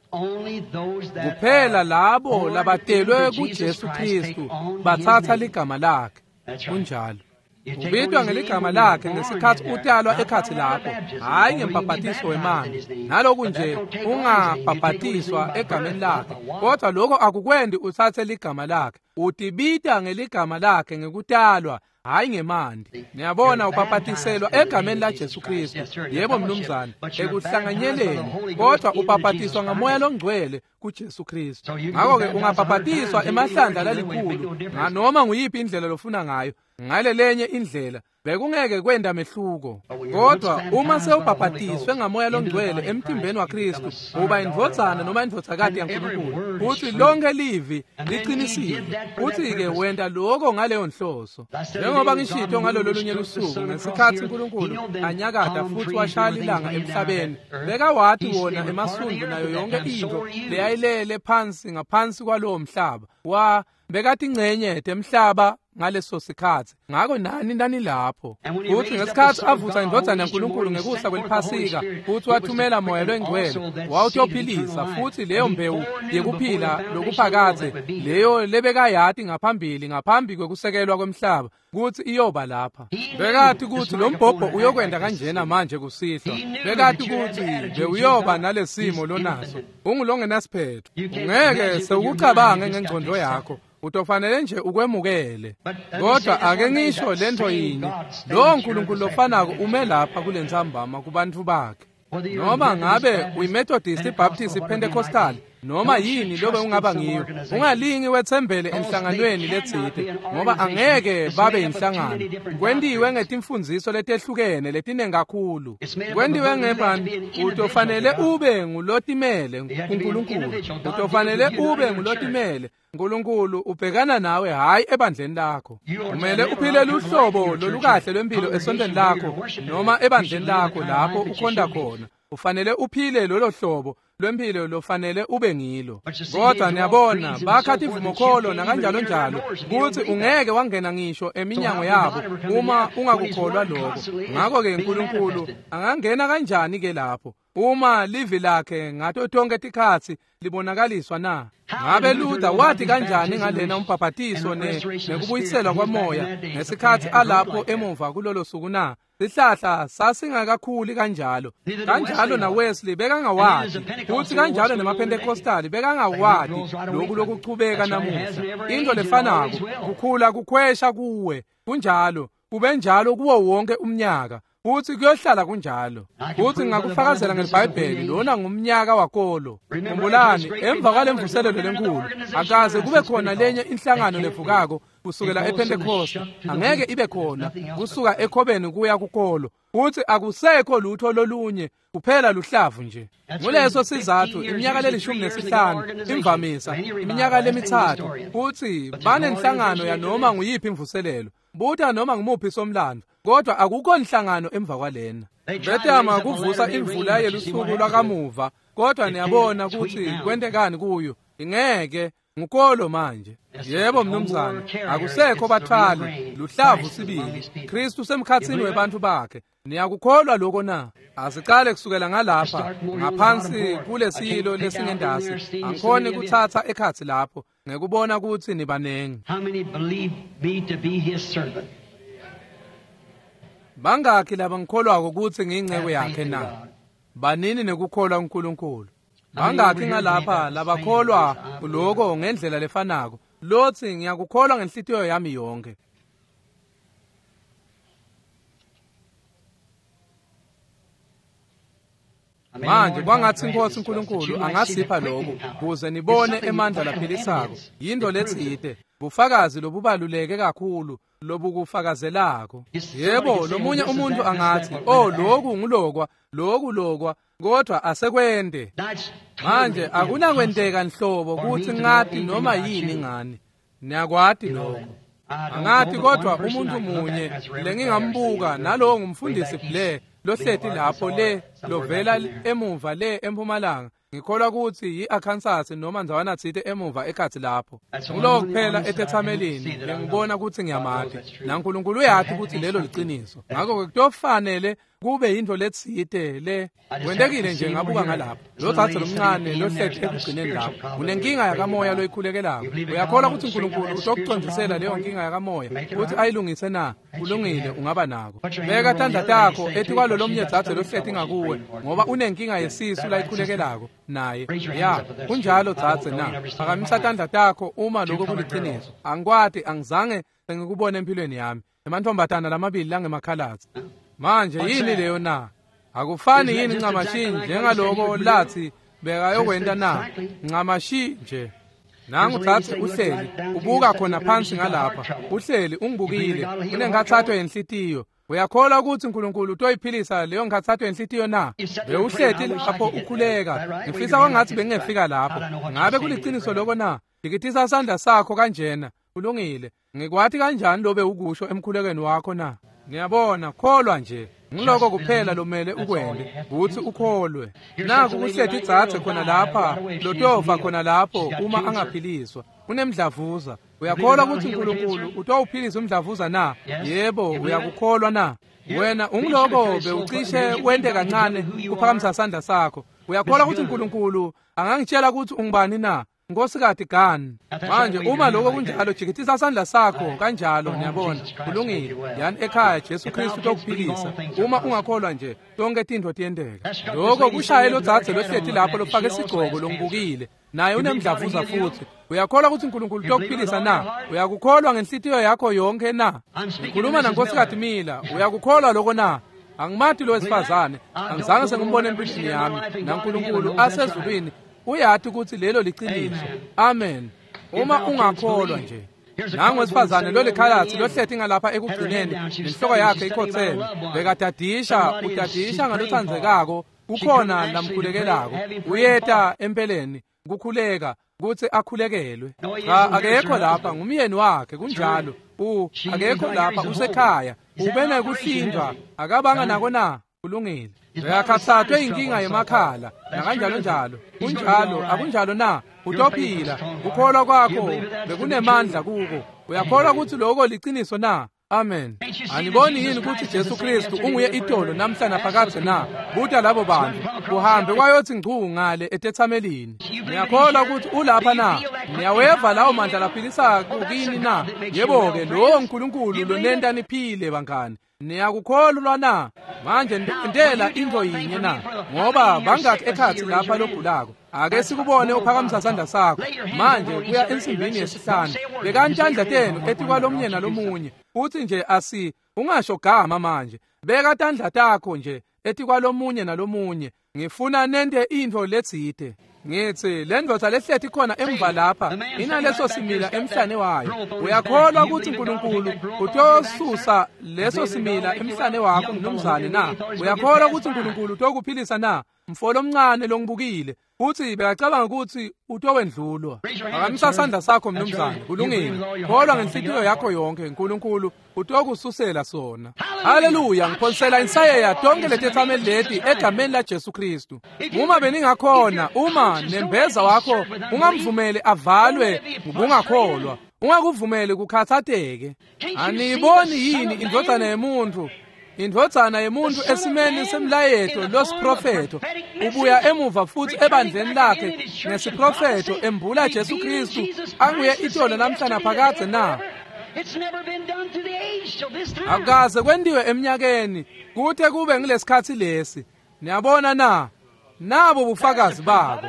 Kuphela labo labatelwe kuJesu Kristu bathatha ligama lakhe. Kunjalo. Ubitwa ngeligama lakhe ngesikhathi utalwa ekhathi lapho, hhayi ngembhabhatiso wemanti. Naloku nje ungabhabhatiswa egameni lakhe, kodwa lokho akukwendi uthathe ligama lakhe. Utibita ngeligama lakhe ngekutalwa, hhayi ngemanti. Niyabona ubhabhatiselwa egameni laJesu Kristu. Yebo mnumzane, ekuhlanganyeleni, kodwa ubhabhatiswa ngamoya longcwele kuJesu Kristu. Ngakho-ke ungabhabhatiswa emahlandla lalikhulu nganoma nguyiphi indlela lofuna ngayo. Ngale lenye indlela bekungeke kwenda mehluko. Kodwa uma sewubhabhatiswe ngamoya longcwele emtimbeni waKristu, uba indvodzana noma indvodzakati yaNkulunkulu. Futhi lonke livi liqinisile. Futhi-ke wenta lokho ngaleyo nhloso. Njengoba ngishito ngalolo lunye lusuku ngesikhathi uNkulunkulu anyakada futhi washaya ilanga emhlabeni, bekawati wona emasundu nayo yonke into leyayilele phansi ngaphansi kwalowo mhlaba. Wa bekati ingcenye temhlaba ngaleso sikhathi. Ngakho nani nani lapho. Futhi ngesikhathi avusa indvodzana yaNkulunkulu ngekusa kweliphasika, futhi wathumela moya longcwele wawutophilisa, futhi leyo mbewu yekuphila lokuphakadze leyo lebekayati ngaphambili ngaphambi kwekusekelwa kwemhlaba kuthi iyoba lapha. Bekati ukuthi lo mbhobho uyokwenda kanjena manje kusihlwa. Bekati ukuthi bewuyoba nalesimo lonaso. Ungulongenasiphetho. Ungeke sewukucabange ngengcondo yakho. Utofanele nje ukwemukele. Kodwa ake ngisho lento yinye, lo nkulunkulu lofanako ume lapha kule ntsambama kubantu bakhe. Noma ngabe uyiMethodist, iBaptist, iPentecostal, noma yini lobe ungaba ngiyo, ungalingi wethembele enhlanganweni letsite, ngoba angeke babe inhlangano. Kwentiwe ngetimfundziso letehlukene letinengi kakhulu. Kwentiwe ngebani? Utofanele ube ngulotimele kuNkulunkulu. Utofanele ube ngulotimele. Nkulunkulu ubhekana nawe hhayi ebandleni lakho. Kumele uphile luhlobo lolukahle lwempilo esontweni lakho noma ebandleni lakho lapho ukhonda khona. Ufanele uphile lolo hlobo lwempilo lofanele ube ngilo. Kodwa niyabona bakha tivumokholo nakanjalo njalo kuthi ungeke wangena ngisho eminyango yabo uma ungakukholwa lokho. Ngakho-ke uNkulunkulu angangena kanjani ke lapho uma livi lakhe ngato tonke tikhatsi libonakaliswa na? Ngabe Luther wathi kanjani ngalena umbhabhatiso nekubuyiselwa kwamoya ngesikhathi alapho emuva kulolo suku na? Sihlahla sasingakakhuli kanjalo. Kanjalo na Wesley bekangawati, futhi kanjalo nemaPentecostal bekangawati lokhu lokuchubeka namuhla. Into lefanako kukhula kukhwesha kuwe. Kunjalo, kube njalo kuwo wonke umnyaka. Futhi kuyohlala kunjalo. Futhi ngakufakazela ngeBhayibheli lona ngumnyaka wakolo. Khumbulani emva kwalemvuselelo lenkulu akaze kube khona lenye inhlangano levukako kusukela ePentecost. Angeke ibe khona kusuka ekhobeni kuya kukolo. Futhi akusekho lutho lolunye kuphela luhlavu nje. Nguleso sizathu iminyaka lelishumi nesihlanu imvamisa iminyaka lemithathu futhi banenhlangano yanoma nguyiphi imvuselelo. Buta noma ngumuphi somlando, kodwa akukho inhlangano emva kwalena. Betama kuvusa imvula yelusuku lwakamuva, kodwa niyabona ukuthi kwentekani kuyo. Ingeke ngukolo manje. Yebo mnumzane, akusekho bathwali, luhlavu sibili. Kristu semkhatsini webantu bakhe. Niyakukholwa lokho na? Asiqale kusukela ngalapha ngaphansi kulesilo lesingendasi. Angikhoni kuthatha ekhathi lapho ngekubona ukuthi nibanengi. How many believe me to be his servant? Bangakhi labangikholwako ukuthi ngiyingcebo yakhe na? Banini nekukholwa uNkulunkulu? Bangakhi ngalapha labakholwa lokho ngendlela lefanako? Lothi ngiyakukholwa ngenhlitiyo yami yonke. Manje kwangathi inkosi uNkulunkulu angasipha lokho ukuze nibone emandla laphilisako. Yinto letsite, bufakazi lobubaluleke kakhulu lobukufakazelako. Yebo, lomunye umuntu angathi, "Oh, lokhu ngulokwa, lokhu lokwa," kodwa asekwende. Manje akunakwenteka nhlobo kuthi ngati noma yini ngani. Niyakwati lokho. Angati kodwa umuntu munye lengingambuka nalowo ngumfundisi Blair lohleti lapho le lovela emuva le empumalanga. Ngikholwa ukuthi yi-Arkansas noma ndzawana tsite emuva ekhatsi lapho. Ngulowo kuphela etethamelini lengibona ukuthi ngiyamati. NaNkulunkulu uyati ukuthi lelo liciniso. Ngakho-ke kutofanele kube yintfo letsite le kwentekile nje ngabuka ngalapho. Lo dzadze lomncane lohleti ekugcineni lapho unenkinga yakamoya loyikhulekelako. Uyakholwa ukuthi uNkulunkulu utokucondzisela leyo nkinga yakamoya ukuthi ayilungise na? Kulungile, ungaba nako. Beka tandla takho etikwalo lomnye dzadze lohleti ngakuwe ngoba unenkinga yesisu layikhulekelako naye. Ya, kunjalo dzadze na? Phakamisa tandla takho uma lokho kuliciniso. Angikwati, angizange sengikubone empilweni yami. Emantfombatana lamabili langemakhalatsi. Manje yini leyo na? Akufani yini ncamashi njengaloko lathi bekayokwenta na? Ncamashi nje. Nangu dzadze uhleli ubuka khona phansi ngalapha. Uhleli ungibukile unenkhatsato yenhlitiyo. Uyakholwa ukuthi uNkulunkulu utoyiphilisa leyo nkhatsato yenhlitiyo na? Bewuhleti lapho ukhuleka. Ngifisa kwangathi bengingefika lapho. Ngabe kuliciniso lokho na? Dikitisa sandla sakho kanjena. Kulungile. Ngikwati kanjani lobe ukusho emkhulekweni wakho na? Ngiyabona, kholwa nje. Ngiloko kuphela lomele ukwente ukuthi ukholwe. Naku kuhleti dzadze khona lapha, lotova khona lapho uma angaphiliswa. Unemdlavuza. Uyakholwa ukuthi uNkulunkulu utowuphilisa umdlavuza na? Yebo, uyakukholwa na? Wena ungiloko bewucishe wente kancane kuphakamisa sandla sakho. Uyakholwa ukuthi uNkulunkulu angangitshela ukuthi ungubani na? Nkosikati Gani. Manje uma lokho kunjalo jikitisa sandla sakho kanjalo niyabona. Kulungile. Yani ekhaya Jesu Kristu utokuphilisa. Uma ungakholwa nje tonke tintfo tiyenteka. Lokho kushaye lo dzadze lohleti lapho lofake isigcoko longibukile. Naye unemdlavuza futhi. Uyakholwa ukuthi uNkulunkulu utokuphilisa na? Uyakukholwa ngenhlitiyo yakho yonke na? Ngikhuluma naNkosikati Mila. Uyakukholwa lokho na? Angimati lo wesifazane. Angizange sengimbone empilweni yami. NaNkulunkulu asezulwini uyati ukuthi lelo liciniso. Amen. Uma ungakholwa nje. Nangu wesifazane lo lekhalatsi lohleti ngalapha ekugcineni nenhloko yakhe ikhotheme. Bekadadisha udadisha ngalotsandzekako kukhona lamkhulekelako. Uyeta empeleni kukhuleka kutsi akhulekelwe. Cha, akekho lapha ngumyeni wakhe kunjalo. U akekho lapha usekhaya. Ubene kuhlindwa akabanga nako na? Kulungile. Bekakhatsatwe inkinga yemakhala nakanjalo njalo. Kunjalo, akunjalo na? Utophila. Ukholwa kwakho bekunemandla kuko. Uyakholwa ukuthi lokho liciniso na? Amen. Aniboni yini ukuthi Jesu Kristu unguye itolo namhla naphakadze na? Buta labo bantu. Uhambe kwayothi ngcu ngale etethamelini. Niyakholwa ukuthi ulapha na? Niyaweva lawo mandla laphilisa kukini na? Yebo ke lowo uNkulunkulu lonenta niphile bangani. Niyakukholwa na? Manje ndentela intfo yinye na? Ngoba bangakhi ekhatsi lapha logulako. Ake sikubone uphakamisa sandla sakho. Manje kuya ensimbini yesihlanu. Bekani tandla tenu etikwalomnye nalomunye. Uthi nje asi ungasho gama manje. Beka tandla takho nje etikwalomunye nalomunye. Ngifuna nente intfo letsite. Ngithi le ndvodza lehleti khona emva lapha inaleso simila emhlane wayo. Uyakholwa ukuthi uNkulunkulu utosusa leso simila emhlane wakho mnumzane na? Uyakholwa ukuthi uNkulunkulu utokuphilisa na? Mfolo omncane longibukile uthi bekacabanga ukuthi utowendlulwa. Phakamisa sandla sakho mnumzane. Kulungile. Kholwa ngenhlitiyo yakho yonke uNkulunkulu utokususela sona. Haleluya. Ngiphonsela insayeya tonke letethameli leti egameni la Jesu Kristu. Uma beningakhona, uma nembeza wakho ungamvumeli avalwe ngokungakholwa, ungakuvumeli kukhathateke. Aniyiboni yini indvodzana yemuntu? Indvodzana yemuntu esimeni semlayeto losiprofeto ubuya emuva futhi ebandleni lakhe ngesiprofeto embula Jesu Kristu anguye itolo namhla naphakadze na? Akaze kwendiwe eminyakeni kute kube ngilesikhatsi lesi. Niyabona na? Nabo bufakazi babo.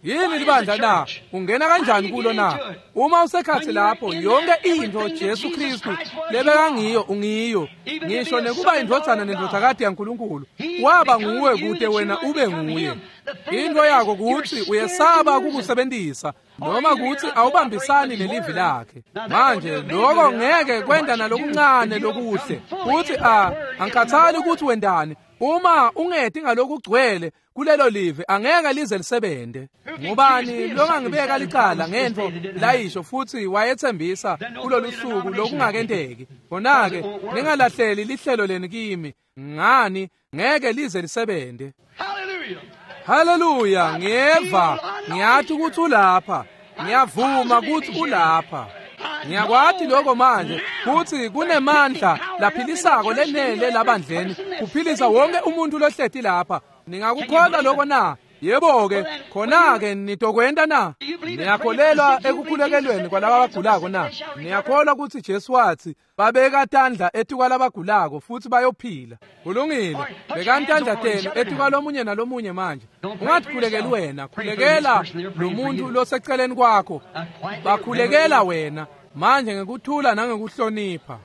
Yini libandla na? Ungena kanjani kulo na? Uma usekhatsi lapho yonke intfo Jesu Kristu lebekangiyo ungiyo. Ngisho nekuba indvodzana nendvodzakati yaNkulunkulu waba nguwe kute wena ube nguye. Into yakho kutsi uyesaba kukusebentisa noma kutsi awubambisani nelivi lakhe. Manje lokho ngeke kwenda nalokuncane lokuhle. Uthi a angikhathali ukuthi wendani. Uma ungeti ngalokugcwele kulelo live angeke lize lisebente. Ngubani longangibeka licala ngentfo layisho futhi wayethembisa kulolu suku lokungakenteki? Khona-ke ningalahleli lihlelo leni kimi, ngani ngeke lize lisebente. Haleluya! Ngiyeva, ngiyathi ukuthi ulapha, ngiyavuma ukuthi ulapha. Ngiyakwati lokho manje kutsi kunemandla laphilisako lenele labandleni kuphilisa wonke umuntu lohleti lapha. Ningakukholwa lokho na? Yebo-ke, khona-ke nitokwenta na? Niyakholelwa ekukhulekelweni kwalaba abagulako na? Niyakholwa kutsi Jesu watsi babeka tandla etikwalabagulako futhi bayophila? Kulungile, bekani tandla tenu etikwalomunye nalomunye manje. Ungathi wena, khulekela lo muntu loseceleni kwakho. Bakhulekela wena manje ngekuthula nangekuhlonipha.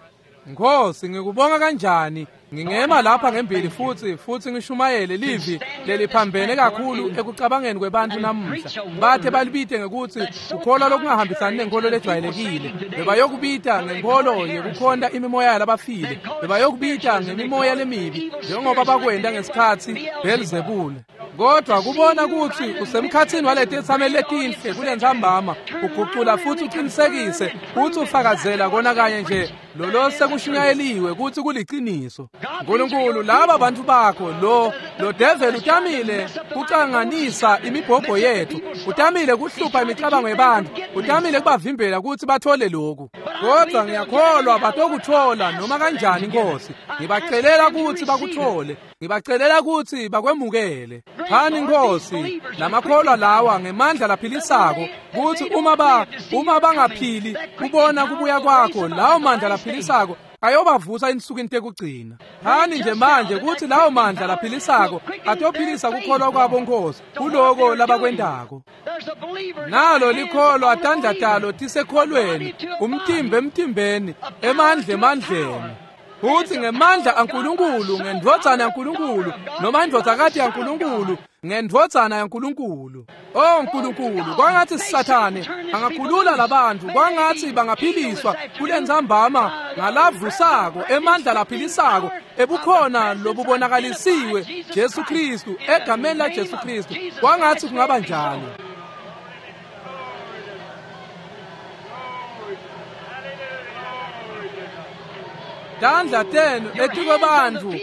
Nkosi, ngikubonga kanjani. Ngingema lapha ngembili futhi futhi ngishumayele livi leliphambene kakhulu ekucabangeni kwebantu namuhla. Bathe balibite ngekuthi ukholwa lokungahambisani nenkolo lejwayelekile. Bebayokubita ngenkolo yekukhonta imimoya yalabafile. Bebayokubita ngemimoya lemibi njengoba bakwenta ngesikhatsi Beelzebul. Kodwa kubona ukuthi usemkhathini waleti letinhle kulentsambama ugucula futhi uqinisekise futhi ufakazela kona kanye nje lolo sekushunyayeliwe ukuthi kuliciniso. Nkulunkulu, laba bantu bakho lo lo devil utamile kucanganisa imibhobho yethu, utamile kuhlupha imicabango yebantu, utamile kubavimbela ukuthi bathole lokhu. Kodwa ngiyakholwa batokuthola noma kanjani Nkosi. Ngibacelela ukuthi bakuthole, ngibacelela ukuthi bakwemukele. Phani Nkosi lamakholwa lawa ngemandla laphilisako ukuthi uma ba uma bangaphili kubona kubuya kwakho, lawo mandla laphilisako ayobavusa insukwini tekugcina. Phani nje manje ukuthi lawo mandla laphilisako atophilisa kukholwa kwabo Nkosi kuloko labakwentako. Nalo likholwa tandla talo tisekholweni, umtimba emtimbeni, emandla emandleni. Futhi ngemandla aNkulunkulu, ngendvodzana yaNkulunkulu, noma indvodzakati yaNkulunkulu, ngendvodzana yaNkulunkulu. Oh Nkulunkulu, kwangathi Sathane angakhulula labantu, kwangathi bangaphiliswa kulentsambama ngalavusako emandla laphilisako ebukhona lobubonakalisiwe Jesu Kristu, egameni la Jesu Kristu. Kwangathi kungaba njalo. Tandla tenu etikwebantu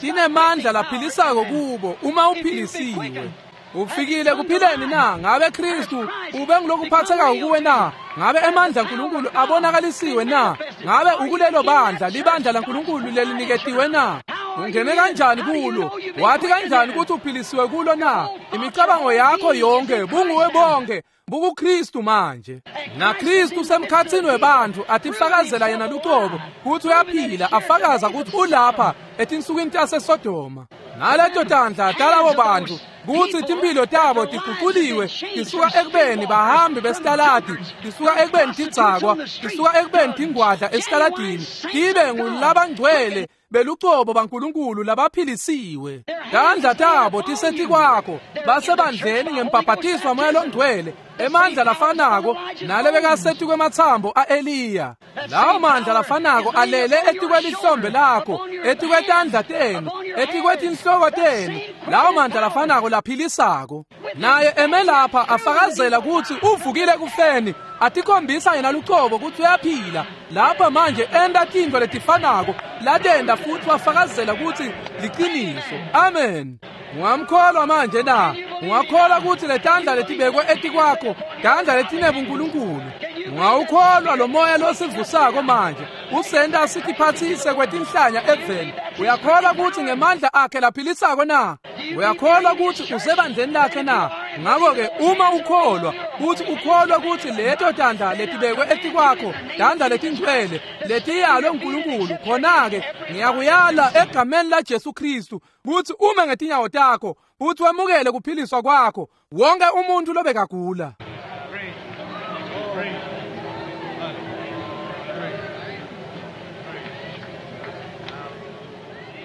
tinemandla laphilisako kubo uma uphilisiwe. Ufikile kuphileni na? Ngabe Kristu ube ngilokuphatheka kuwe na? Ngabe emandla aNkulunkulu abonakalisiwe na? Ngabe ukulelo bandla, libandla laNkulunkulu leliniketiwe na? Ungene kanjani kulo? Wathi kanjani ukuthi uphilisiwe kulo na? Imicabango yakho yonke bunguwe bonke bukuKristu manje. Na Kristu usemkhathini webantu atifakazela yena luqobo ukuthi uyaphila, afakaza ukuthi ulapha etinsukwini taseSodoma. Naleto tandla talabo bantu kutsi timphilo tabo tiguquliwe tisuka ekubeni bahambi besitaladi, tisuka ekubeni tidzakwa, tisuka ekubeni tingwadla esitaladini, tibe ngulabangcwele belucobo baNkulunkulu labaphilisiwe. Tandla tabo tisetikwakho, basebandleni ngembhabhatiswa moya longcwele, emandla lafanako nalebekasetikwematsambo a-Eliya. Lawo mandla lafanako alele etikwelihlombe lakho, etikwetandla tenu, etikwetinhloko tenu. Lawo mandla lafanako laphilisako. Naye eme lapha afakazela kutsi uvukile kufeni, atikhombisa yena lucobo kutsi uyaphila. Lapha manje enta tintfo letifanako latenta futhi wafakazela kutsi liciniso. Amen. Ungamkholwa manje na? Ungakholwa kutsi letandla letibekwe etikwakho tandla letinebunkulunkulu? Ungawukholwa lo moya losivusako manje usenta sitiphatsise kwetinhlanya eveni? Uyakholwa kutsi ngemandla akhe laphilisako na? Uyakholwa kutsi usebandleni lakhe na? Ngakho-ke uma ukholwa kutsi ukholwa kutsi leto tandla letibekwe etikwakho tandla letingcwele letiyalwe nguNkulunkulu, khona-ke ngiyakuyala egameni la Jesu Kristu kutsi ume ngetinyawo takho futhi wemukele kuphiliswa kwakho wonke umuntu lobekagula.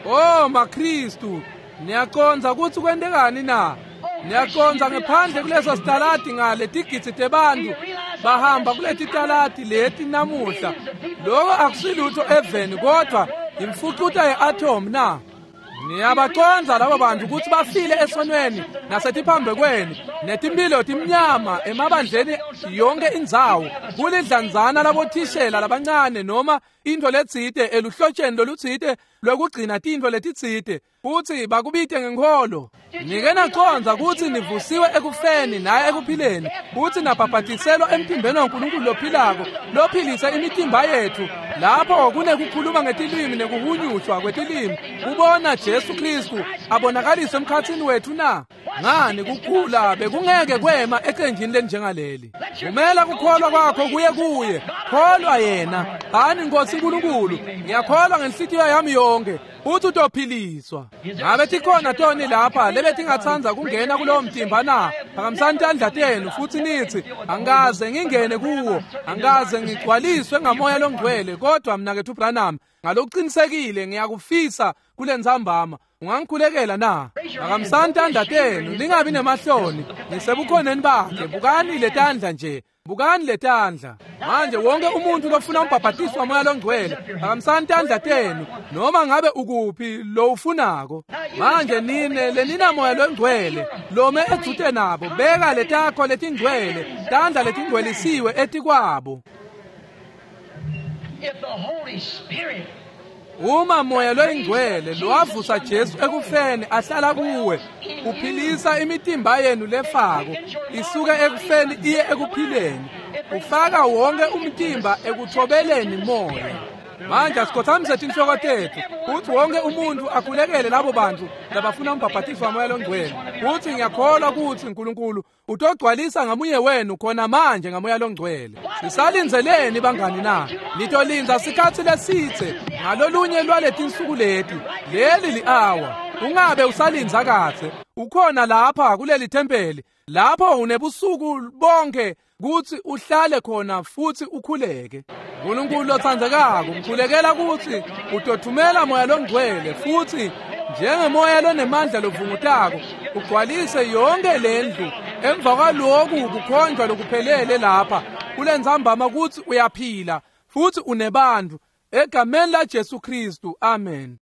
Oh maKristu, niyacondza kutsi kwentekani na? Niyacondza ngephandle kuleso sitaladi ngale tigidzi tebantu bahamba kuleti taladi leti namuhla. Lokho akusilutho eveni kodwa imfucuta ye-atom na? Niyabacondza labo bantu kutsi bafile esonweni nasetiphambekweni netimphilo timnyama emabandleni yonke indzawo kulidlanzana labothishela labancane noma intfo letsite eluhlotsheni lolutsite lwekugcina tintfo letitsite futsi bakubite ngenkholo. Nike nacondza kutsi nivusiwe ekufeni naye ekuphileni futsi nabhabhatiselwa emtimbeni waNkulunkulu lophilako lophilise imitimba yetfu lapho kunekukhuluma ngetilimi nekuhunyushwa kwetilimi kubona Jesu Kristu abonakaliswe emkhatsini wetfu na? Ngani kukhula bekungeke kwema ecenjini lenjengaleli. Vumela kukholwa kwakho kuye kuye. Kholwa yena. Hani Nkosi Nkulunkulu, ngiyakholwa ngenhlitiyo yami yonke uthi utophiliswa. Ngabe tikhona toni lapha lebetingatsandza kungena kulowo mtimba na? Phakamisani tandla tenu futsi nitsi angikaze ngingene kuwo, angikaze ngigcwaliswe ngamoya longcwele, kodwa mnaketfu Branham ngalokuqinisekile ngiyakufisa kulentsambama. Ungangikhulekela na? Phakamisani tandla tenu, ningabi nemahloni. Nisebukhoneni bakhe. Bukani letandla nje. Bukani letandla. Manje wonke umuntu lofuna umbhabhatiso wamoya longcwele, phakamisani tandla tenu noma ngabe ukuphi lo ufunako. Manje nine lenina moya longcwele lome edzute nabo, beka letakho letingcwele, tandla letingcwelisiwe etikwabo. If the Holy Spirit Uma moya loyingcwele lowavusa Jesu ekufeni ahlala kuwe, uphilisa imitimba yenu lefako isuke ekufeni iye ekuphileni, ufaka wonke umtimba ekuthobeleni moya. Manje asikhothamise tinhloko tetfu kutsi wonke umuntu akhulekele labo bantu labafuna umbhabhatiso wamoya longcwele. Kutsi ngiyakholwa kutsi Nkulunkulu utogcwalisa ngamunye wenu khona manje ngamoya longcwele. Sisalindzeleni bangani na? Nitolindza sikhatsi lesitse ngalolunye lwaletinsuku leti. Leli li-awa. Ungabe usalindza katse. Ukhona lapha kuleli thempeli lapho unebusuku bonke kutsi uhlale khona futsi ukhuleke. Nkulunkulu lotsandzekako, ngikhulekela kutsi utothumela moya longcwele futsi njengemoya lonemandla lovungutako ugcwalise yonke lendlu emva kwaloku kukhonjwa lokuphelele lapha kulentsambama kutsi uyaphila futsi unebantfu egameni la Jesu Kristu. Amen.